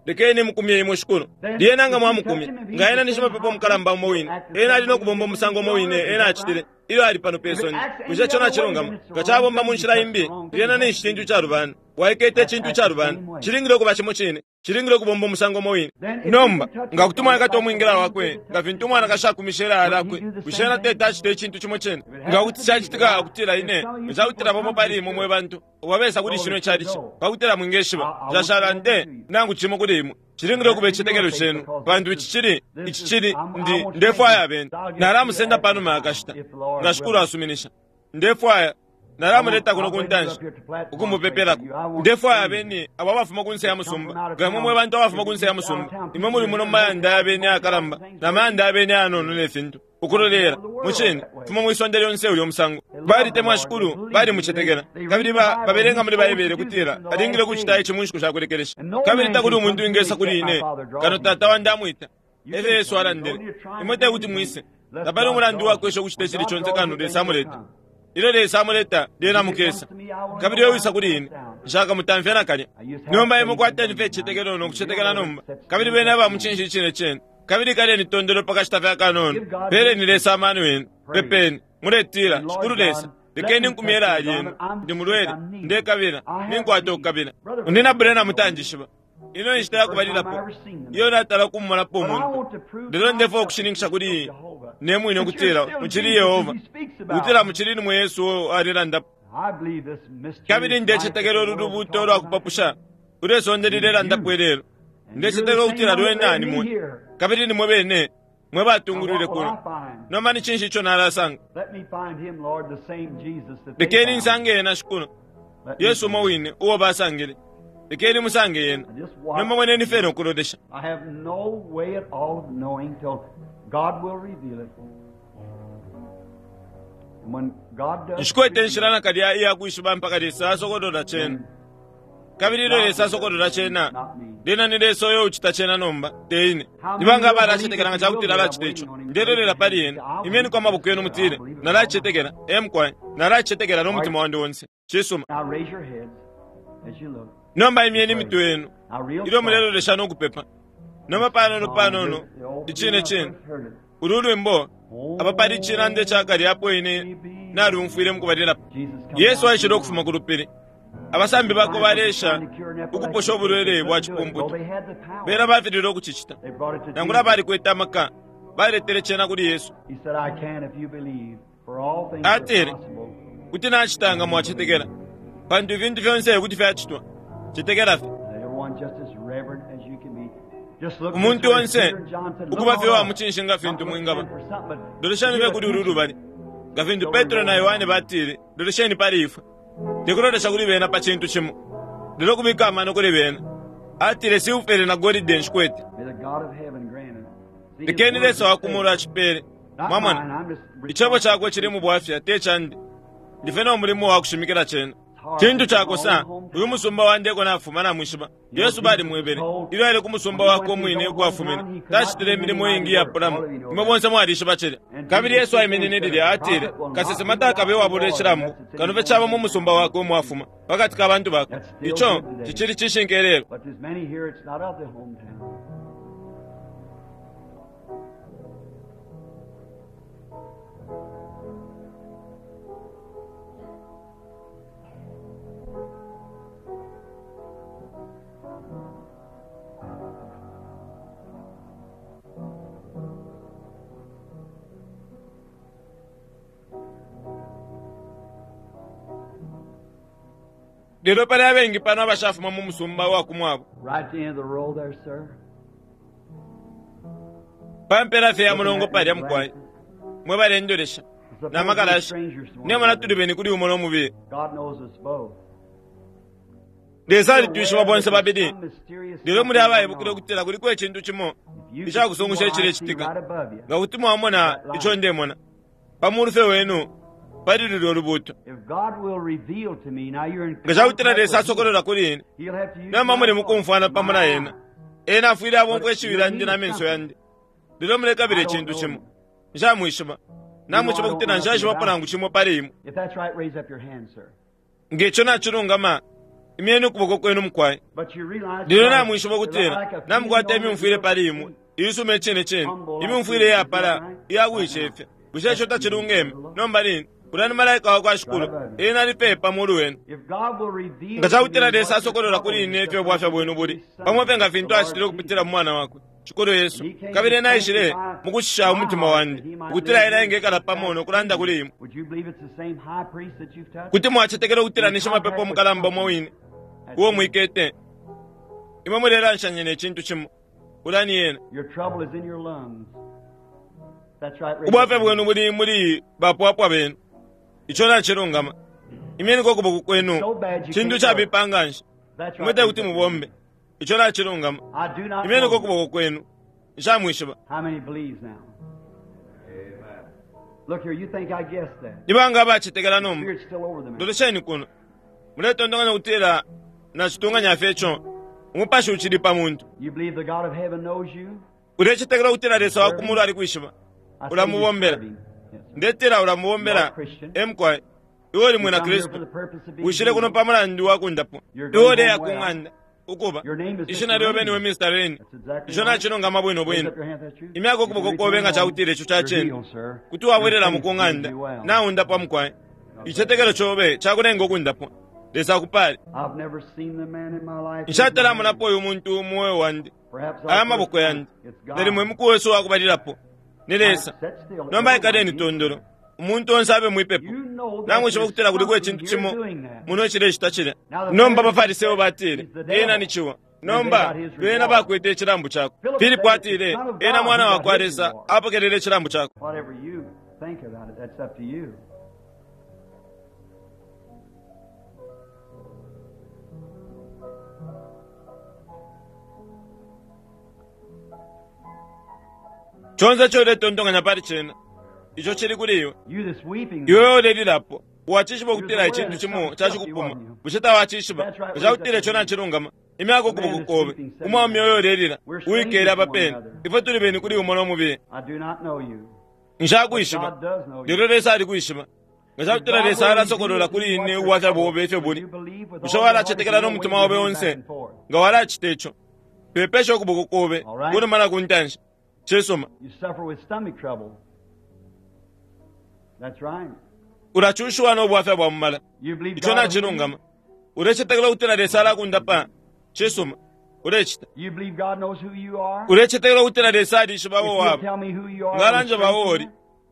Lekeni mukumye imwe, Shikulu. Lyena nga mwamukumya, nga ena ni shimapepo mukalamba umo wine, ena ali no kubomba umusango umo wine ena acitile ilyo ali pano pe sonde. Bushe ico nacilungama? Nga cabomba mu nshila imbi, lyena ninshi cintu icalubana. Waikete icintu icalubana. Cilingile ukuba cimo cine. Cilingile ukubomba umusango umo wine. Nomba, nga kuti mwaikata umwingila wakwe, nga fintu umwanakashi akumishe ilaya lyakwe, bushe ena teti acite icintu cimo cine? Nga kuti cacitika ukutila ine, nga cakutila bamo pali imwe mwe bantu wabesa kuli shino icalici, pakutila mwingeshiba, nshashala nde nangu cimo kuli imwe. Cilingile ukuba icitetekelo cenu, pantu ici cili, ici cili, ndi, ndefwaya abeni. Nalamusenda panuma ya kashita, nga Shikulu asuminisha. Ndefwaya, nalamuleta kuno ku ntanshi, ukumupepelako. Ndefwaya abeni abo abafuma kunse ya musumba. Nga imwe mwe bantu abafuma kunse ya musumba, imwe muli muno mu mayanda ya beni ayakalamba, na mayanda ya beni ayanono ne fintu, ukulolela. Mucine, fuma mwi sonde lyonse ulyo musango. Balitemwa Shikulu, balimucetekela. Kabili ba, babelenga muli Baibele kutila alingile ukucita ici mu nshiku sha kulekelesha. Kabili takuli umuntu wingesa kuli ine, kano Tata wandi amwita. Efyo Yesu alandile. Imwe tekuti mwise. Tapali umulandu uwakwesha ukucita icili conse kano Lesa amuleta. Ilyo Lesa amuleta, lyena mukesa. Kabili uyo wisa kuli ine, nshakamutamfye nakalya. Nomba imwe kwateni fye icicetekelo no kucetekela nomba. Kabili beni aba mucinshi icine cine. Kabili ikaleni tondolo pa kashita fye akanono. Peleni Lesa amano yenu. Pepeni. Muletila, Shikulu Lesa, lekeni nkumye ilaya lyenu. Ndi mulwele. Ndekabila. Ninkwata ukukabila. Munyina Branham tanjishiba. Ino inshita ya kubalilapo iyo natala kumumonapo umuntu. Lelo ndefwaya ukushininkisha kuli ne mwine ukutila mucili Yehova, ukutila mucili ni mwe Yesu uo alelandapo. Kabili ndecetekela ulu lubuuto lwa kupapusha ulwe sonde lilelandapo ilelo. Ndecetekela ukutila lwena ni mwe, kabili ni mwe bene mwe batungulwile kuno. Nomba ni cinshi ico nalasanga? Lekeni nsange ena, Shikulu, Yesu umo wine uo basangile. Lekeni musange yena. Nomba mweneni fye no kulolesha. I have no way at all of knowing till God will reveal it. And when God does Nshikwete inshila nakalya iya kwishiba mpaka Lesa asokolola cena. Kabili ilyo Lesa asokolola cena, lyena ni Lesa uyo ucita cena nomba, te ine. Ni banga abalacetekela nga cakutila alacita ico? Ndelolela pali ena. Imyeniko amaboko yenu mutile, Nalacetekela. Ee mukwai, nalacetekela no mutima wandi onse. Cisuma. Now raise your heads as you look. Nomba imyeni imitwe yenu Now real ilyo mulelolesha no kupepa. Nomba panono panono, icine cine, ulu lwimbo apa pali icilande cakale apo ine nalumfwile mukubalilapo. Yesu aishile ukufuma ku lupili. Abasambi bakwe baleesha ukuposha ubulwele bwa cipumputu. Bena bafililwe ukucicita. Nangula balikwete amaka, baletele cena kuli Yesu. He said, I can if you believe, for all things are Atile, possible. Kuti nacita nga mwacetekela, pantu ifintu fyonse kuti fyacitwa. Cetekela fye. Everyone just as reverent as you can be. Just look Umuntu this way. onse Peter and John said, "Look ukuba fye on wa us." mucinshi nga fintu Not look mwingaba. for something, but Lolesheni give fye kuli ulu attention. lubali. Nga fintu Petro na Yohane batile, lolesheni pali ifwe. Tekulolesha kuli bena pa cintu cimo. Lelo kubika amano kuli bena. Atile silfere na golide nshikwete. May the God of heaven grant it. See, his Lekeni word Lesa wa is kumulu safe. acipele. Not Mwamona, mine, I'm just icebo cakwe cili mu bwafya te candi. Ndife no mulimo wa kushimikila cena. Cintu cakosa, uyu musumba wandeko nafuma namwishiba. Yesu balimwebele. Ilyo aile ku musumba wakwe umwine uko afumine, tacitile imilimo iingi iyapulamo. Imwe bonse mwalishiba cilya. Kabili Yesu aiminine lilya atile, kasesema takabe wabula icilambu, kano fye caba mu musumba wakwe umo afuma, pakati ka bantu bakwe. Ico cicili cishinka ilelo. But there's many here, it's not of the hometown. Lelo pali abengi pano abashafuma mu musumba wa kumwabo. Right at the end of the row there, sir. Pa mpela fye ya mulongo palya mukwai. Mwe balendolesha. Na makalashi. Nemona tuli beni kuli umo nomubili. God knows us both. Lesa alitwishiba bonse babili. Some mysterious Lelo muli something abaibukile going on. ukutila kuliko icintu cimo If you could icakusungusha see what I see icilecitika. right above you. Nga kuti mwamona ico ndemona. Pa mulu fye wenu pali lulyo ulubuuto. If God will reveal to me, now you're in Nga cakutila contact Lesa with him. asokolola kuli ine. He'll have to use Nomba my muli voice, mukumfwana my pamo na ena. eyes. Ena afwile abomfwa ishiwi lyandi na menso yandi. Lelo mulekabila icintu cimo. Nshamwishiba. Namwishiba ukutila nshaishibapo nangu cimo pali imwe. If that's right, raise up your hand, sir. Ngeco nacilungama, imyeni ukuboko kwenu mukwai. But you realize Lelo namwishiba ukutila like a namukwata feeling imyumfwile on pali the imwe. Iisuma icine cine. Imyumfwile iyapala iyakuicefya. Bushe ico tacilungeme? Nomba lini? Ulya ni malaika wa kwa Shikulu. Ena ali pe pa mulu wenu. If God will reveal Nga cakutila to me Lesa what your asokolola kuli trouble ine is, ifyo bwafya bwenu buli. Pamo fye nga fintu acitile ukupitila mu mwana wakwe. Shikulu Yesu. Kabili ena aishile mukushisha umutima wandi. Ukutila ena engekala pamo no kulanda kuli imwe. Would you believe it's the same high priest that you've touched? Kuti mwacetekela ukutila ni shimapepo mukalamba umo wine. Uo mwikete. Imwe mulelanshanya ne cintu cimo. Ulya ni ena. Your trouble is in your lungs. That's right. raise Ubwafya up your bwenu buli muli bapwapwa benu. Ico nacilungama. Imyeniko ukuboko kwenu. Cintu cabipa nga nshi. hand. That's right. Imwe te raise kuti up your mubombe. hand. Ico nacilungama. I do not Imyeniko know. ukuboko kwenu. Nshamwishiba. How many believes now? Look here, you think I guessed that. Ni banga abacetekela nomba. Spirit's still over the man. Lolesheni kuno. Muletondonganya ukutila nacitunganya fye ico. Umupashi ucili pa muntu. You believe the God of heaven knows you? Ulecetekela ukutila Lesa wa kumulu alikwishiba. I say you Ulamubombela. serve him. Yes, sir. Ndetela ulamubombela. Emkwai. Iwe uli You mwina come here for Kristu. the purpose of being Wishile kuno healed. pa mulandu wa kundapwa. Iwe uleya ku ng'anda. Ukuba. Ishina lyobe niwe Mr. Rain. That's exactly Ico right. nacilungama bwino Raise bwino. up your hand, that's true. Imyaka If you ukuboko kobe return nga home, cakutila ico you're cacene. healed, sir. Kuti wabwerera mu Your faith kung'anda. will be well. Naundapwa mukwai. Icetekelo cobe cakulenga ukundapwa. Lesa akupale. I've never seen the man in my life. Nshatalamonapo uyu muntu mu moyo wandi. Perhaps Aya our maboko first yandi. time. It's God. Nalimwe muku wesu wakubalilapo. Ni Lesa. Sit still. Nomba ikaleni tondolo. Umuntu onse abe mwipepo. You know that Namwishiba there's ukutila kuliko something icintu here cimo doing that. muno cilecita cilya. Nomba abaFariseyo batile, ena ni ciwa. Nomba bena bakwete icilambu cakwe. Filipo atile, ena mwana wa kwa Lesa apokelele icilambu cakwe. Whatever you think about it, that's up to you. Chonse ico uletondonganya pali cena. Ico cili kuli iwe. You that's weeping, Iwe ulelilapo. Wacishiba ukutila icintu cimo cacikupuma. Bushe tawacishiba? Cakutila ico nacilungama. Imyaka ukuboko kobe. Umwaume uyo ulelila. Uwikele apa pene. Ifwe tuli beni kuli umo no mubili. I do not know you. Nshakwishiba. God does know you. Lelo Lesa alikwishiba. Nga cakutila Lesa alasokolola kuli ine ubwafya bobe ifyo buli. Bushe walacetekela no mutima obe onse? Nga walacita ico. Pepesha ukuboko kobe. Kunuma na kuntanshi. Cisuma. You suffer with stomach trouble. That's right. Ulacushiwa no bwafya bwa mumala. You believe Ico God will nacilungama. Ulecetekela ukutila Lesa alakundapa. Cisuma. Ulecita. You believe God knows who you are? Ulecetekela ukutila Lesa alishiba If abo you'll waba. tell me who you are, Nga it'll alanja bawo strengthen oli. you.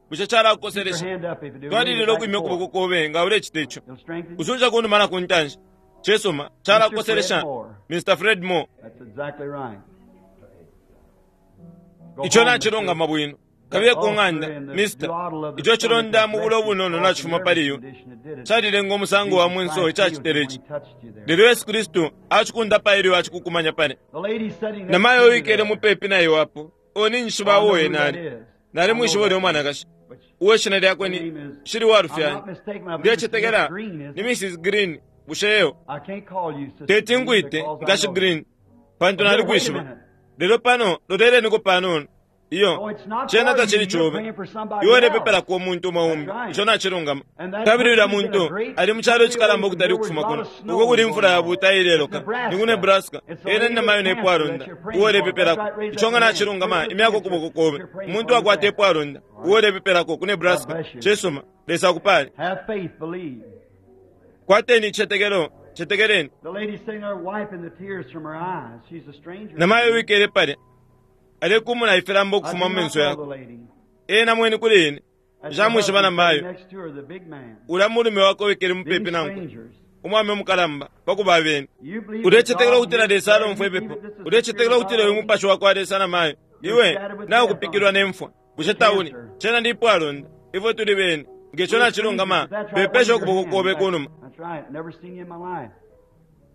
Bushe Keep your calakukoselesha. hand up if you do. Twalilila Wave it ukwimya back and ukuboko forth. kobe nga ulecita ico. It'll strengthen you. Usunja kunuma na kuntanshi. Cisuma, calakukoselesha Mr. Fred Moore. That's exactly right. Go Ico home, nacilungama Mr. bwino. Kabiye ku ng'anda, Mr. Ico cilonda mu bulo bunono nacifuma pali iwe. Calilenga umusango wa mwenso icacitele ici. Lelo Yesu Kristu acikundapa ilyo acikukumanya pale. Namayo uwikele mupepi na iwe apo, uo ninjishiba uo ena ali. Nalimwishiba ulya umwanakashi. Uwe shina lyakwe ni shili walufyanya. Ndecetekela ni Mrs. Green, bushe eyo. Teti ngwite nkashi Green, pantu nalikwishiba. Lelo pano loleleniko panono. Iyo, cena tacili cobe. Iwe ulepepelako umuntu umo umbi, ico nacilungama. Kabili ulya muntu ali mu calo icikalamba ukutali ukufuma kuno, uko kuli imfula yabuuta ileloka, ni ku Nebraska. Ena ni namayo ne pwalonda, uo ulepepelako. Ico nga nacilungama, imyako ukuboko kobe. Umuntu akwata ipwalonda, uo ulepepelako ku Nebraska. Cisuma, Lesa akupale. Have faith, believe. Kwateni icicetekelo, cetekeleni. The lady sitting there wiping the tears from her eyes. She's a stranger. Namayo wikele palya, alekumuna ifilambo I ukufuma do mu not menso know yakwe. the lady. Ena mweni kuli ine, That's her nshamwishiba husband sitting namayo. next to her, the big man. Ulya mulume wakwe wikele Being mupepi nankwe. strangers. Umwame umukalamba pakuba abene. You believe that Ulecetekela God ukutila is Lesa there, alomfwa you ipepo. believe that this is the Ulecetekela Spirit of ukutila uyu God. mupashi wakwa Lesa namayo. Iwe naukupikilwa ne mfwa. Bushe tauli, cena ndi ipwalonda. Ifwe tuli bene. Ngeco nacilungama, That's right, pepesha wave your ukuboko hand. kobe kunuma. That's right. Never seen you in my life.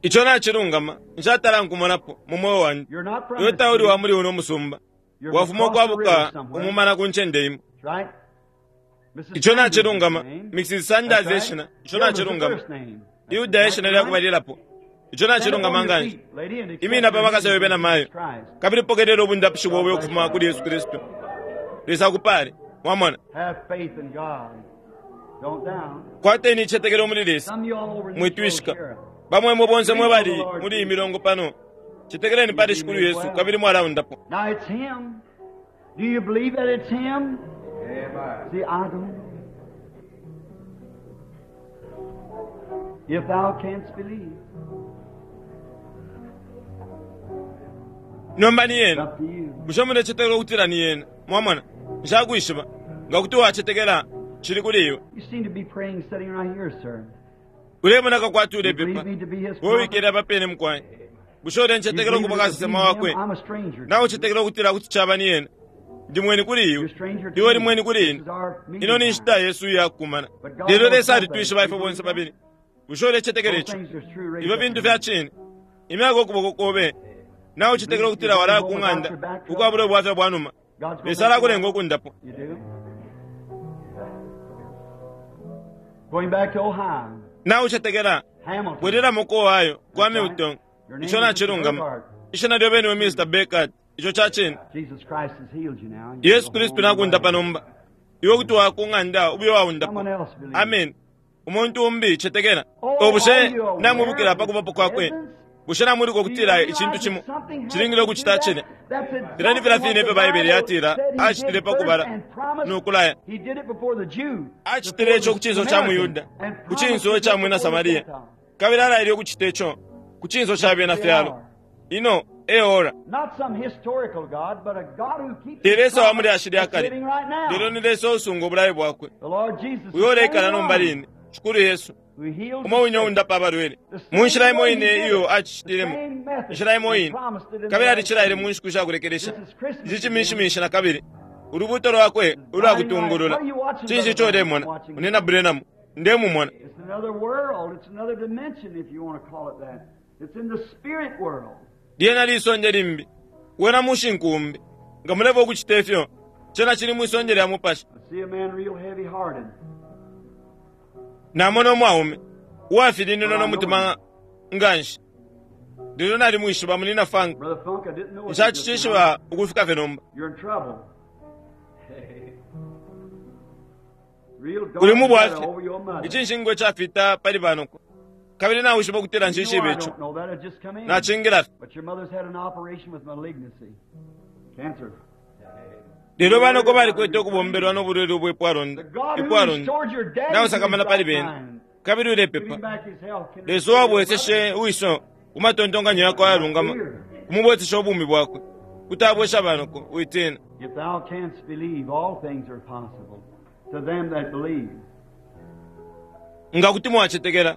Ico nacilungama, nshatala nkumonapo mu mweo wandi. You're not from Iwe this tauli city. wa muli uno musumba. You're Wafuma from across the river ukwabuka somewhere. umumana ku ncende imo. That's right. Mrs. Ico Sanders is nacilungama, the name. Mrs. Sanders That's right. eshina. Ico Hilda's the nacilungama. first name. That's Yuda eshina exactly right. lyakubalilapo. Ico Stand up nacilungama on your nganshi. feet, lady, and accept Imina pa your makasa healing yobe na from mayo. Jesus Christ. Kabili pokelela obundapishi bwobe ukufuma kuli Yesu Kristu. Lesa akupale. Mwamona. Have faith in God. Don't down. Kwateni icetekelo muli Lesa. Some of you all over this road Mwitwishika. here. Bamwemwe bonse mwe bali muli iyi milongo pano. Cetekeleni pali Shikulu Yesu kabili mwalaundapo. Now it's Him. Do you believe that it's Him? See, I don't. If thou canst believe, Nomba ni it's yena. up to you. Bushe mulecetekela ukutila ni yena. Mwamona. Nshakwishiba. Nga kuti wacetekela cili kuli iwe. You seem to be praying sitting right here, sir. Ulemoneka kwati You believe ulepepa. me to be His Wowe prophet? wikele apapene mukwai. Bushe You ulencetekela believe ukuba that it's kasesema him? wakwe. I'm a stranger. to Nawe you. ucetekela ukutila kuti caba ni yena. Ndi mweni kuli You're iwe. a stranger to Iwe me. uli mweni kuli This ine. is our meeting Ino ni time. nshita yesu iyakukumana. But God Lelo knows Lesa all alitwishiba things. ifwe You bonse believe babili. Bushe ulecetekela Both ico. things are true. Raise Ifyo up fintu your fya hand. cine. Imyaka ukuboko kobe. Nawe ucetekela ukutila walaya ku ng'anda ukwabula ubwafya bwa numa. God's gonna Lesa make you alakulenga well. ukundapo. You do? Going back to Ohio, Nawe ucetekela Hamilton. bwereramo ku Ohio kwa That's right. Milton. Your name Ico is Mr. nacilungama. Burkhart. Ishina lyobe niwe Mr. Baker. Ico ca cine. Jesus Christ has healed you now. You Yesu go Kristu home nakundapa well. nomba. Iwe kuti wakung'anda ubuye waundapo. Someone else believes. Amen. Umuntu umbi cetekela. Oh, Obushe are you aware namwibukila of pa His kubapo kwakwe. presence? Bushe namuliko Do you kutila realize icintu that cimo something has cilingile to do ukucita that? cine. That's Filya ni exactly filya what fine the ifyo Baibele Bible yatila said he acitile did pa first kubala and promised. nokulaya. He did it before the Jew, Acitile before ico the ku cinso ca Samaritan, muyuda, and ku promised to cinso do ca it mwina before the Samariya. Gentiles. Kabili alaile ukucita ico ku cinso ca This bena is the fyalo. hour. Ino e ora. Not some historical God, but a God who keeps Te his Lesa wa promise mulyashi lya that's kale. living right Lelo now. ni Lesa usunga obulayo bwakwe. The Lord Jesus, the Uyo uleikala same nomba one line, Shikulu Yesu. who heals Umo the wine sick, undapa abalwele. the Mu nshila same imo way he ine did iyo it, the acitilemo. same method, Inshila imo and ine. promised it in the Kabili last alicilaile days. mu nshiku shakulekelesha. This is Christmas Ici again. ciminshiminshi na kabili. Ulubuto lwakwe It's ulwa guiding light. What kutungulula. are you watching, Cinshi Brother ico Branham? ulemona? Watching Unena Branham. Ndemumona. It's another world. It's another dimension, if you want to call it that. It's in the spirit world. Lyena lisonde limbi. Wena mushinkumbi. Nga muleva ukucita ifyo. Cena cili mwisonde lya mupashi. I see a man real heavy-hearted, Namona umwaume. but Uwafilinino I no know him. mutima nganshi. Lelo nalimwishiba munina Frank. Brother Funk, I didn't know it just now. Nshacishishiba ukufika fye nomba. You're in trouble. Real Uli dark mu shadow bwafya. over your mother. Icinshingwa cafita pali banoko. Kabili nawishiba ukutila You know nshishibe I ico. don't know that. It just come in. Nacingila fye. But your mother's had an operation with malignancy, cancer. Lelo You banoko worried about her. balikwete You're ukubombelwa praying. n'obulwele obwepwalonda. The God who Ipwalonda. restored your daddy to his Nawasakamana pali right bene. mind, Kabili give him ulepepa. back his health, can Lesa restore your wabweseshe mother. wiso ku matontonkanyo yakwe Not ayalungama. fear. Kumubwesesha ubumi bwakwe. Kuti abwesha banoko witina. If thou canst believe, all things are possible to them that believe. Nga kuti mwacetekela.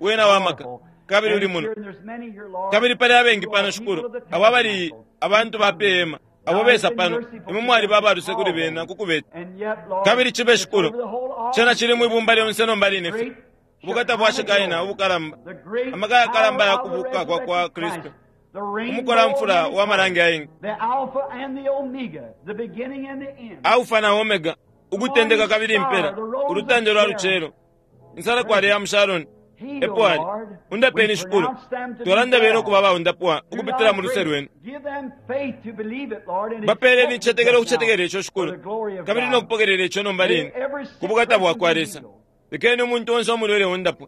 Wena wa maka, kabili uli muno. Kabili pali abengi pano, Shikulu, abo abali abantu ba pe hema, abo besa pano, imwe mwaliba abaluse kuli bena kukubeta. Kabili cibe, Shikulu, cena cili mwibumba lyonse nomba line fye. Ubukata bwa Shekaina ubukalamba, amaka yakalamba ya kubuka kwa kwa Kristu, umukolamfula wa malangi ayengi, Alfa na Omega, ukutendeka kabili impela, ulutande lwa lucelo, insalakwale ya mu Sharoni, epo ali. Undapeni, Shikulu. Twalanda bene ukuba abaundapwa ukupitila mu luse lwenu. Bapeeleni icitetekelo ukucetekela ico, Shikulu, kabili no kupokelela ico nomba line ku bukata bwa kwa Lesa. Lekeni umuntu onse umulwele undapwe.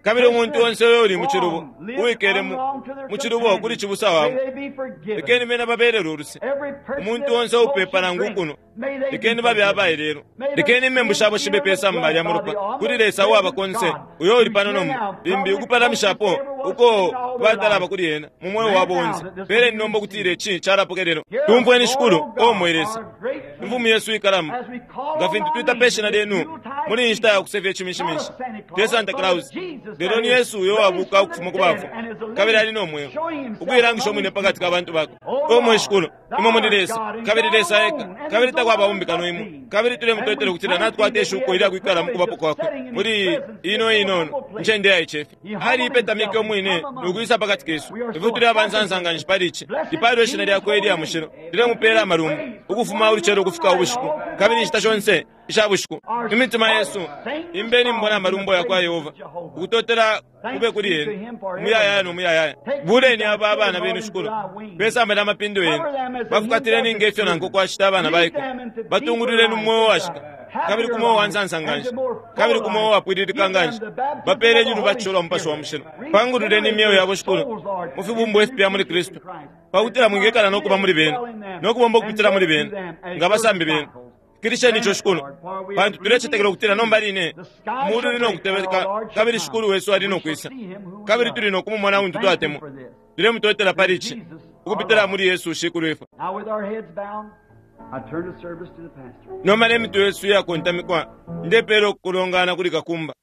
Kabili umuntu onse uyo uli mu cilubo, uwikele mu cilubo kuli cibusa wabo, lekeni bena babelele uluse. Umuntu onse uupepa nangu ukunwa, lekeni babe abaelelwa. Lekeni imembu shabo shibe pe samba lya mulopa kuli Lesa uwaba konse, uyo uli pano nomba, limbi ukupalamishapo uko batalaba kuli ena mu mweo wabo onse. Peleni nomba ukutila ici calapokelelwa. Tumfweni, Shikulu, o mwe Lesa, Imfumu yesu ikalamba, nga fintu twita pe shina lyenu muli iyi nshita ya kusefya icimishimishi, te Santa Claus, lelo ni Yesu uyo wabuka ukufuma ku bafwa kabili ali no mweo, ukuilangisha umwine pakati ka bantu bakwe. O mwe Shikulu, imwe muli Lesa, kabili Lesa eka, kabili takwaba umbi kano imwe. Kabili tulemutotela ukutila natukwata ishuko ilya kwikala mu kubapo kwakwe muli ino inono ncende yaicefya. Aliipetamike umwine no kwisa pakati kesu. Ifwe tuli abansansa nganshi pali ici. Lipaalwe ishina lyakwe ilya mushilo. Lilemupela amalumbo ukufuma ulucelo ukufika ubushiku, kabili inshita shonse isha bushiku. Imitima yesu imbeni mbona amalumbo ya kwa Yehova. Ukutotela kube kuli ena umuyayaya no muyayaya. Buleni aba abana benu, Shikulu, pesamba lya mapindo yenu. Bafukatileni nge fyo nanko kwashita abana baiko. Batungululeni mu mweo washika, kabili ku mweo wa nsansa nganshi, kabili ku mweo wapwililika nganshi. Bapeeleni ulubatisho lwa Mupashi wa Mushilo. Pangululeni imyeo yabo, Shikulu, mu fibumbwa ifipya muli Kristu, pakutila mwingekala no kuba muli bena, no kubomba ukupitila muli bena, nga basambi benu. Fikilisheni ico, Shikulu, pantu tulecetekela ukutila nomba line umuulu uli no kutebeka kabili Shikulu wesu ali no kwisa, kabili tuli no kumumona untu twatemwa. Tulemutotela pali ici ukupitila muli Yesu Shikulwifwe. Nomba ne mitwe yesu iyakontamikwa, ndepeela ukulongana kuli kakumba.